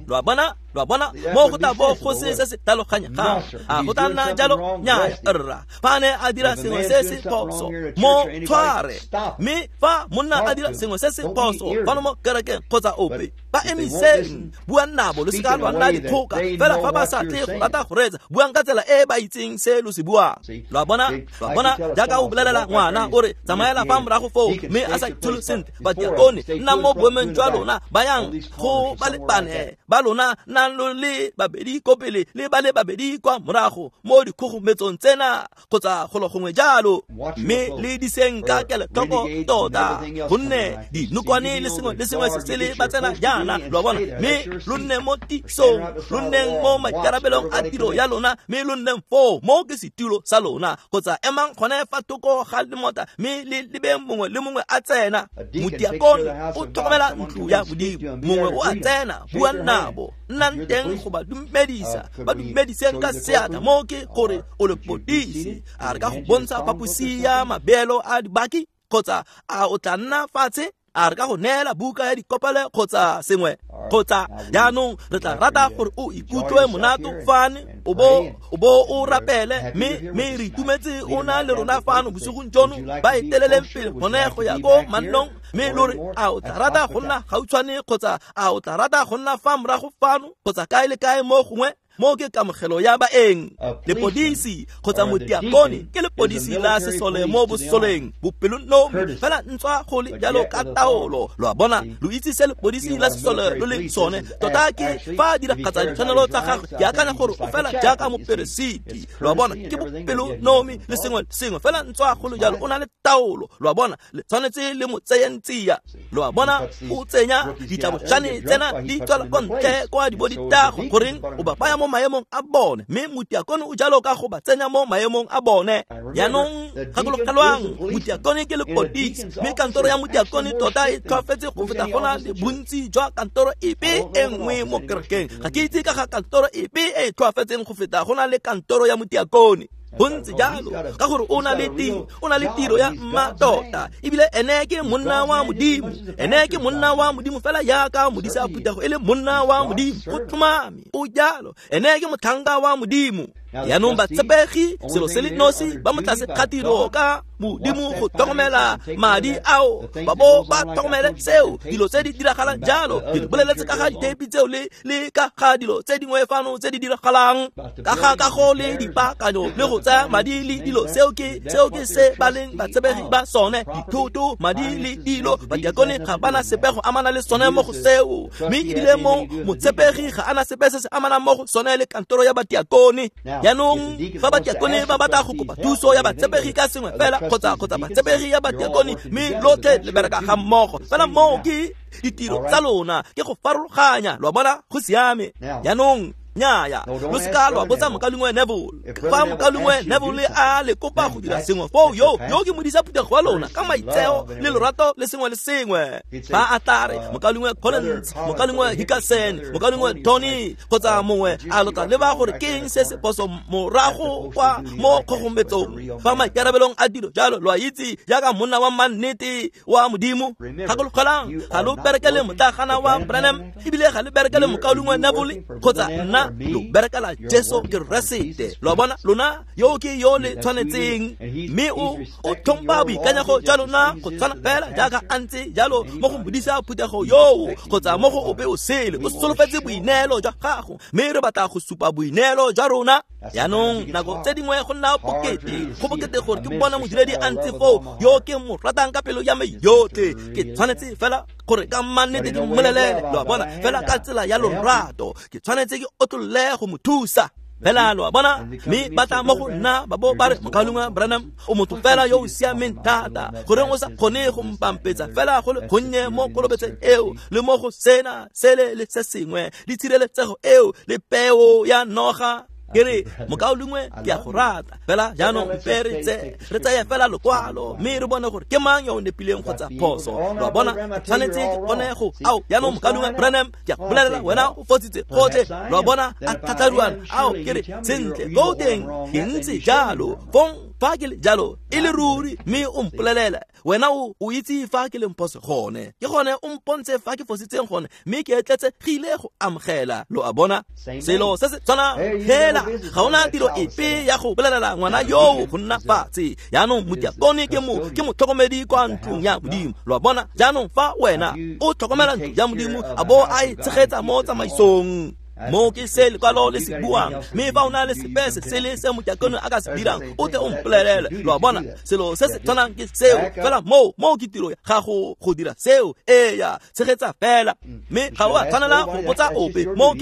Speaker 1: Lo a bona? Lo a bona? Mo go tla bo go se se se tlhaloganyegang. A go tla nna jalo? Nnyaya rra. Fa ne a dira sengwe se se phoso, mo tshware. Mme fa monna a dira sengwe se se phoso fano mo kerekeng kgotsa ope, ba emiseng, buang nabo, lo se ka lwa nna dikgoka. Fela fa ba sa tle go rata go reetsa, buang ka tsela e ba itseng se lo se buang. Lo a bona? Lo a bona? Jaaka o bolelela ngwana o re tsamaela fa morago foo, mme a sa itshole sentle, batiakone nna mo boemong jwa lona, bayang go ba le bane ba lona, nnang lo le babedi ko pele le ba le babedi kwa morago mo dikgogometsong tsena kgotsa golo gongwe jalo, mme le diseng ka kelotlhoko tota, gonne dinokwane le sengwe le sengwe se sele ba tsena jaana. Lo a bona? Mme lo nne mo tisong, lo nneng mo maikarabelong a tiro ya lona, mme lo nneng foo mo ke setulo sa lona, kgotsa emang gone fa thoko ga lemota mme le lebeng mongwe le mongwe a tsena. Motiakone o tlhokomela ntlo ya Modimo, mongwe o a tsena, buang nabo, nnang teng go ba dumedisa, ba dumediseng ka seatla. Mo ke gore o lepodisi, a re ka go bontsha phaposi ya mabeelo a dibaki, kgotsa a o tla nna fatshe? A re ka go neela buka ya dikopelo kgotsa sengwe? Kgotsa jaanong re tla rata gore o ikutlwe monato fane, o bo o rapele, mme re itumetse o na le rona fano bosigong jono. Ba eteleleng pele gone go ya ko mannong, mme lo re a o tla rata go nna gautshwane kgotsa a o tla rata go nna fa morago fano kgotsa kae le kae mo gongwe. Mo ke kamogelo ya baeng. Lepodisi kgotsa motiakone ke lepodisi la sesole mo bosoleng, bopelonomi fela ntswa go le jalo ka taolo. Lo a bona? Lo itse se lepodisi la sesole lo le sone tota ke fa a diragatsa ditshwanelo tsa gagwe. Ke akanya gore o fela jaaka moperesiti. Lo a bona? Ke bopelonomi le sengwe sengwe fela ntswa go le jalo o na le taolo. Lo a bona? Le tshwanetse le mo tseyeng tsia. Lo a bona? O tsenya ditlabošane tsena di tswela kwa ntle kwa di bo ditago, goreng o ba baya mo maemong a bone, mme motiakone o jalo ka go ba tsenya mo maemong a bone. Jaanong gakologelwang, motiakone ke lepodisi, mme kantoro ya motiakone tota e tlhoafetse go feta go na le bontsi jwa kantoro epe e nngwe mo kerekeng. Ga ke itse ka ga kantoro epe e e tlhoafetseng go feta go na le kantoro ya motiakone. Bontsi jalo ka gore o na le tiro, o na le tiro ya mma tota, ebile ene ke monna wa Modimo. Ene ke monna wa Modimo fela jaaka modisa phuthego e le monna wa Modimo. Go tlhomame o jalo, ene ke motlhanka wa Modimo. Jaanong batshepegi selo se le nosi ba mo tlase ga tiro ka Modimo go tlhokomela madi ao, ba bo ba tlhokomele seo, dilo tse di diragalang jalo. Ke le boleletse ka ga ditheipi tseo le ka ga dilo tse dingwe fano tse di diragalang ka ga kago le dipaakanyo le go tsaya madi le dilo. Seo ke se ba leng batshepegi ba sone, dithoto, madi le dilo. Batiakone ga bana sepe go amana le sone mo go seo, mme ebile mo motshepegi ga ana sepe se se amanang mo go sone le kantoro ya batiakone. Jaanong fa batiakone ba batla go kopa thuso ya batshepegi ka sengwe fela kgotsa batshepegi ya batiakone, mme lotlhe le bereka ga mmogo fela, moo ke ditiro tsa lona, ke go farologanya. Lo a bona? Go siame. Jaanong Nnyaya, lo seka lwa botsa mokaulengwe Neville. Fa mokaulengwe Neville a le kopa go dira sengwe foo, yo ke modisa phuthego wa lona ka maitseo le lorato le sengwe le sengwe. Fa a tla re mokaulengwe Collins, mokaulengwe Hickerson, mokaulengwe Tony kgotsa mongwe a lo tla leba gore ke eng se se phoso morago kwa mo kgogometsong fa maikarabelong a dilo jalo, lo a itse jaaka monna wa mannete wa Modimo. Gakologelang, ga lo berekele motlagana wa Branham, ebile ga le berekele mokaulengwe Neville kgotsa nna, lo berekela Jesu Keresete. Lo a bona, lona yo ke yo le tshwanetseng, mme o tlhompha boikanyego jwa lona go tshwana fela jaaka a ntse jalo mo go modisa phuthego yoo kgotsa mo go ope o sele. O solofetse boineelo jwa gago, mme re batla go supa boineelo jwa rona. Jaanong nako tse dingwe go nna bokete, go bokete gore ke bona modiredi a ntse foo yo ke mo ratang ka pelo ya me yotlhe. Ke tshwanetse fela gore ka mannete ke mmolelele, lo a bona, fela ka tsela ya lorato. Ke tshwanetse ke otlolle go mo thusa fela, lo a bona. Mme ba tla mo go nna ba bo ba re, mokaulengwe Branham, o motho fela yo o siameng thata, goreng o sa kgone go mpampetsa fela go le gonnye mo kolobetseng eo le mo go sena sele le se sengwe le tshireletsego eo le peo ya noga? Ke re, mokaulengwe, ke a go rata fela jaanong mpe re tseye fela lokwalo mme re bone gore ke mang yo o nepileng kgotsa phoso. Lo a bona, ke tshwanetse ke kgone go ao. Jaanong mokaulengwe Branham, ke a go bolelela, wena o fositse gotlhe. Lo a bona, a tlhatlharuana ao. Ke re, sentle, ko teng ke ntse jalo fong, fa ke le jalo e le ruri, mme o mpolelela wena o itse fa ke leng phoso gone, ke gone o mpontshe fa ke fositseng gone, mme ke etletsegile go amogela. Lo a bona, selo se se tshwana fela, ga ona tiro epe ya go bolelela ngwana yoo go nna fatshe. Jaanong motiakone ke motlhokomedi kwa ntlong ya Modimo. Lo a bona, jaanong fa wena o tlhokomela ntlo ya Modimo a bo a e tshegetsa mo tsamaisong, mo ke se lekwalo le se buang, mme fa o na le sepe se sele se motiakone a ka se dirang, o tle o mpolelele. Lo a bona, selo se se tshwanang ke seo fela, moo ke tiro ya gago go dira seo. Eya, tshegetsa fela, mme ga o a tshwanela go botsa ope. Mo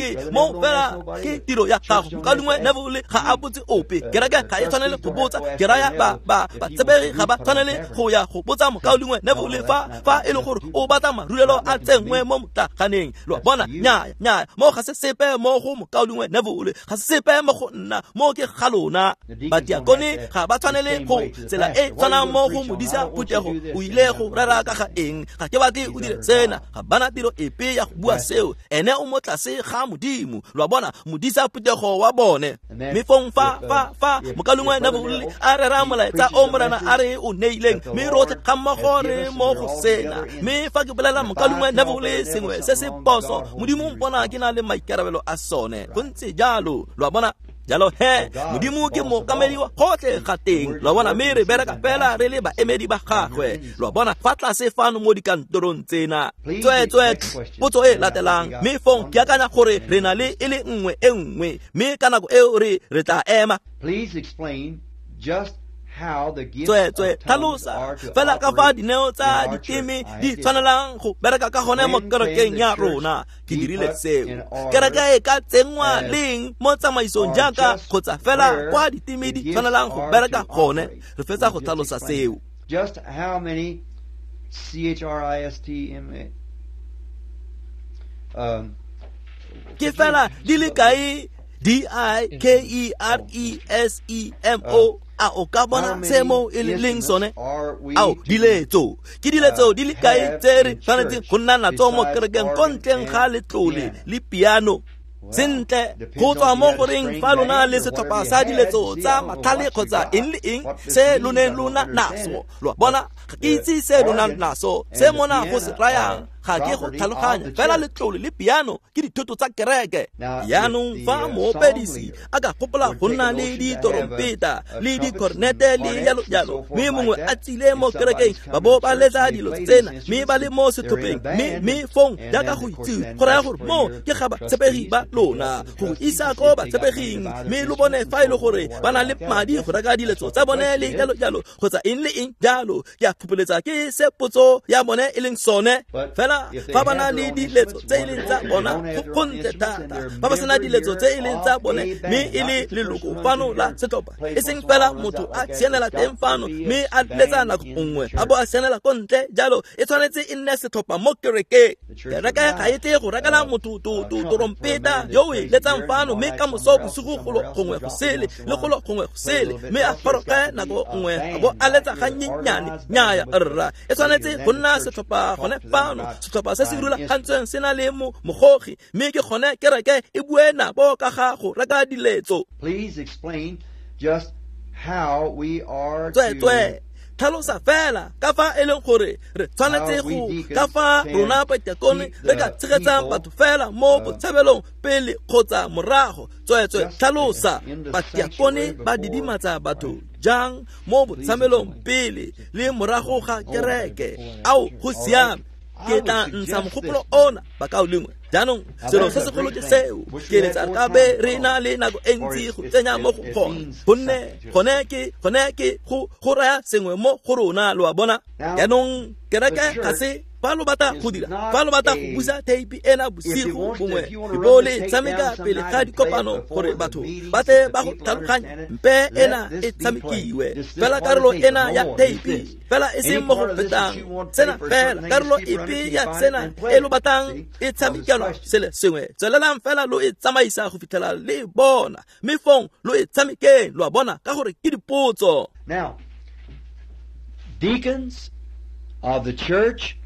Speaker 1: fela ke tiro ya gago. Mokaulengwe Neville ga a botse ope, kereke ga e tshwanele go botsa. Ke raya batsebegi ga ba tshwanele go ya go botsa mokaulengwe Neville fa e le gore o batla marulelo a tsenngwe mo motlaganeng. Lo a bona, nnyaya, mo ga se sepe mo go mokaulengwe Neville, ga se sepe mo go nna, mo ke ga lona. Batiakone ga ba tshwanele go tsela e tshwanang mo go modisa phuthego. O ile go rera ka ga eng? Ga ke batle o dire sena. Ga bana tiro epe ya go bua seo, ene o mo tlase ga Modimo. Lo a bona, modisa phuthego wa bone. Mme fong fa mokaulengwe Neville a rera molaetsa o Morena a re o neileng, mme rotlhe ga mmogo re mo go sena. Mme fa ke bolela mokaulengwe Neville sengwe se se phoso, Modimo mpona ke na le maikarabelo a sone. Go ntse jalo, lo a bona. Jalo he, Modimo ke mookamedi wa gotlhe ga teng. Lo a bona, mme re bereka fela re le baemedi ba gagwe. Lo a bona, fa tlase fano mo dikantorong tsena. Tsweetswe, potso e latelang, mme fong ke akanya gore re na le e le nngwe e nngwe, mme ka nako eo re tla ema.
Speaker 2: Please explain just
Speaker 1: Tsweetswe, tlhalosa fela ka fa dineo tsa diteme di tshwanelang go bereka ka gone mo kerekeng ya rona. Ke dirile seo. Kereke e ka tsenngwa leng mo tsamaisong jaaka kgotsa fela kwa diteme di tshwanelang go bereka gone? Re fetsa go tlhalosa seo.
Speaker 2: Just how many C-H-R-I-S-T-M-A
Speaker 1: ke fela di le kae D-I-K-E-R-E-S-E-M-O? A o ka bona se mo e leng sone? Ao, diletso. Ke diletso di le kae tse re tshwanetseng go nna natso mo kerekeng ko ntleng ga letlole le piano? Sentle, go tswa mo goreng fa lona le setlhopha sa diletso tsa matlhale kgotsa eng le eng se lo neng lona naso. Lo a bona, ga ke itse se lo nang naso, se mona go se rayang ga ke go tlhaloganya. Fela letlole le piano ke dithoto tsa kereke. Jaanong fa moopedisi a ka gopola go nna le ditorompeta le dikornete le jalo jalo, mme mongwe a tsile mo kerekeng ba bo ba letsa dilo tsena, mme ba le mo setlhopheng, mme fong jaaka go itse go raya gore mo ke ga batshepegi ba lona go isa ko batshepeging, mme lo bone fa e le gore ba na le madi go reka diletso tsa bone le jalo jalo kgotsa eng le eng jalo. Ke a phupoletsa ke se potso ya bone e leng sone. Fela Fela fa ba na le diletso tse e leng tsa bona go gontle thata, fa ba sena diletso tse e leng tsa bone mme e le leloko fano la setlhopha, e seng fela motho a sianela teng fano mme a letsa nako nngwe a bo a sianela ko ntle jalo, e tshwanetse e nne setlhopha mo kerekeng. Kereke ga e tle go rekela motho torompeta yo o e letsang fano mme ka moso bosigo golo gongwe go sele le golo gongwe go sele mme a goroge nako nngwe a bo a letsa gannyenyane. Nnyaya rra, e tshwanetse go nna setlhopha gone fano, setlhopha se se rulagantsweng se na le mogogi, mme ke gone kereke e bue nabo ka ga go reka diletso.
Speaker 2: Please explain just how we are
Speaker 1: Tsweetswee tlhalosa fela ka fa e leng gore re tshwanetse go ka fa rona badiakone re ka tshegetsang batho fela mo botshabelong pele kgotsa morago. Tsweetswee tlhalosa badiakone ba didimatsa batho jang mo botshabelong pele le morago ga kereke. Ao, go siame, ke tla ntsha mogopolo ona bakaulengwe. Jaanong selo se segolo ke seo, ke eletsa re ka be re na le nako e ntsi go tsenya mo go gone, gonne gone ke go raya sengwe mo go rona, lo a bona. Jaanong kereke ga se fa lo batla go dira, fa lo batla go busa theipi ena bosigo bongwe e bo le tshameka pele ga dikopano gore batho ba tle ba go tlhaloganye, mpe ena e tshamekiwe fela karolo ena ya theipi fela e seng mo go fetang sena fela, karolo epe ya sena e lo batlang e tshamekelwa sele sengwe, tswelelang fela lo e tsamaisa go fitlhela le bona, mme fong lo e tshamekeng, lo a bona, ka gore ke dipotso.
Speaker 2: Now, deacons of the church,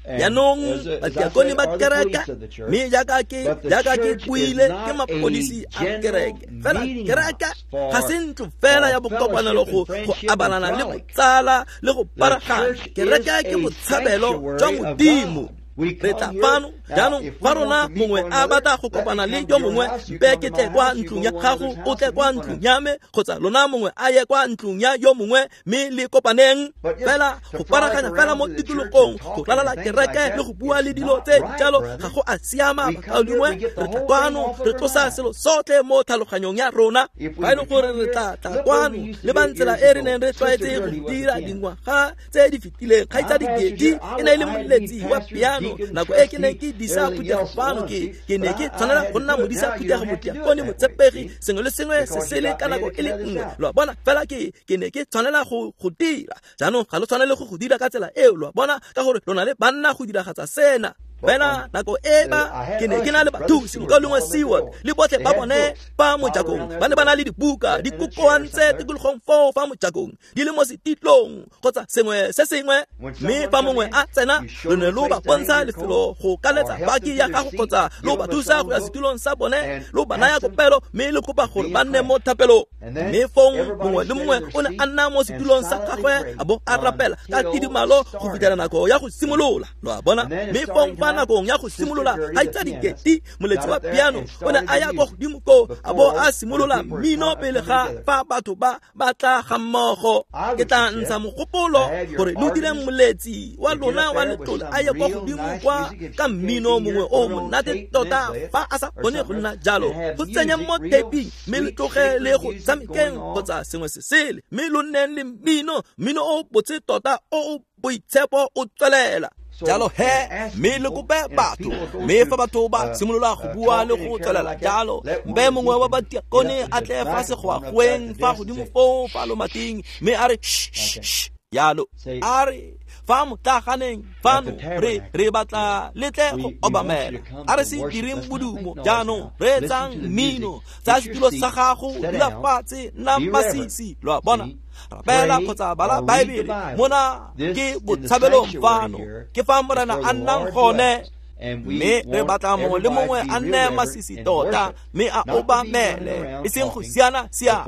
Speaker 1: Jaanong badiakone ba kereke, mme jaaka ke buile ke mapodisi a kereke, fela kereke ga se ntlo fela ya bokopanelo go abalana le botsala le go paragana. Kereke ke botshabelo jwa Modimo. Re tla fano jaanong fa rona mongwe a batla go kopana le yo mongwe, mpe ke tle kwa ntlong ya gago, o tle kwa ntlong ya me, kgotsa lona mongwe a ye kwa ntlong ya yo mongwe, mme le kopaneng. Fela go paraganya fela mo tikologong, go ralala kereke le go bua le dilo tse jalo ga go a siama bakaulengwe. Re tla kwano re tlosa selo sotlhe mo tlhaloganyong ya rona. Fa e le gore re tla tla kwano le ba ntsela e re neng re tlwaetse go dira dingwaga tse di fetileng, kgaitsadi Gedi e ne e le moletsi wa piano nako e ke neng ke disa phuthego fano, ke ne ke tshwanela go nna modisa phuthego, modiakone, motshepegi, sengwe le sengwe se sele ka nako e le nngwe, lo a bona. Fela ke ne ke tshwanela go dira. Jaanong ga lo tshwanele go dira ka tsela eo, lo a bona, ka gore lo na le banna go diragatsa sena. Fela nako e ba ke ne ke na le bathusi, mokaulengwe Seward le botlhe ba bone fa mojakong, ba ne ba na le dibuka di kokoantse tikologong foo fa mojakong, di le mo setitlong kgotsa sengwe se sengwe, mme fa mongwe a tsena lo ne lo ba bontsha lefelo go kaletsa baki ya gago kgotsa lo ba thusa go ya setulong sa bone, lo ba naya kopelo mme le kopa gore ba nne mo thapelong. Mme fong mongwe le mongwe o ne a nna mo setulong sa gagwe a bo a rapela ka tidimalo go fitlhela nako ya go simolola, lo a bona. Mme fong fa nakong ya go simolola, kgaitsadi Gedi moletsi wa piano o ne a ya kwa godimo koo a bo a simolola mmino pele ga fa batho ba batla ga mmogo. Ke tla ntsha mogopolo gore lo dire moletsi wa lona wa letlole a ye kwa godimo kwa ka mmino mongwe o monate tota fa a sa kgone go nna jalo, go tsenya mo taping mme le tloge le go tshamekeng kgotsa sengwe se sele, mme lo nneng le mmino o botse tota o o boitshepo o tswelela. Jalo he, mme le kope batho, mme fa batho ba simolola go bua le go tswelela jalo, mpe mongwe wa badiakone a tle fa segwagweng fa godimo foo fa lomating, mme a re shh jalo, a re fa motlaganeng fano re batla le tle go obamela, a re se direng bodumo jaanong, reetsang mmino, tsaya setulo sa gago, dula fatshe, nna masisi, lo a bona. Rapela kgotsa bala Baebele, mona ke botshabelong fano, ke fa Morena a nnang gone, mme re batla mongwe le mongwe a nne masisi tota mme a obamele, e seng go siana siana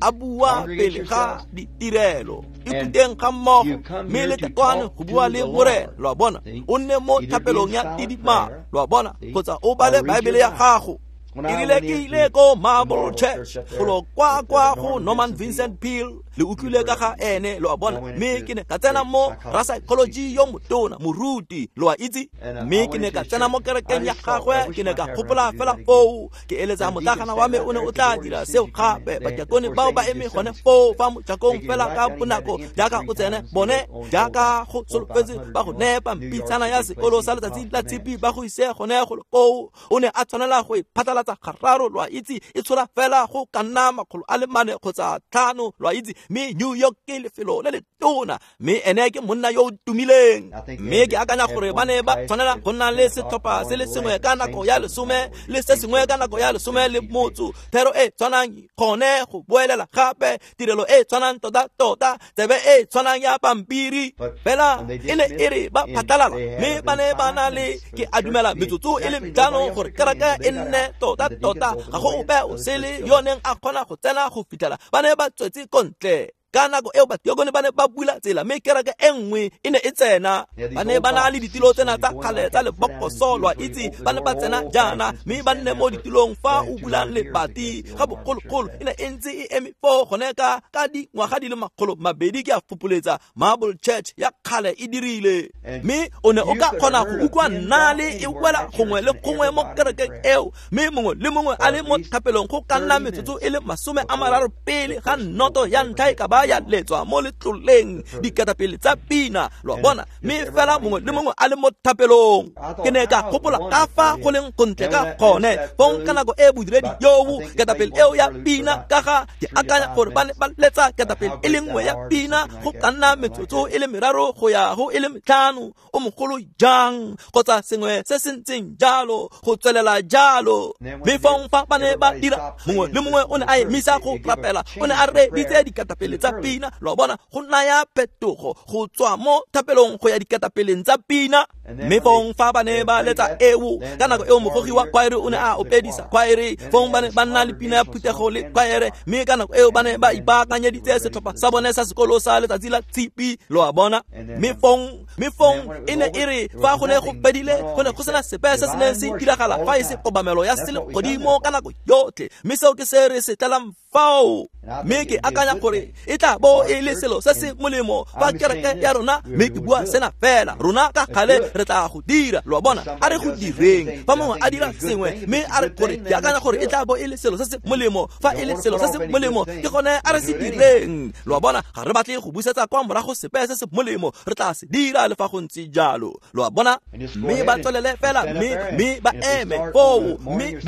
Speaker 1: a bua pele ga ditirelo. Ithuteng ga mmogo mme le tle kwano go bua le Morena, lo a bona. O nne mo thapelong ya tidimalo, lo a bona, kgotsa o bale Baebele ya gago. Erile ke ile ko Marble Church golo kwa kwa go Norman Vincent Peale, le utlwile ka ga ene, lo a bona. Mme ke ne ka tsena mo ra psychology yo motona, moruti, lo a itse. Mme ke ne ka tsena mo kerekeng ya gagwe, ke ne ka gopola fela foo, ke eletsa motlagana wa me o ne o tla dira seo gape. Badiakone bao ba eme gone foo fa mojakong fela ka bonako jaaka o tsene bone, jaaka go solofetse ba go nepa mpitshana ya sekolo sa letsatsi la tshipi ba go ise gone golo koo. O ne a tshwanela go e phatlalatsa gararo, lo a itse, e tshola fela go ka nna 400 kgotsa 5, lo a itse. Mme New York ke lefelo le le tona, mme ene ke monna yo o tumileng. Mme ke akanya gore ba ne ba tshwanela go nna le setlhopha se le sengwe ka nako ya 10 le se sengwe ka nako ya 10:30, thero e tshwanang gone go boelela gape, tirelo e tshwanang tota-tota, tsebe e tshwanang ya pampiri. Fela e ne e re ba phatlalala, mme ba ne ba na le, ke a dumela, metsotso e le 5 gore kereke e nne tota-tota, ga go ope o sele yo neng a kgona go tsena go fitlhela ba ne ba tswetse ko ntle. Ka nako eo badiakone ba ne ba bula tsela, mme kereke e nngwe e ne e tsena. Ba ne ba na le ditilo tsena tsa kgale tsa lebokoso, lo a itse, ba ne ba tsena jaana mme ba nne mo ditilong fa o bulang lebati. Ga bogologolo e ne e ntse e eme foo gone ka dingwaga di le 200, ke a fopoletsa, Marble Church ya kgale e dirile. Mme o ne o ka kgona go utlwa nnale e wela gongwe le gongwe mo kerekeng eo, mme mongwe le mongwe a le mo thapelong go ka nna metsotso e le 30 pele ga noto ya ntlha e ka ba ya letswa mo letloleng, diketapele tsa pina, lo a bona. Mme fela mongwe le mongwe a le mo thapelong. Ke ne ka gopola ka fa go leng gontle ka gone fong ka nako e bodiredi yoo ketapele eo ya pina, ka ga ke akanya gore ba ne ba letsa ketapele e le nngwe ya pina go ka nna metsotso e le 3 go ya go e le 5, o mogolo jang kgotsa sengwe se se ntseng jalo, go tswelela jalo. Mme fong fa ba ne ba dira, mongwe le mongwe o ne a emisa go rapela, o ne a reeditse diketapele tsa pina, lo a bona, go naya phetogo go tswa mo thapelong go ya diketapeleng tsa pina. Mme fong fa ba ne ba letsa eo, ka nako eo mogogi wa kwaere o ne a opedisa kwaere, fong ba ne ba nna le pina ya phuthego le kwaere, mme ka nako eo ba ne ba ipaakanyeditse setlhopha sa bone sa sekolo sa letsatsi la tshipi, lo a bona. Mme fong e ne e re fa go ne go fedile, go ne go sena sepe se se neng se diragala fa e se kobamelo ya selegodimo ka nako yotlhe, mme seo ke se re se tlelang fao. Mme ke akanya gore e tla bo e le selo se se molemo fa kereke ya rona, mme ke bua sena fela, rona ka gale re tla go dira, lo a bona, a re go direng. Fa mongwe a dira sengwe mme a re gore ke akanya gore e tla bo e le selo se se molemo, fa e le selo se se molemo ke gone a re se direng, lo a bona. Ga re batle go busetsa kwa morago sepe se se molemo, re tla se dira le fa go ntse jalo, lo a bona. Mme ba tswelele fela, mme ba eme foo, mme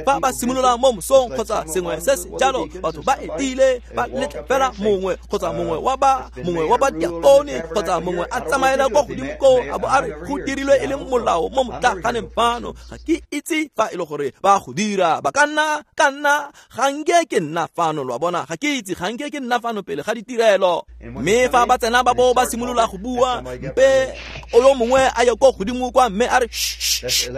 Speaker 1: fa ba simolola mo mosong kgotsa sengwe se se jalo, batho ba etile ba letle fela mongwe kgotsa mongwe wa ba diakone kgotsa mongwe a tsamaela kwa godimo koo a bo a re go dirilwe e le molao mo motlaganeng fano. Ga ke itse fa e le gore ba go dira, ba ka nna ga nke ke nna fano, lo a bona, ga ke itse, ga nke ke nna fano pele ga ditirelo. Mme fa ba tsena ba bo ba simolola go bua, mpe o yo mongwe a ye ko godimo kwa mme a re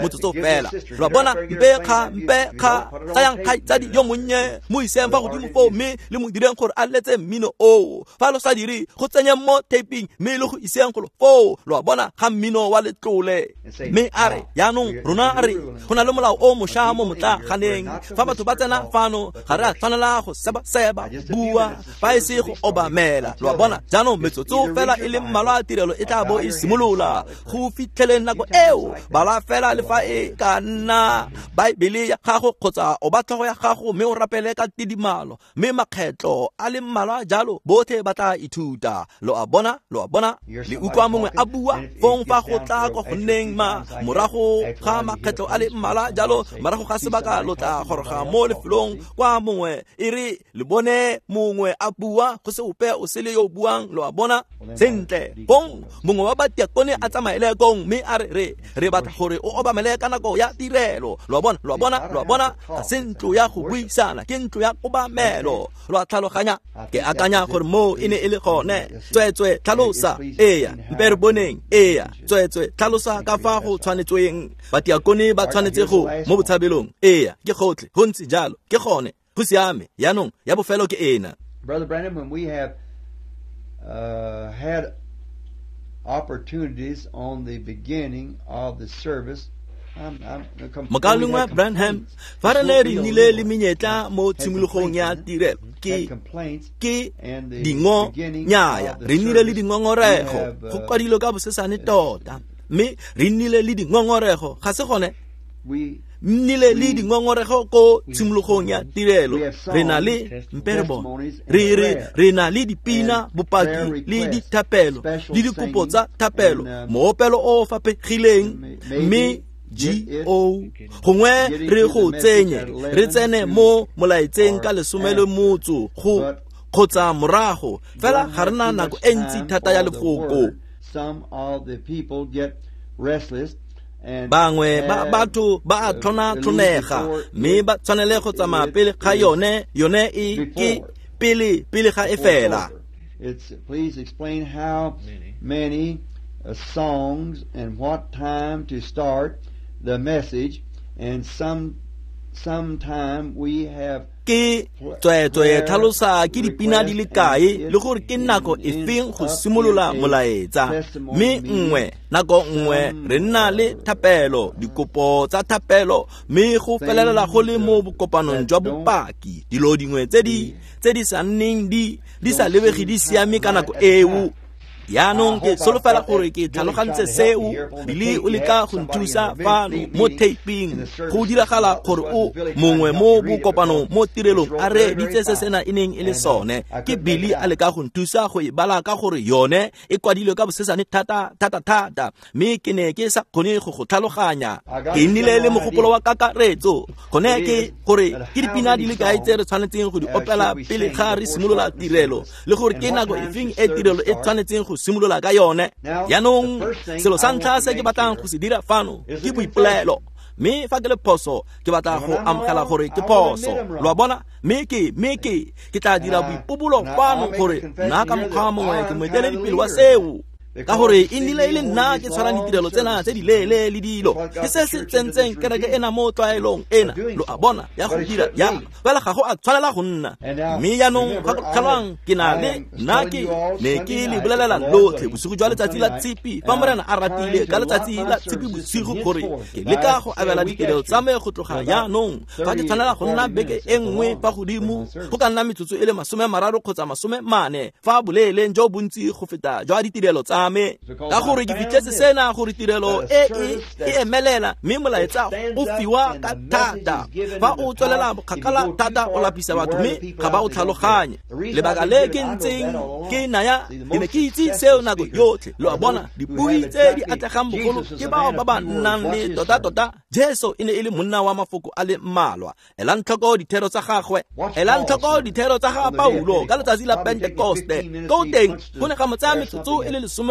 Speaker 1: motsotso fela, lo a bona, mpe kga tsayang kgaitsadi yo monnye mo iseng fa godimo foo mme le mo direng gore a letse mmino oo. Fa lo sa dire, go tsenyeng mo taping mme le go iseng golo foo, lo a bona, ga mmino wa letlole. Mme a re jaanong rona a re go na le molao o mošwa mo motlaganeng, fa batho ba tsena fano ga re a tshwanela go seba-seba bua fa e se go obamela, lo a bona. Jaanong metsotso fela e le mmalwa tirelo e tla bo e simolola, go fitlheleng nako eo bala fela le fa e ka nna Baebele ya gago kgotsa o ba tlhogo ya gago, mme o rapele ka tidimalo, mme makgetlo a le mmalwa jalo botlhe ba tla ithuta, lo a bona, lo a bona. Le utlwa mongwe a bua fong fa go tla kwa go nneng ma morago ga makgetlo a le mmalwa jalo, morago ga sebaka lo tla goroga mo lefelong kwa mongwe e re le bone mongwe a bua go se ope o sele yo o buang, lo a bona. Sentle, fong mongwe wa badiakone a tsamaele kong mme a re re batla gore o obamele ka nako ya tirelo, lo a bona, lo a bona, lo a bona. Ga se ntlo ya go buisana, ke ntlo ya kobamelo, lo a tlhaloganya. Ke akanya gore moo e ne e le gone. Tsweetswe tlhalosa, eya, mpe re boneng, eya, tsweetswe tlhalosa ka fa go tshwanetsweng. Badiakone ba tshwanetse go mo botshabelong, eya, ke gotlhe, go ntse jalo, ke gone, go siame. Jaanong ya bofelo ke ena.
Speaker 2: Brother Branham, when we have had opportunities on the beginning of the service
Speaker 1: Mokaulengwe Branham, fa re ne re nnile le menyetla mo tshimologong ya tirelo, ke dingo nyaya, re nnile le dingongorego, go kwadilwe ka bosesane tota, mme re nnile le dingongorego, ga se gone? Nnile le dingongorego ko tshimologong ya tirelo, re na le mperebone, re na le dipina, bopaki le dithapelo le dikopo tsa thapelo, moopelo o faphegileng, mme G-O gongwe re go tsenye re tsene mo molaetseng ka 15 go kgotsa morago, fela ga re na nako e ntsi thata ya lefoko. Bangwe ba batho ba a tlhonatlhonega mme ba tshwanele go tsamaya pele ga yone e ke pele ga e fela.
Speaker 2: Please explain how many songs and what time to start the message, and sometime we have
Speaker 1: ke tsweetswe tlhalosa ke dipina di le kae le gore ke nako efeng go simolola molaetsa, mme nngwe nako nngwe re nna le thapelo, dikopo tsa thapelo, mme go felelela go le mo bokopanong jwa bopaki, dilo dingwe tse di sa nneng di sa lebege di siame ka nako eo. Yaanong ke solofela gore ke tlhalogantse seo, Billy o leka go nthusa fano mo taping. Go diragala gore o mongwe mo bokopanong mo tirelong a reeditse se sena e neng e le sone. Ke Billy a leka go nthusa go e bala ka gore yone e kwadilwe ka bosesane thata thata thata, mme ke ne ke sa kgone go go tlhaloganya. Ke nnile le mogopolo wa kakaretso, gone ke gore ke dipina di le kae tse re tshwanetseng go di opela pele ga re simolola tirelo, le gore ke nako efeng e tirelo e tshwanetseng go simolola ka yone. Jaanong selo sa ntlha se ke batlang go se dira fano ke boipolelo, mme fa ke le phoso ke batla go amogela gore ke phoso, lo a bona? Mme ke tla dira boipobolo fano gore nna ka mokgwa mongwe ke moeteledipele wa seo, ka gore e nnile e le nna ke tshwarang ditirelo tsena tse di leele le dilo, ke se se tsentseng kereke ena mo tlwaelong ena, lo a bona, ya go dira jalo, fela ga go a tshwanela go nna. Mme jaanong gakologelwang, ke na le nna ke ne ke le bolelela lotlhe bosigo jwa letsatsi la Tshipi, fa Morena a ratile ka letsatsi la Tshipi bosigo, gore ke leka go abela ditirelo tsa me go tloga jaanong. Fa ke tshwanela go nna beke e nngwe fa godimo, go ka nna metsotso e le 30 kgotsa 40 fa boleeleng jo bontsi go feta jwa ditirelo tsa me, ka gore ke fitlhetse sena gore tirelo e emelela, mme molaetsa o fiwa ka thata. Fa o tswelela bokgakala thata o lapisa batho mme ga ba o tlhaloganye. Lebaka le ke ntseng ke naya, ke ne ke itse seo nako yotlhe, lo a bona? Dipui tse di atlegang bogolo ke bao ba ba nnang le tota-tota. Jesu e ne e le monna wa mafoko a le mmalwa. Elang tlhoko dithero tsa gagwe, elang tlhoko dithero tsa ga Paulo ka letsatsi la Pentekoste. Ko teng go ne ga mo tsaya metsotso e le 15,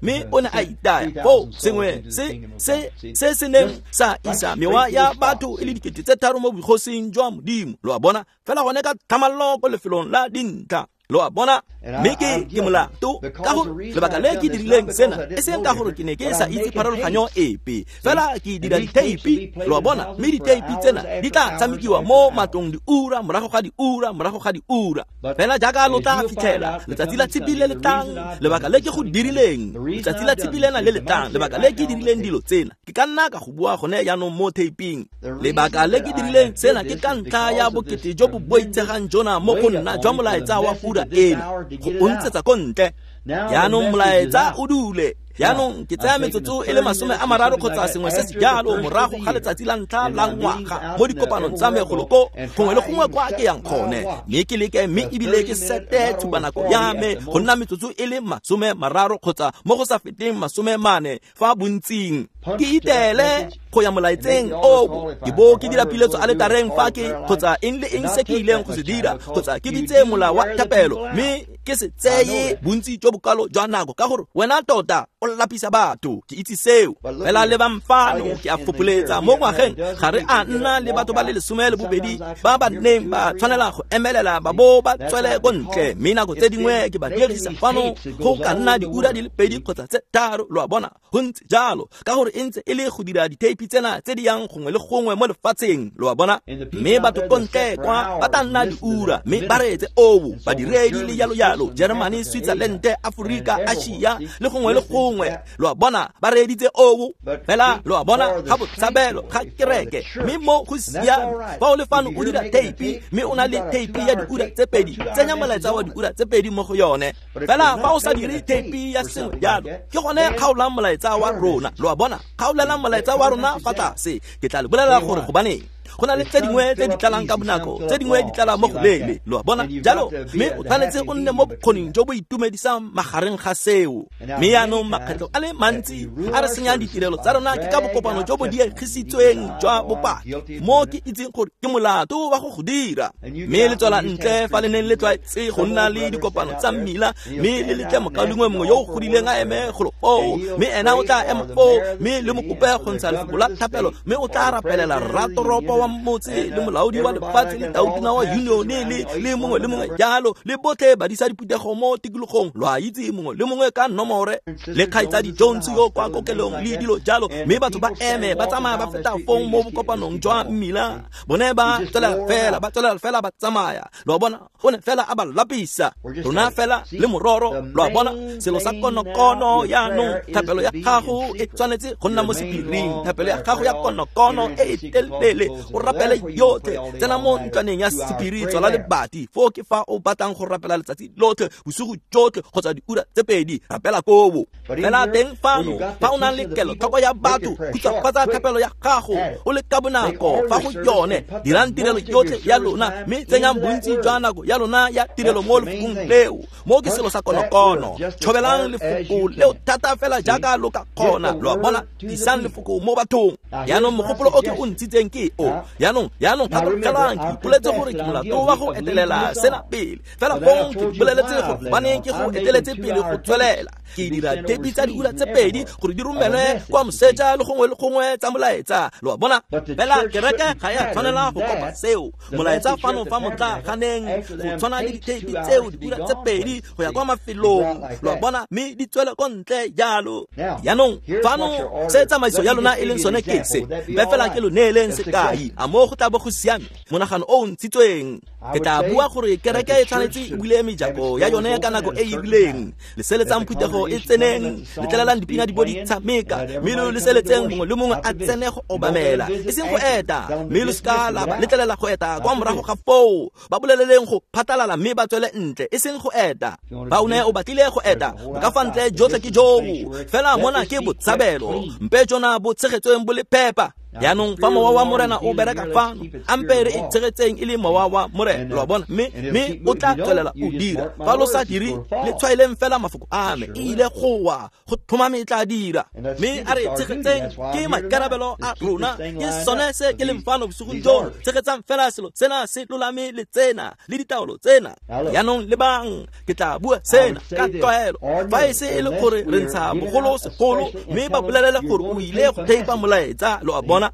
Speaker 1: mme o ne a itaya foo sengwe se se neng sa isa mewa ya batho e le 3,000 mo bogosing jwa Modimo, lo a bona? Fela gone ka tlhamallo ko lefelong la dintlha, lo a bona? Mme ke molato ka gore lebaka le ke dirileng sena e seng ka gore ke ne ke sa itse pharologanyo epe, fela ke dira ditheipi, lo a bona? Mme ditheipi tsena di tla tshamekiwa mo matlong diura morago ga diura morago ga diura, fela jaaka lo tla fitlhela letsatsi la Tshipi le le tlang. Lebaka le ke go dirileng letsatsi la Tshipi lena le le tlang, lebaka le ke dirileng dilo tsena, ke ka nna ka go bua gone jaanong mo taping. Lebaka le ke dirileng sena ke ka ntlha ya bokete jo bo boitshegang jona mo go nna jwa molaetsa wa ura ena, go o ntshetsa ko ntle. Jaanong molaetsa o dule. Jaanong ke tsaya metsotso e le 30 kgotsa sengwe se se jalo morago ga letsatsi la ntlha la ngwaga mo dikopanong tsa me golo ko gongwe le gongwe kwa ke yang gone, mme ke leke mme ebile ke sete tshupanako ya me go nna metsotso e le 30 kgotsa mo go sa feteng 40 fa bontsing. Ke itele go ya molaetseng oo, ke bo ke dira piletso aletareng fa ke kgotsa eng le eng se ke ileng go se dira, kgotsa ke bitse mola wa thapelo, mme ke se tseye bontsi jo bokalo jwa nako, ka gore wena tota o lapisa batho, ke itse seo. Fela lebang fano, ke a fopoletsa mo ngwageng ga re a nna le batho ba le 12 ba ba neng ba tshwanela go emelela ba bo ba tswele ko ntle, mme nako tse dingwe ke ba dirisa fano go ka nna diura di le 2 kgotsa tse 3, lo a bona? Go ntse jalo, ka gore gore e ntse e le go dira ditheipi tsena tse di yang gongwe le gongwe mo lefatsheng, lo a bona. Mme batho ko ntle kwa ba tla nna diura mme ba reetse oo, badiredi le jalo jalo, Germany, Switzerland, Afrika, Asia le gongwe le gongwe, lo a bona, ba reeditse oo. Fela lo a bona, ga botshabelo ga kereke, mme mo go siame. Fa o le fano o dira theipi mme o na le theipi ya diura tse 2, tsenya molaetsa wa diura tse 2 mo go yone. Fela fa o sa dire theipi ya sengwe jalo, ke gone kgaolang molaetsa wa rona, lo a bona, kgaolelang molaetsa wa rona fa tlase. Ke tla le bolelela gore gobaneng go na le tse dingwe tse di tlalang ka bonako, tse dingwe di tlala mo go leele, lo a bona. Jalo mme o tshwanetse o nne mo bokgoning jo bo itumedisang magareng ga seo. Mme yaanong makgetlho a le mantsi a re senyang ditirelo tsa rona ke ka bokopano jo bo diegisitsweng jwa bopaki, mo ke itseng gore ke molato wa go go dira. Mme le tswela ntle fa le neng le tlwaetse go nna le dikopano tsa mmila, mme le letle mokaulengwe mongwe yo o godileng a eme golo foo, mme ena o tla ema foo, mme le mo kope go ntsha lefoko la thapelo, mme o tla rapelela rratoropo wa motse le molaodi wa lefatshe le tautona wa unione le mongwe le mongwe jalo, le botlhe badisa diphuthego mo tikologong, lo a itse, mongwe le mongwe ka nomore, le kgaitsadi Jones yo kwa kokelong le dilo jalo. Mme batho ba eme ba tsamaya ba feta fong mo bokopanong jwa mmila, bone ba tswelela fela ba tsamaya, lo a bona, o ne fela a ba lapisa. Rona fela le mororo, lo a bona, selo sa konokono yaanong, thapelo ya gago e tshwanetse go nna mo sephiring, thapelo ya gago ya konokono e e telele, o rapele yotlhe, tsena mo ntlwaneng ya sephiri, tswala lebati foo ke fa o batlang go rapela letsatsi lotlhe, bosigo jotlhe kgotsa diura tse 2, rapela koo. Fela teng fano fa o nang le kelotlhoko ya batho, khutshwafatsa thapelo ya gago o le ka bonako fa go yone, dirang tirelo yotlhe ya lona, mme tsenyang bontsi jwa nako ya lona ya tirelo mo lefokong leo. Mo ke selo sa konokono, tshobelang lefoko leo thata fela jaaka lo ka kgona, lo a bona, tlisang lefoko mo bathong. Yaanong mogopolo o ke o ntshitseng ke o. Yaanong gakologelang, ke ipoletse gore ke molato wa go etelela sena pele, fela fong ke boleletse gore gobaneng ke go eteletse pele go tswelela. Ke dira theipi tsa diura tse 2 gore di romelwe kwa moseja le gongwe le gongwe tsa molaetsa, lo a bona. Fela kereke ga ya tshwanela go kopa seo. Molaetsa fano fa motlaganeng go tshwana le ditheipi tseo diura tse 2 go ya kwa mafelong, lo a bona, mme di tswele ko ntle jalo. Yaanong fano se tsamaiso ya lona e leng sone ke se, mpe fela ke lo neeleng sekai, a mo go tla bo go siame monagano o o ntshitsweng. Ke tla bua gore kereke e tshwanetse e bule mejako ya yone ka nako e e rileng, leseletsang phuthego e tseneng, letlelelang dipina di bo di tshameka, mme lo leseletseng mongwe le mongwe a tsene go obamela, e seng go eta, mme lo seka la ba letlelela go eta kwa morago ga foo, ba boleleleng go phatalala mme ba tswele ntle, e seng go eta. Ba o ne o batlile go eta, bo ka fa ntle jotlhe ke joo, fela mona ke botshabelo, mpe jona bo tshegetsweng bo le phepa. Yaanong fa mowa wa Morena o bereka fano, ampe re e tshegetseng e le mowa wa Morena, lo a bona, mme o tla tswelela o dira. Fa lo sa dire, le tshwaeleng fela mafoko a me, e ile go wa, go tlhomame e tla dira. Mme a re tshegetseng, ke maikarabelo a rona, ke sone se ke leng fano bosigong jono, tshegetsang fela selo sena se lolame le tsena le ditaolo tsena. Yaanong lebang, ke tla bua sena ka tlwaelo, fa e se e le gore re ntsha bogolo segolo, mme ba bolelele gore o ile go theipa molaetsa, lo a bona.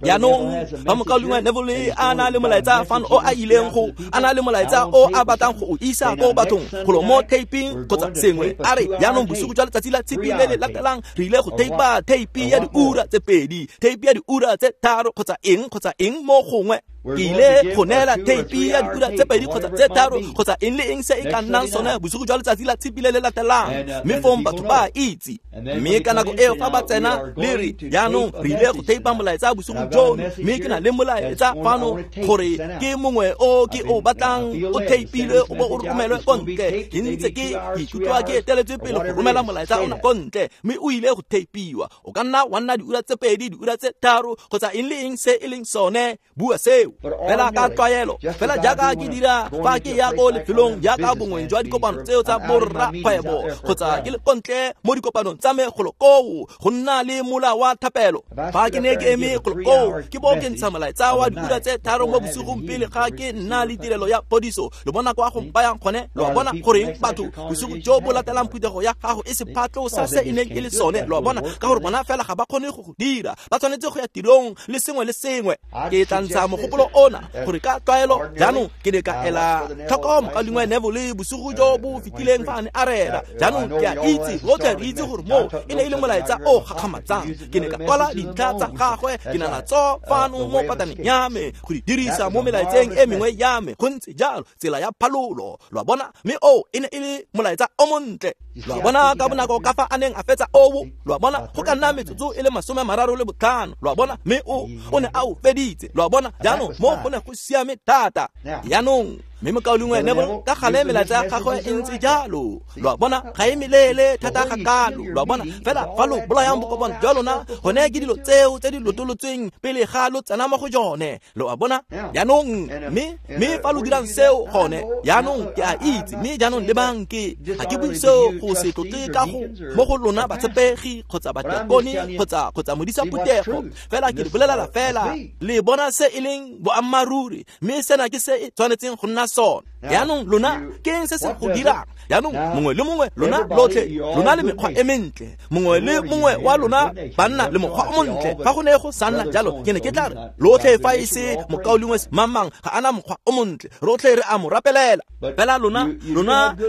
Speaker 1: Yaanong fa mokaulengwe Neville a na le molaetsa fano o a ileng go, a na le molaetsa o a batlang go o isa ko bathong golo mo taping kgotsa sengwe, a re yaanong bosigo jwa letsatsi la tshipi le le latelang re ile go teipa teipi ya diura tse 2, teipi ya diura tse 3 kgotsa eng mo gongwe. Ke ile go neela teipi ya diura tse 2 kgotsa tse 3 kgotsa eng le eng se e ka nnang sone bosigo jwa letsatsi la tshipi le le latelang, mme fong batho ba itse. Mme ka nako eo fa ba tsena le re yaanong re ile go teipa molaetsa bosigo jono, mme ke na le molaetsa fano gore ke mongwe o ke o batlang o teipilwe o bo o romelwe ko ntle. Ke ntse ke ikutlwa ke eteletswe pele go romela molaetsa ona ko ntle, mme o ile go teipiwa. O ka nna wa nna diura tse 2, diura tse 3 kgotsa eng le eng se e leng sone, bua seo fela ka tlwaelo, fela jaaka ke dira fa ke ya ko lefelong jaaka bongweng jwa dikopano tseo tsa borrakgwebo kgotsa ke le ko ntle mo dikopanong tsa me golo koo go nna le mola wa thapelo. Fa ke ne ke eme golo koo ke bo ke ntsha molaetsa wa diura tse 3 mo bosigong pele ga ke nna le tirelo ya phodiso. Lo bona kwa go mpayang gone, lo a bona goreng batho bosigo jo bo latelang phuthego ya gago e sephatlo sa se e neng e le sone, lo a bona, ka gore bona fela ga ba kgone go go dira, ba tshwanetse go ya tirong le sengwe le sengwe. Ke tla ntsha mogopolo ona gore ka tlwaelo jaanong ke ne ka ela tlhoko mokaulengwe Neville bosigo jo bo fetileng fa a ne a rera. Jaanong ke a itse rotlhe re itse gore moo e ne e le molaetsa o gakgamatsang. Ke ne ka kwala dintlha tsa gagwe, ke na natso fano mo pataneng ya me go di dirisa mo melaetseng e mengwe ya me. Go ntse jalo, tsela ya phalolo, lo a bona, mme o e ne e le molaetsa o montle. Lo a bona ka bonako ka fa a neng a fetsa oo, lo a bona, go ka nna metsotso e le 35, lo a bona, mme o ne a o feditse, lo a bona. Jaanong mo go ne go siame thata. Jaanong mme mokaulengwe Neville ka gale melaetsa ya gagwe e ntse jalo, lo a bona, ga e melele thata ga kalo, lo a bona. Fela fa lo bolayang bokopano jwa lona, gone ke dilo tseo tse di lotolotsweng pele ga lo tsena mo go jone, lo a bona. Jaanong mme fa lo dirang seo gone, jaanong ke a itse, mme jaanong lebang, ke ga ke bue seo go se tlotle ka go mo go lona batshepegi kgotsa batiakone kgotsa modisa phuthego, fela ke le bolelela fela le bona se e leng boammaaruri, mme sena ke se e tshwanetseng go nna sone. Jaanong lona ke eng se se go dirang? Jaanong mongwe le mongwe lona lotlhe lona le mekgwa e mentle, mongwe le mongwe wa lona banna le mokgwa o montle. Fa go ne go sa nna jalo, ke ne ke tla re lotlhe fa e se mokaulengwe mamang ga ana mokgwa o montle, rotlhe re a mo rapelela. Fela lona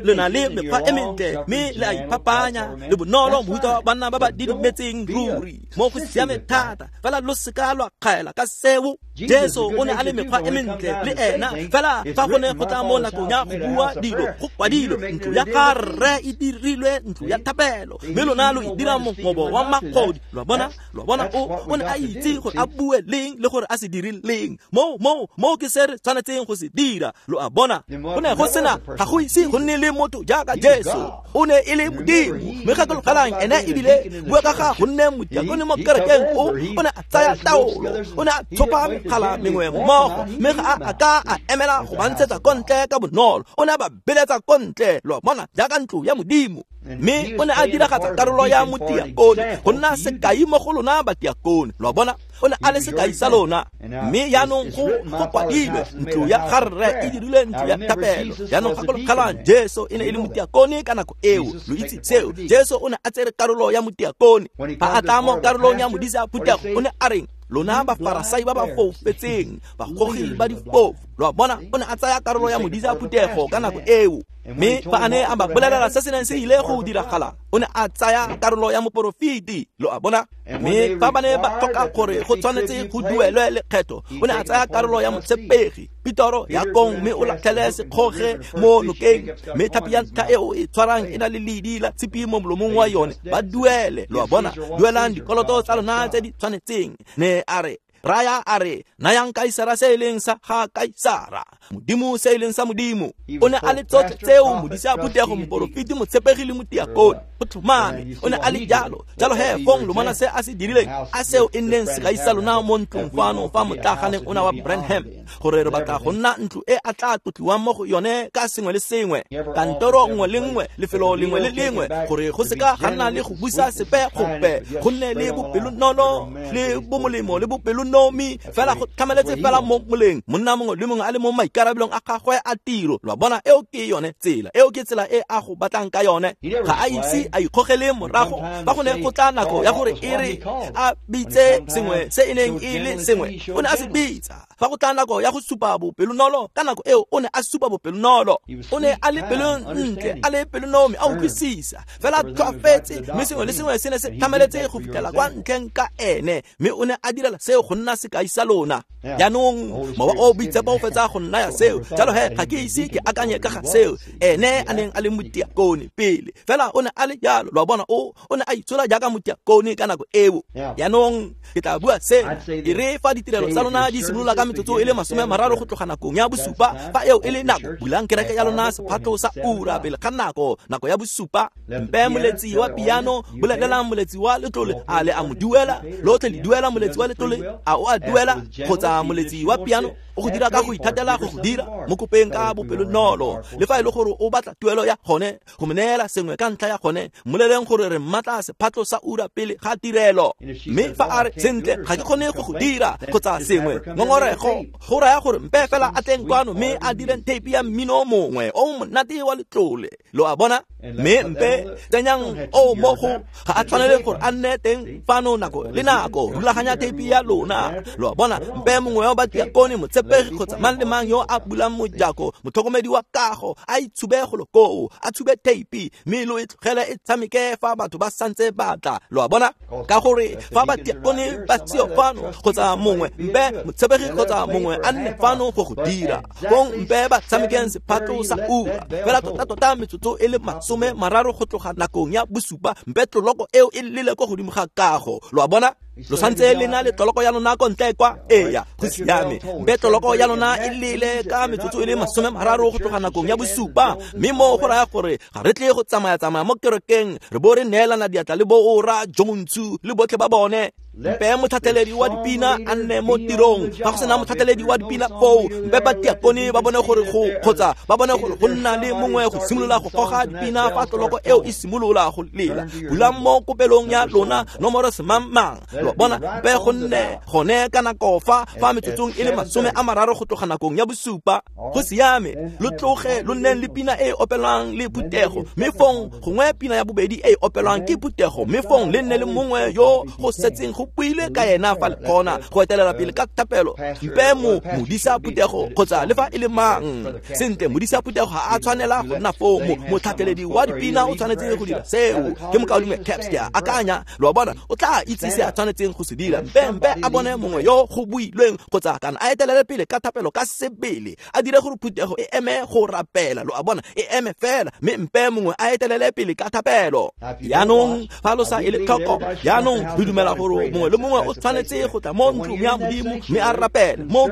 Speaker 1: le na le mekgwa e mentle, mme le a iphapanya le bonolo mohuta wa banna ba ba didimetseng ruri, mo go siame thata. Fela lo seka lwa kgaela ka seo. Jesu o ne a le mekgwa e mentle le ena, fela fa go ne go tla mo nakong ya go bua dilo, go kwadilwe, ntlo ya ga rre e dirilwe ntlo ya thapelo, mme lona lo e dira mongobo wa magodi. Lo a bona, lo a bona, o ne a itse gore a bue leng le gore a se dire leng. Mo ke se re tshwanetseng go se dira, lo a bona. Go ne go sena, ga go ise go nne le motho jaaka Jesu, o ne e le Modimo. Mme gakologelang ene ebile bua ka ga go nne motiakone mo kerekeng, o ne a tsaya taolo, o ne a tshopa megala mengwe mmogo, mme ga a ka a emela go ba ntshetsa ko ntle ka bonolo, o ne a ba beletsa ko ntle, lo a bona, jaaka ntlo ya Modimo. Mme o ne a diragatsa karolo ya motiakone go nna sekai mo go lona batiakone, lo a bona, o ne a le sekai sa lona. Mme jaanong go kwadilwe, ntlo ya ga rre e dirilwe ntlo ya thapelo. Jaanong gakologelang, Jesu e ne e le motiakone ka nako eo, lo itse seo. Jesu o ne a tsere karolo ya motiakone. Fa a tla mo karolong ya modisa phuthego, o ne a reng? Lona bafarasai ba ba foufetseng, bagogi ba difofu, lo a bona, o ne a tsaya karolo ya modisa phuthego ka nako eo. Mme fa a ne a ba bolelela se se neng se ile go diragala, o ne a tsaya karolo ya moporofeti, lo a bona. Mme fa ba ne ba tlhoka gore go tshwanetse go duelwe lekgetho, o ne a tsaya karolo ya motshepegi Petoro ya kong, mme o latlhele sekgoge mo nokeng, mme tlhapi ya ntlha eo e tshwarang e na le ledi la tshipi mo molomong wa yone, ba duele, lo a bona, duelang dikoloto tsa lona tse di tshwanetseng. Ne a re raya a re nayang Kaisara se e leng sa ga Kaisara, Modimo se e leng sa Modimo. O ne a le tsotlhe tseo, modisa phuthego, moporofeti, motshepegi le motiakone, go tlhomame o ne a le jalo. Jalo he fong lo bona se a se dirileng, a seo e nneng sekai sa lona mo ntlong fano fa motlaganeng ona wa Branham, gore re batla go nna ntlo e a tla tlotliwang mo go yone ka sengwe le sengwe, kantoro nngwe le nngwe, lefelo lengwe le lengwe, gore go seka ga nna le go busa sepe gope, go nne le bopelonolo le bomolemo le bopelonomi, fela go tlhamaletse fela mo moleng, monna mongwe le mongwe a le mo maikarabelong a gagwe a tiro. Lo a bona, eo ke yone tsela, eo ke tsela e a go batlang ka yone. Ga a ise a ikgogele morago fa go ne go tla nako ya gore e re a bitse sengwe se e neng e le sengwe, o ne a se bitsa. Fa go tla nako ya go supa bopelonolo, ka nako eo o ne a supa bopelonolo. O ne a le pelontle, a le pelonomi, a utlwisisa fela tlhoafetse, mme sengwe le sengwe se ne se tlhamaletse go fitlhela kwa ntlheng ka ene, mme o ne a direla seo go nna sekai sa lona. Jaanong mowa o boitshepo o fetsa go nnaya seo, jalo he ga ke ise ke akanye ka ga seo ene a neng a le motiakone pele, fela o ne a le jalo, lo a bona, o ne a itshola jaaka motiakone ka nako eo. Jaanong ke tla bua sena, e re fa ditirelo tsa lona di simolola ka metsotso e le 30 go tloga nakong ya bosupa, fa eo e le nako, bulang kereke ya lona sephatlo sa ura pele ga nako ya bosupa. Mpe moletsi wa piano, bolelelang moletsi wa letlole, a le a mo duela, lotlhe le duela moletsi wa letlole, a o a duela, kgotsa moletsi wa piano, O go dira ka go ithatela go go dira mo kopeng ka bopelonolo le fa e le gore o batla tuelo ya gone go mo neela sengwe ka ntlha ya gone mmoleleng gore re mmatla sephatlo sa ura pele ga tirelo mme fa a re sentle ga ke kgone go go dira kgotsa sengwe ngongorego go raya gore mpe fela a tleng kwano mme a direng tape ya mmino mongwe o monate wa letlole lo a bona mme mpe tsenyang o mo go ga a tshwanele gore a nne teng fano nako le nako rulaganya tape ya lona lo a bona mpe mongwe wa batiakone motshepegi kgotsa mang le mang yo a bulang mojako motlhokomedi wa kago a itshube golo koo a tshube tape mme lo e tlogele e tshameke fa batho ba santse batla lo a bona ka gore fa batiakone ba seo fano kgotsa mongwe mpe motshepegi kgotsa mongwe a nne fano go go dira fong mpe ba tshamekeng sephatlo sa ura fela tota-tota metsotso e le 30 go tloga nakong ya 7 mpe tloloko eo e lele ko godimo ga kago lo a bona lo santse le na le tloloko ya lona ko ntle kwa eya go siame mpe tloloko ya lona e lele ka metsotso e le 30 go tloga nakong ya 7 mme mo go raya gore ga re tle go tsamaya-tsamaya mo kerekeng re bo re neelana diatla le bo ora Jontsu le botlhe ba bone mpe motlhatlheledi wa dipina a nne mo tirong fa go sena motlhatlheledi wa dipina foo mpe batiakone ba bone gore go kgotsa ba bone gore go nna le mongwe go simolola go goga dipina fa tloloko eo e simolola go lela bulang mo kopelong ya lona nomoro semangmang lo bona mpe go nne gone ka nako fa metsotsong e le 30 go tloga nakong ya 7 go siame lo tloge lo nneng le pina e e opelwang le phuthego mme fong gongwe pina ya bobedi e e opelwang ke phuthego mme fong le nne le mongwe yo go setseng go buile ka ena fa le kgona go etelela pele ka thapelo mpe mo modisa phuthego kgotsa le fa e le mang sentle modisa phuthego ga a tshwanela go nna foo motlhatlheledi wa dipina o tshwanetse go dira seo ke mokaulengwe Caps ke a akanya lo a bona o tla itse se a tshwanetseng go se dira mpe a bone mongwe yo go builweng kgotsa kana a etelele pele ka thapelo ka sebele a dire gore phuthego e eme go rapela lo a bona e eme fela mme mpe mongwe a etelele pele ka thapelo yaanong fa lo sa e le tlhoko yaanong re dumela gore mongwe le mongwe o tshwanetse go tla mo ntlong ya modimo mme a rapele mo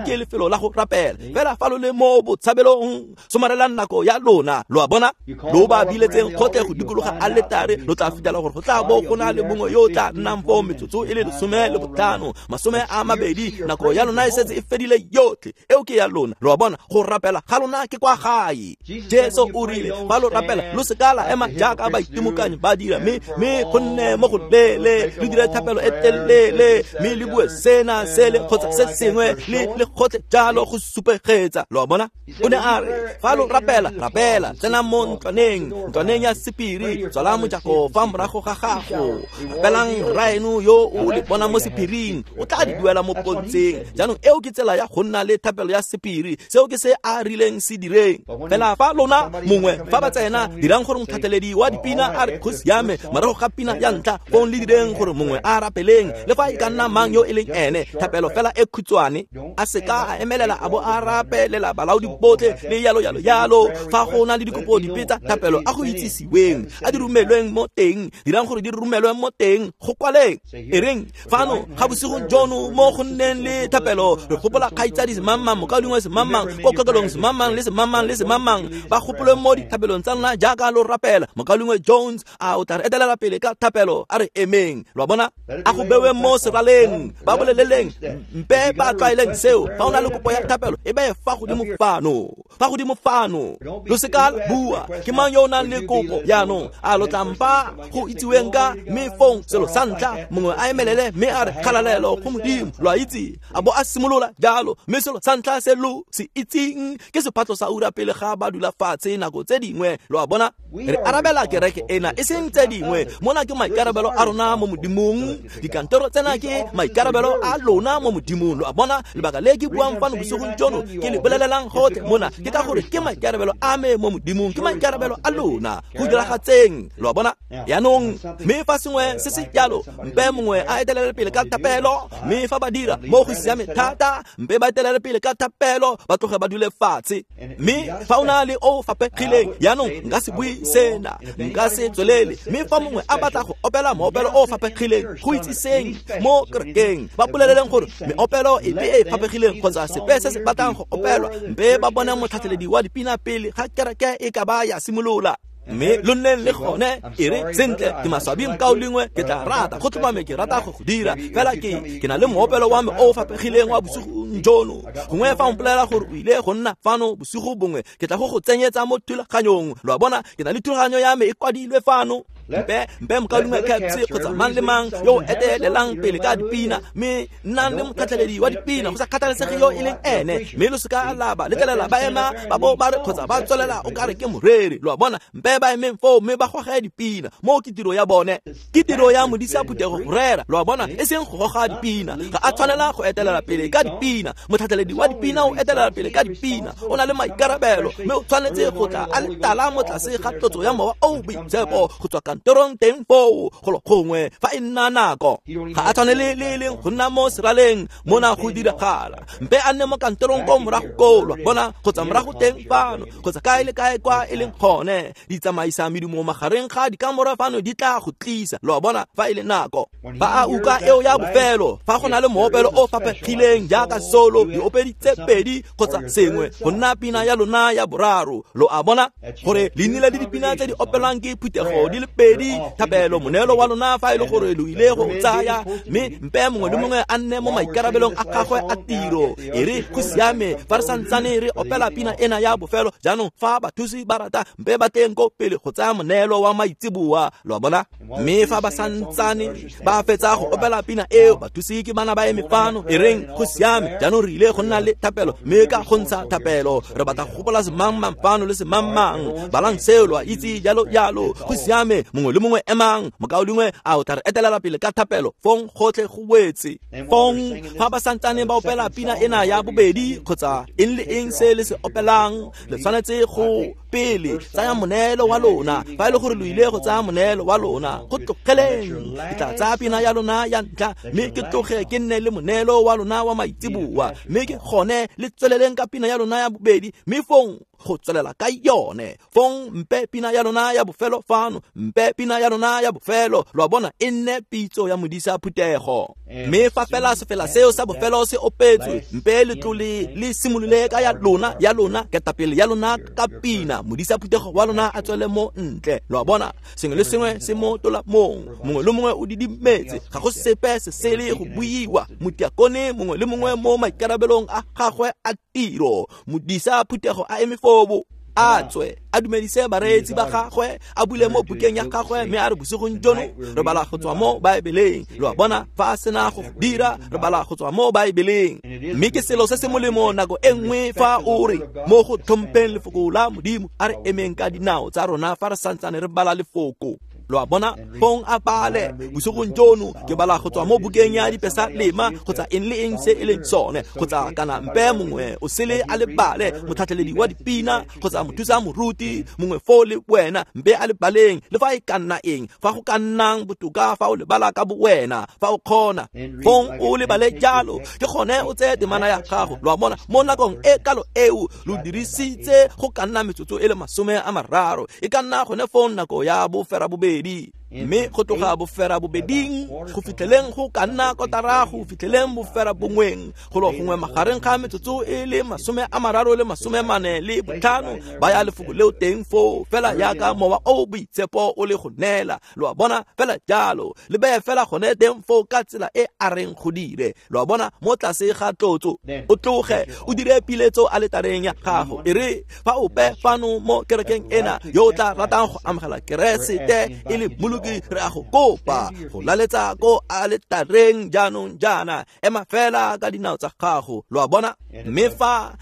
Speaker 1: ke lefelo la go rapela fela fa lo le mo botshabelong somarelang nako ya lona lo a bona lo ba biletseng kgotlhe go dikologa aletare lo tla fitlhela gore go tla bo go na le mongwe yo o tla nnang foo metsotso e le 15 20 nako ya lona e setse e fedile yotlhe eo ke ya lona lo a bona go rapela ga lona ke kwa gae Jesu o rile fa lo rapela lo seka la ema jaaka baitimokanyi ba dira mme go nne mo go lele le dire thapelo e telele mme le bue sena sele kgotsa se sengwe le gotlhe jalo go supegetsa lo a bona o ne a re fa lo rapela rapela tsenang mo ntlwaneng ya sephiri tswala mojako fa morago ga gago rapelang rraeno yo o le bona mo sephiring o tla di duela mo pontsheng jaanong eo ke tsela ya go nna le thapelo ya sephiri seo ke se a rileng se direng fela fa lona mongwe fa ba tsena dirang gore motlhatlheledi wa dipina a re go siame morago ga pina ya ntlha fong le direng gore mongwe a rapeleng le fa e ka nna mang yo e leng ene thapelo fela e khutshwane a seka a emelela a bo a rapelela balaodi botlhe le yalo yalo yalo fa go na le dikopo dipe tsa thapelo a go itsisiweng a di romelweng mo teng dirang gore di romelwe mo teng go kwaleng e reng fano ga bosigong jono mo go nneng le thapelo re gopola kgaitsadi semangmang mokaulengwe semangmang ko kokelong semangmang le semangmang le semangmang ba gopolwe mo dithapelong tsa lona jaaka lo rapela mokaulengwe Jones a o tla re etelela pele ka thapelo a re emeng lo a bona a go bewe mo seraleng ba boleleleng mpe ba tlwaeleng seo fa o na le kopo ya thapelo e beye fa godimo fano lo seka la bua ke mang yo o nang le kopo jaanong a lo tla mpa go itsiweng ka mme fong selo sa ntlha mongwe a emelele mme a re kgalalelo go modimo lo a itse a bo a simolola jalo mme selo sa ntlha se lo se itseng ke sephatlo sa ura pele ga ba dula fatshe nako tse dingwe lo a bona re arabela kereke ena e seng tse dingwe mona ke maikarabelo a rona mo modimong dikantoro tsena ke maikarabelo a lona mo modimong lo a bona lebaka le ke buang fano bosigong jono ke le bolelelang gotlhe mona ke ka gore ke maikarabelo a me mo modimong ke maikarabelo a lona go diragatseng lo a bona yaanong mme fa sengwe se se jalo mpe mongwe a etelele pele ka thapelo mme fa ba dira mo go siame thata mpe ba etelele pele ka thapelo ba tloge ba dule fatshe mme fa o na le o fapegileng yaanong nka se bue sena nka se tswelele mme fa mongwe a batla go opela moopelo o fapegileng go itsiseng mo kerekeng ba boleleleng gore meopelo epe e fapegileng kgotsa sepe se se batlang go opelwa mpe ba bone motlhatlheledi wa dipina pele ga kereke e ka ba ya simolola. Mme lo nneng le gone e re sentle ke maswabi nkao lengwe ke tla rata go tlhomame ke rata go go dira fela ke na le moopelo wa me o o fapegileng wa bosigong jono. Gongwe fa o mpolelela gore o ile go nna fano bosigo bongwe ke tla go go tsenyetsa mo thulaganyong. Lo a bona, ke na le thulaganyo ya me e kwadilwe fano. Mpe mokaulengwe Capps kgotsa mang le mang yo o etelelang pele ka dipina, mme nnang le motlhatlheledi wa dipina go sa kgathalesege yo e leng ene, mme lo seka la ba letlelela ba ema ba bo ba re kgotsa ba tswelela o kare ke moreri. Lo a bona, mpe ba emeng foo mme ba goge dipina. Moo ke tiro ya bone, ke tiro ya modisa phuthego go rera. Lo a bona, e seng go goga dipina. Ga a tshwanela go etelela pele ka dipina. Motlhatlheledi wa dipina o etelela pele ka dipina, o na le maikarabelo, mme o tshwanetse go tla a le tala mo tlase ga tlotso ya Mowa o o Boitshepo go tswa kantorong teng foo golo gongwe fa e nna nako. Ga a tshwanele le e leng go nna mo seraleng mona go diragala, mpe a nne mo kantorong ko morago koo, lo a bona, kgotsa morago teng fano, kgotsa kae le kae kwa e leng gone. Ditsamaisa medumo magareng ga dikamora fano di tla go tlisa, lo a bona, fa e le nako. Fa a utlwa eo ya bofelo, fa go na le moopelo o faphegileng jaaka solo, diopedi tse pedi kgotsa sengwe go nna pina ya lona ya boraro, lo a bona, gore le nnile le dipina tse di opelwang ke phuthego di le pedi, thapelo, moneelo wa lona fa e le gore lo ile go tsaya, mme mpe mongwe le mongwe a nne mo maikarabelong a gagwe a tiro. E re go siame fa re santsane re opela pina ena ya bofelo jaanong, fa bathusi ba rata mpe ba teng ko pele go tsaya moneelo wa maitseboa, lo a bona. Mme fa ba santsane ba fetsa go opela pina eo, bathusi ke bana ba eme fano, e reng go siame jaanong re ile go nna le thapelo, mme ka go ntsha thapelo re batla go gopola semangmang fano le semangmang, balang seo lo a itse jalo jalo. Go siame, mongwe le mongwe emang, mokaulengwe a o tla re etelela pele ka thapelo, fong gotlhe go wetse. Fong fa ba santsane ba opela pina ena ya bobedi kgotsa eng le eng se le se opelang, le tshwanetse go pele tsaya moneelo wa lona. Fa e le gore lo ile go tsaya moneelo wa lona, go tlogeleng, ke tla tsaya pina ya lona ya ntlha, mme ke tloge ke nne le moneelo wa lona wa maitseboa, mme ke gone le tsweleleng ka pina ya lona ya bobedi, mme fong go tswelela ka yone. Fong mpe pina ya lona ya bofelo fano, mpe pina ya lona ya bofelo, lo a bona, e nne pitso ya modisa phuthego. Mme fa fela sefela seo sa bofelo se opetswe, mpe letlole le simolole ka ya lona, ya lona ketapele ya lona ka pina, modisa phuthego wa lona a tswele mo ntle. Lo a bona, sengwe le sengwe se mo tolamong, mongwe le mongwe o didimetse, ga go sepe se sele go buiwa. Motiakone mongwe le mongwe mo maikarabelong a gagwe a tiro, modisa phuthego a eme fobo, a tswe a dumedise bareetsi ba gagwe, a bule mo bukeng ya gagwe, mme a re bosigong jono re bala go tswa mo Baebeleng. Lo a bona, fa a sena go dira, re bala go tswa mo Baebeleng. Mme ke selo se se molemo nako e nngwe fa o re mo go tlhompheng lefoko la Modimo, a re emeng ka dinao tsa rona fa re santsane re bala lefoko. Lo a bona, fong a bale bosigong jono ke bala go tswa mo bukeng ya Dipesalema kgotsa eng le eng se e leng sone, kgotsa kana mpe mongwe o sele a le bale, motlhatlheledi wa dipina kgotsa mothusa moruti mongwe foo le wena, mpe a le baleng, le fa e ka nna eng, fa go ka nnang botoka fa o lebala ka bowena, fa o kgona, fong o lebale jalo, ke gone o tseye temana ya gago. Lo a bona, mo nakong e kalo eo lo dirisitse go ka nna metsotso e le 30, e ka nna gone fong nako ya 8:30, mme go tloga 8:30 go fitlheleng go ka nna 8:45 fitlheleng 9:30, golo gongwe magareng ga metsotso e le 30 le 45, ba ya lefoko leo teng foo, fela yaka Mowa o Boitshepo o le go neela. Lo a bona, fela jalo le beye fela gone teng foo ka tsela e a reng go dire. Lo a bona, mo tlase ga tlotso, o tloge o dire piletso aletareng ya gago. E re fa ope fano mo kerekeng ena yo o tla ratang go amogela Keresete e le Mmoloki, re a go kopa go laletsa ko aletareng jaanong jaana, ema fela ka dinao tsa gago. Lo a bona, mme fa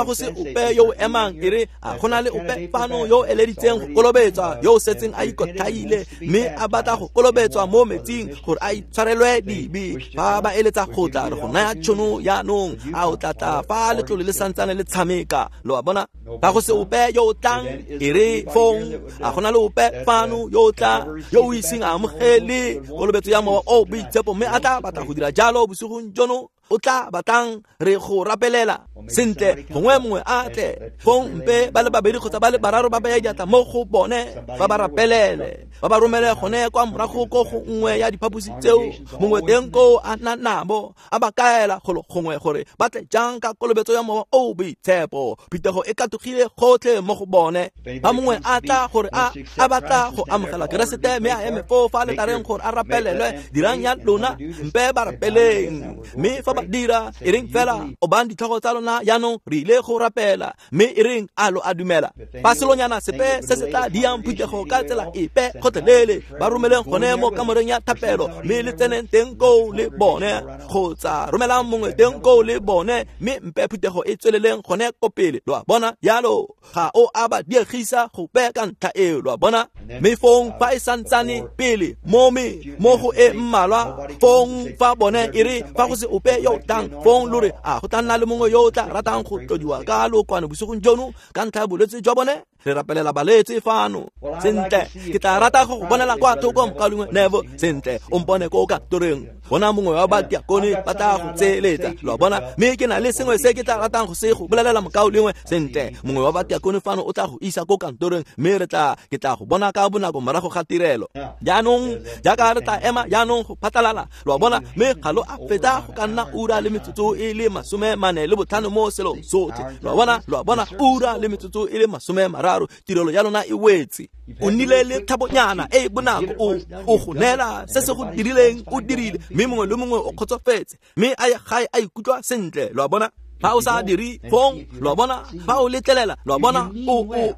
Speaker 1: go se ope yo o emang, e re a go na le ope fano yo o eleditseng go kolobetswa, yo o setseng a ikotlhaile mme a batla go kolobetswa mo metsing gore a itshwarelwe dibe, fa ba eletsa go tla, re go naya tšhono jaanong, a o tla tla fa letlole le santsane le tshameka. Lo a bona, fa go se ope yo o tlang, e re fong a go na le ope fano yo o tla, yo o iseng a amogele kolobetso ya Mowa o Boitshepo, mme a tla batla go dira jalo bosigong jono, o tla batlang re go rapelela sentle gongwe mongwe a tle fong mpe ba le babedi kgotsa ba le bararo ba baya diatla mo go bone ba ba rapelele ba ba romele gone kwa morago ko go nngwe ya diphaposi tseo mongwe teng koo a nna nabo a ba kaela golo gongwe gore ba tle jang ka kolobetso ya mowa o boitshepo. Phutego e katogile gotlhe mo go bone. Ba mongwe a tla gore a batla go amogela Keresete mme a eme foo fa letareng gore a rapelelwe, dirang ya lona mpe ba rapeleng. Mme fa ba dira e reng fela obang ditlhogo tsa lona jaanong re ile go rapela, mme e reng a lo a dumela. Fa selonyana sepe se se tla diang phuthego ka tsela epe gotlhelele ba romeleng gone mo kamoreng ya thapelo mme le tseneng teng koo le bone, kgotsa romelang mongwe teng koo le bone mme mpe phuthego e tsweleleng gone ko pele. Lo a bona jalo ga o a ba diegisa gope ka ntlha eo, lo a bona. Mme fong fa e santsane pele mo me mo go e mmalwa fong fa bone e re fa go se ope yo tlang fong lo re a go tla nna le mongwe yo o tla ratang go tlodiwa ka lookwane bosigong jono ka ntlha ya bolwetse jwa bone. Re rapelela balwetse fano. Sentle ke tla rata go go bonela kwa thoko mokaulengwe Nevo. Sentle o mpone ko kantoreng, bona mongwe wa badiakone ba tla go tseeletsa, lo a bona. Mme ke na le sengwe se ke tla ratang go se go bolelela mokaulengwe. Sentle mongwe wa badiakone fano o tla go isa ko kantoreng mme re tla ke tla go bona ka bonako morago ga tirelo. Jaanong jaaka re tla ema jaanong go phatlalala, lo a bona, mme ga lo a fetsa go ka nna ura le metsotso e le 45 mo selong sotlhe, lo a bona, lo a bona, ura le metsotso e le 30 tirelo ya lona e wetse. O nnile le thabonyana e bonako o go neela se se go dirileng o dirile, mme mongwe le mongwe o kgotsofetse mme a ye gae a ikutlwa sentle, lo a bona. Fa o sa dire fong, lo a bona, fa o letlelela, lo a bona,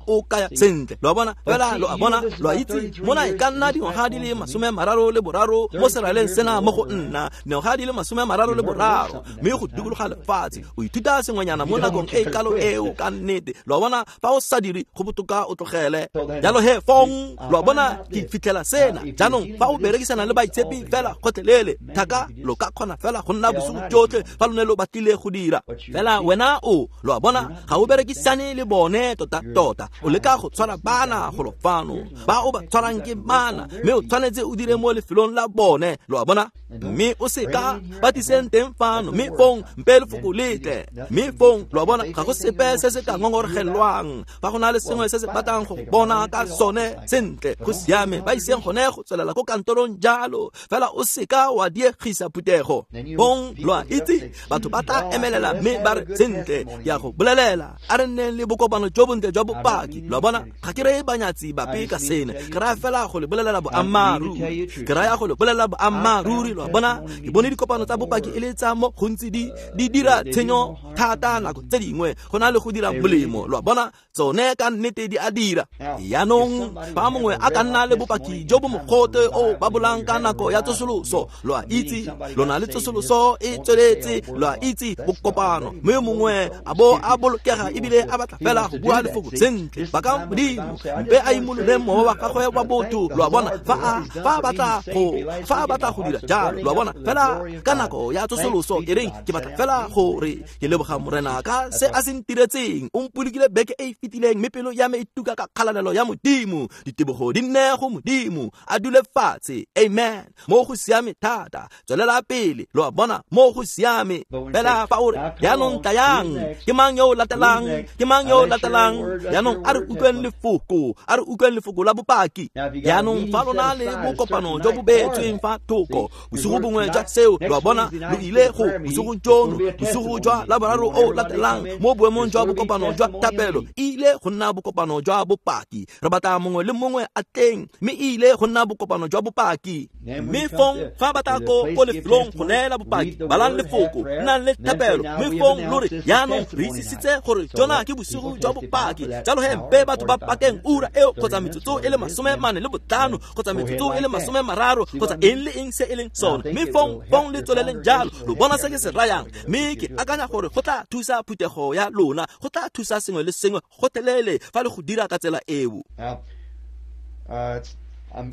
Speaker 1: o kaya sentle, lo a bona, fela lo a bona, lo a itse mona e ka nna dingwaga di le 33 mo seraleng sena mo go nna dingwaga di le 33 mme go dikologa lefatshe o ithuta sengwenyana mo nakong e kalo eo ka nnete, lo a bona. Fa o sa dire go botoka o tlogele. Jalo he fong, lo a bona, ke fitlhela sena jaanong fa o berekisana le baitshepi fela gotlhelele thaka lo ka kgona fela go nna bosigo jotlhe fa lo ne lo batlile go dira. Fela wena o lo a bona ga o berekisane le bone tota-tota, o leka go tshwara bana golo fano ba o ba tshwarang ke bana, mme o tshwanetse o dire mo lefelong la bone, lo a bona. Mme o seka ba tliseng teng fano mme fong mpe lefoko le tle, mme fong lo a bona ga go sepe se se ka ngongoregelwang. Fa go na le sengwe se se batlang go bona ka sone sentle go siame, ba iseng gone go tswelela ko kantorong jalo, fela o seka wa diegisa phuthego. Fong lo a itse batho ba tla emelela mme ba re sentle ke a go bolelela a re nneng le bokopano jo bontle jwa bopaki, lo a bona. Ga ke reye banyatsi bape ka sena, ke raya fela go le bolelela boammaaruri, ke raya go le bolelela boammaaruri, lo a bona. Ke bone dikopano tsa bopaki e le tsa mo gontsi di dira tshenyo thata nako tse dingwe go na le go dira molemo, lo a bona, tsone ka nnete di a dira. Jaanong fa mongwe a ka nna le bopaki jo bo mogote o babolang ka nako ya tsosoloso, lo a itse lona le tsosoloso e tsweletse, lo a itse bokopano, mme mongwe a bo a bolokega ebile a batla fela go bua lefoko sentle ba ka Modimo mpe a imolole mowa wa gagwe wa botho, lo a bona, fa a batla go dira jalo, lo a bona. Fela ka nako ya tsosoloso e reng ke batla fela gore ke leboga Morena ka se a se ntiretseng, o mpolokile beke e e fetileng mme pelo ya me e tuka ka kgalalelo ya Modimo, ditebogo di nne go Modimo, a dule fatshe, amen, mo go siame thata, tswelela pele, lo a bona, mo go siame. Fela fa o re jaanong tlayang, ke mang yo o latelang, ke mang yo o latelang, jaanong a re utlweng lefoko, a re utlweng lefoko la bopaki. Jaanong fa lona le bokopano jo bo beetsweng fa thoko bosigo bongwe jwa seo, lo a bona, lo ile go bosigong jono, bosigo jwa laboraro o latelang mo boemong jwa bokopano jwa thapelo e ile go nna bokopano jwa bopaki. Re batla mongwe le mongwe a teng, mme e ile go nna bokopano jwa bopaki. Mme fong fa batla ko lefelong go neela bopaki, balang lefoko, nnang le thapelo, mme fong lo re jaanong re itsisitse gore jona ke bosigo jwa bopaki, jalo he mpe batho ba pakeng ura eo kgotsa metsotso e le 45 kgotsa metsotso e le 30 kgotsa eng le eng se e leng sone, mme fong le tsweleleng jalo. Lo bona se ke se rayang, mme ke akanya gore go tla thusa phuthego ya lona, go tla thusa sengwe le sengwe gotlhelele fa le go dira ka tsela eo.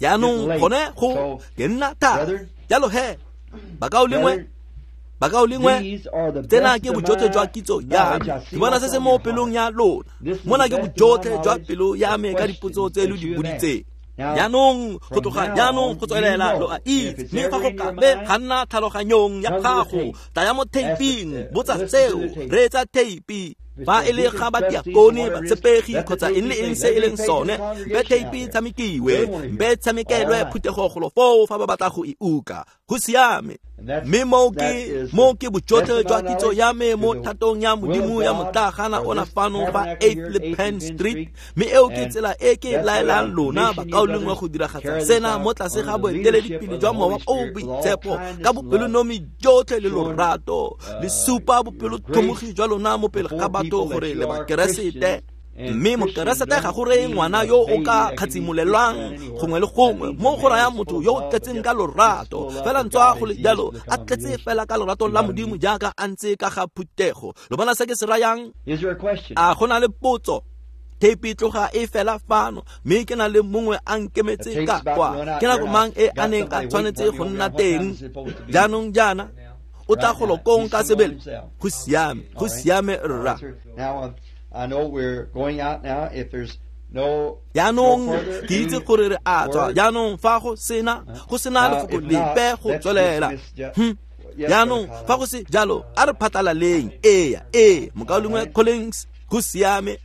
Speaker 1: Jaanong gone go ke nna thata jalo he bakaulengwe, tsena ke bojotlhe jwa kitso ya me, ke bona se se mo pelong ya lona, mona ke bojotlhe jwa pelo ya me ka dipotso tse lo di boditseng. Jaanong go tloga jaanong go tswelela lo a itse, mme fa go ka be ga nna tlhaloganyong ya gago, tlaya mo theiping, botsa seo, reetsa theipi. Fa e le ga badiakone, batshepegi kgotsa eng le eng se e leng sone, be theipi tshamekiwe, be tshamekelwe phuthego golo foo fa ba batla go e uka. Go siame. Mme moo ke bojotlhe jwa kitso ya me mo thatong ya Modimo ya motlagana ona fano fa 8 le Penn Street, mme eo ke tsela e ke laelang lona bakaulengwe go diragatsa sena mo tlase ga boeteledipele jwa Mowa o o Boitshepo ka bopelonomi jotlhe le lorato, le supa bopelotlhomogi jwa lona mo pele ga batho gore le Bakeresete. Mme Mokeresete ga go reye ngwana yo o ka kgatsimolelwang gongwe le gongwe, mo go raya motho yo o tletseng ka lorato, fela ntswa go le jalo a tletse fela ka lorato la Modimo jaaka a ntse ka ga phuthego. Lo bona se ke se rayang? A go na le potso? Theipi tloga e fela fano, mme ke na le mongwe a nkemetse ka kwa. Ke nako mang e a neng a tshwanetse go nna teng? Jaanong jaana o tla golo kong ka sebele. Go siame, go siame rra.
Speaker 2: I know we're going out now. If there's no
Speaker 1: Jaanong ke itse gore re a tswa. Jaanong fa go sena lefoko lepe go tswelela. Jaanong fa go se jalo, a re phatlalaleng. Ee, mokaulengwe Collins, go siame.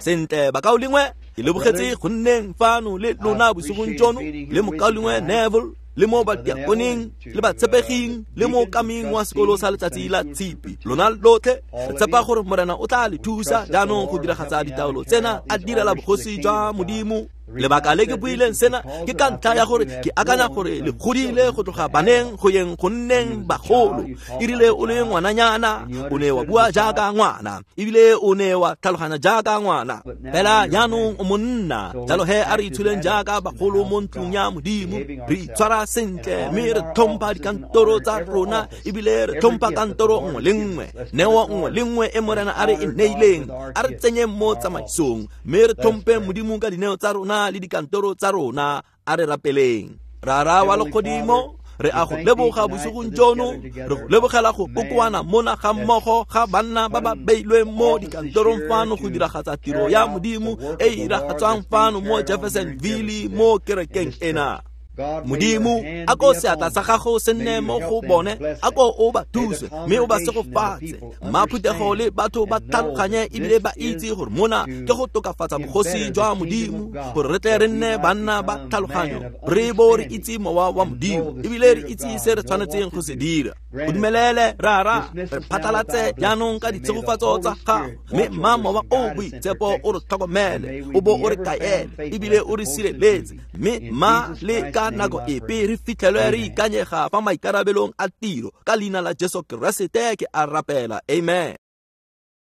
Speaker 1: Sentle bakaulengwe, ke lebogetse go nneng fano le lona bosigong jono, le mokaulengwe Neville, le mo badiakoneng, le batshepeging, le mo kaming wa sekolo sa letsatsi la Tshipi. Lona lotlhe re tshepa gore Morena o tla le thusa jaanong go diragatsa ditaolo tsena a direla bogosi jwa Modimo. Lebaka le ke buileng sena ke ka ntlha ya gore ke akanya gore le godile go tloga baneng go yeng go nneng bagolo. Erile o le ngwananyana, o ne wa bua jaaka ngwana, ebile o ne wa tlhaloganya jaaka ngwana. Fela jaanong o monna, jalo he a re itshuleng jaaka bagolo mo ntlong ya Modimo. Re itshwara sentle mme re tlhompha dikantoro tsa rona, ebile re tlhompha kantoro nngwe le nngwe, neo nngwe le nngwe e Morena a re e neileng, a re tsenyeng mo tsamaisong, mme re tlhomphe Modimo ka dineo tsa rona le dikantoro tsa rona. A re rapeleng. Rara wa legodimo, re a go leboga bosigong jono, re go lebogela go kokoana mona ga mmogo ga banna ba ba beilweng mo dikantorong fano go diragatsa tiro ya Modimo e e diragatswang fano mo Jeffersonville mo kerekeng ena. Modimo, a ko seatla sa gago se nne mo go bone, a ko o ba thuse mme o ba segofatse. Mma phuthego le batho ba tlhaloganye ebile ba itse gore mona ke go tokafatsa bogosi jwa Modimo, gore re tle re nne banna ba tlhaloganyo, re bo re itse mowa wa Modimo ebile re itse se re tshwanetseng go se dira. O dumelele Rara, re phatlalatse jaanong ka ditshegofatso tsa gago, mme mma Mowa o Boitshepo o re tlhokomele, o bo o re kaele ebile o re sireletse, mme mma le ka nako epe re fitlhelwe re ikanyega fa maikarabelong a tiro. Ka leina la Jesu Keresete ke a rapela, amen.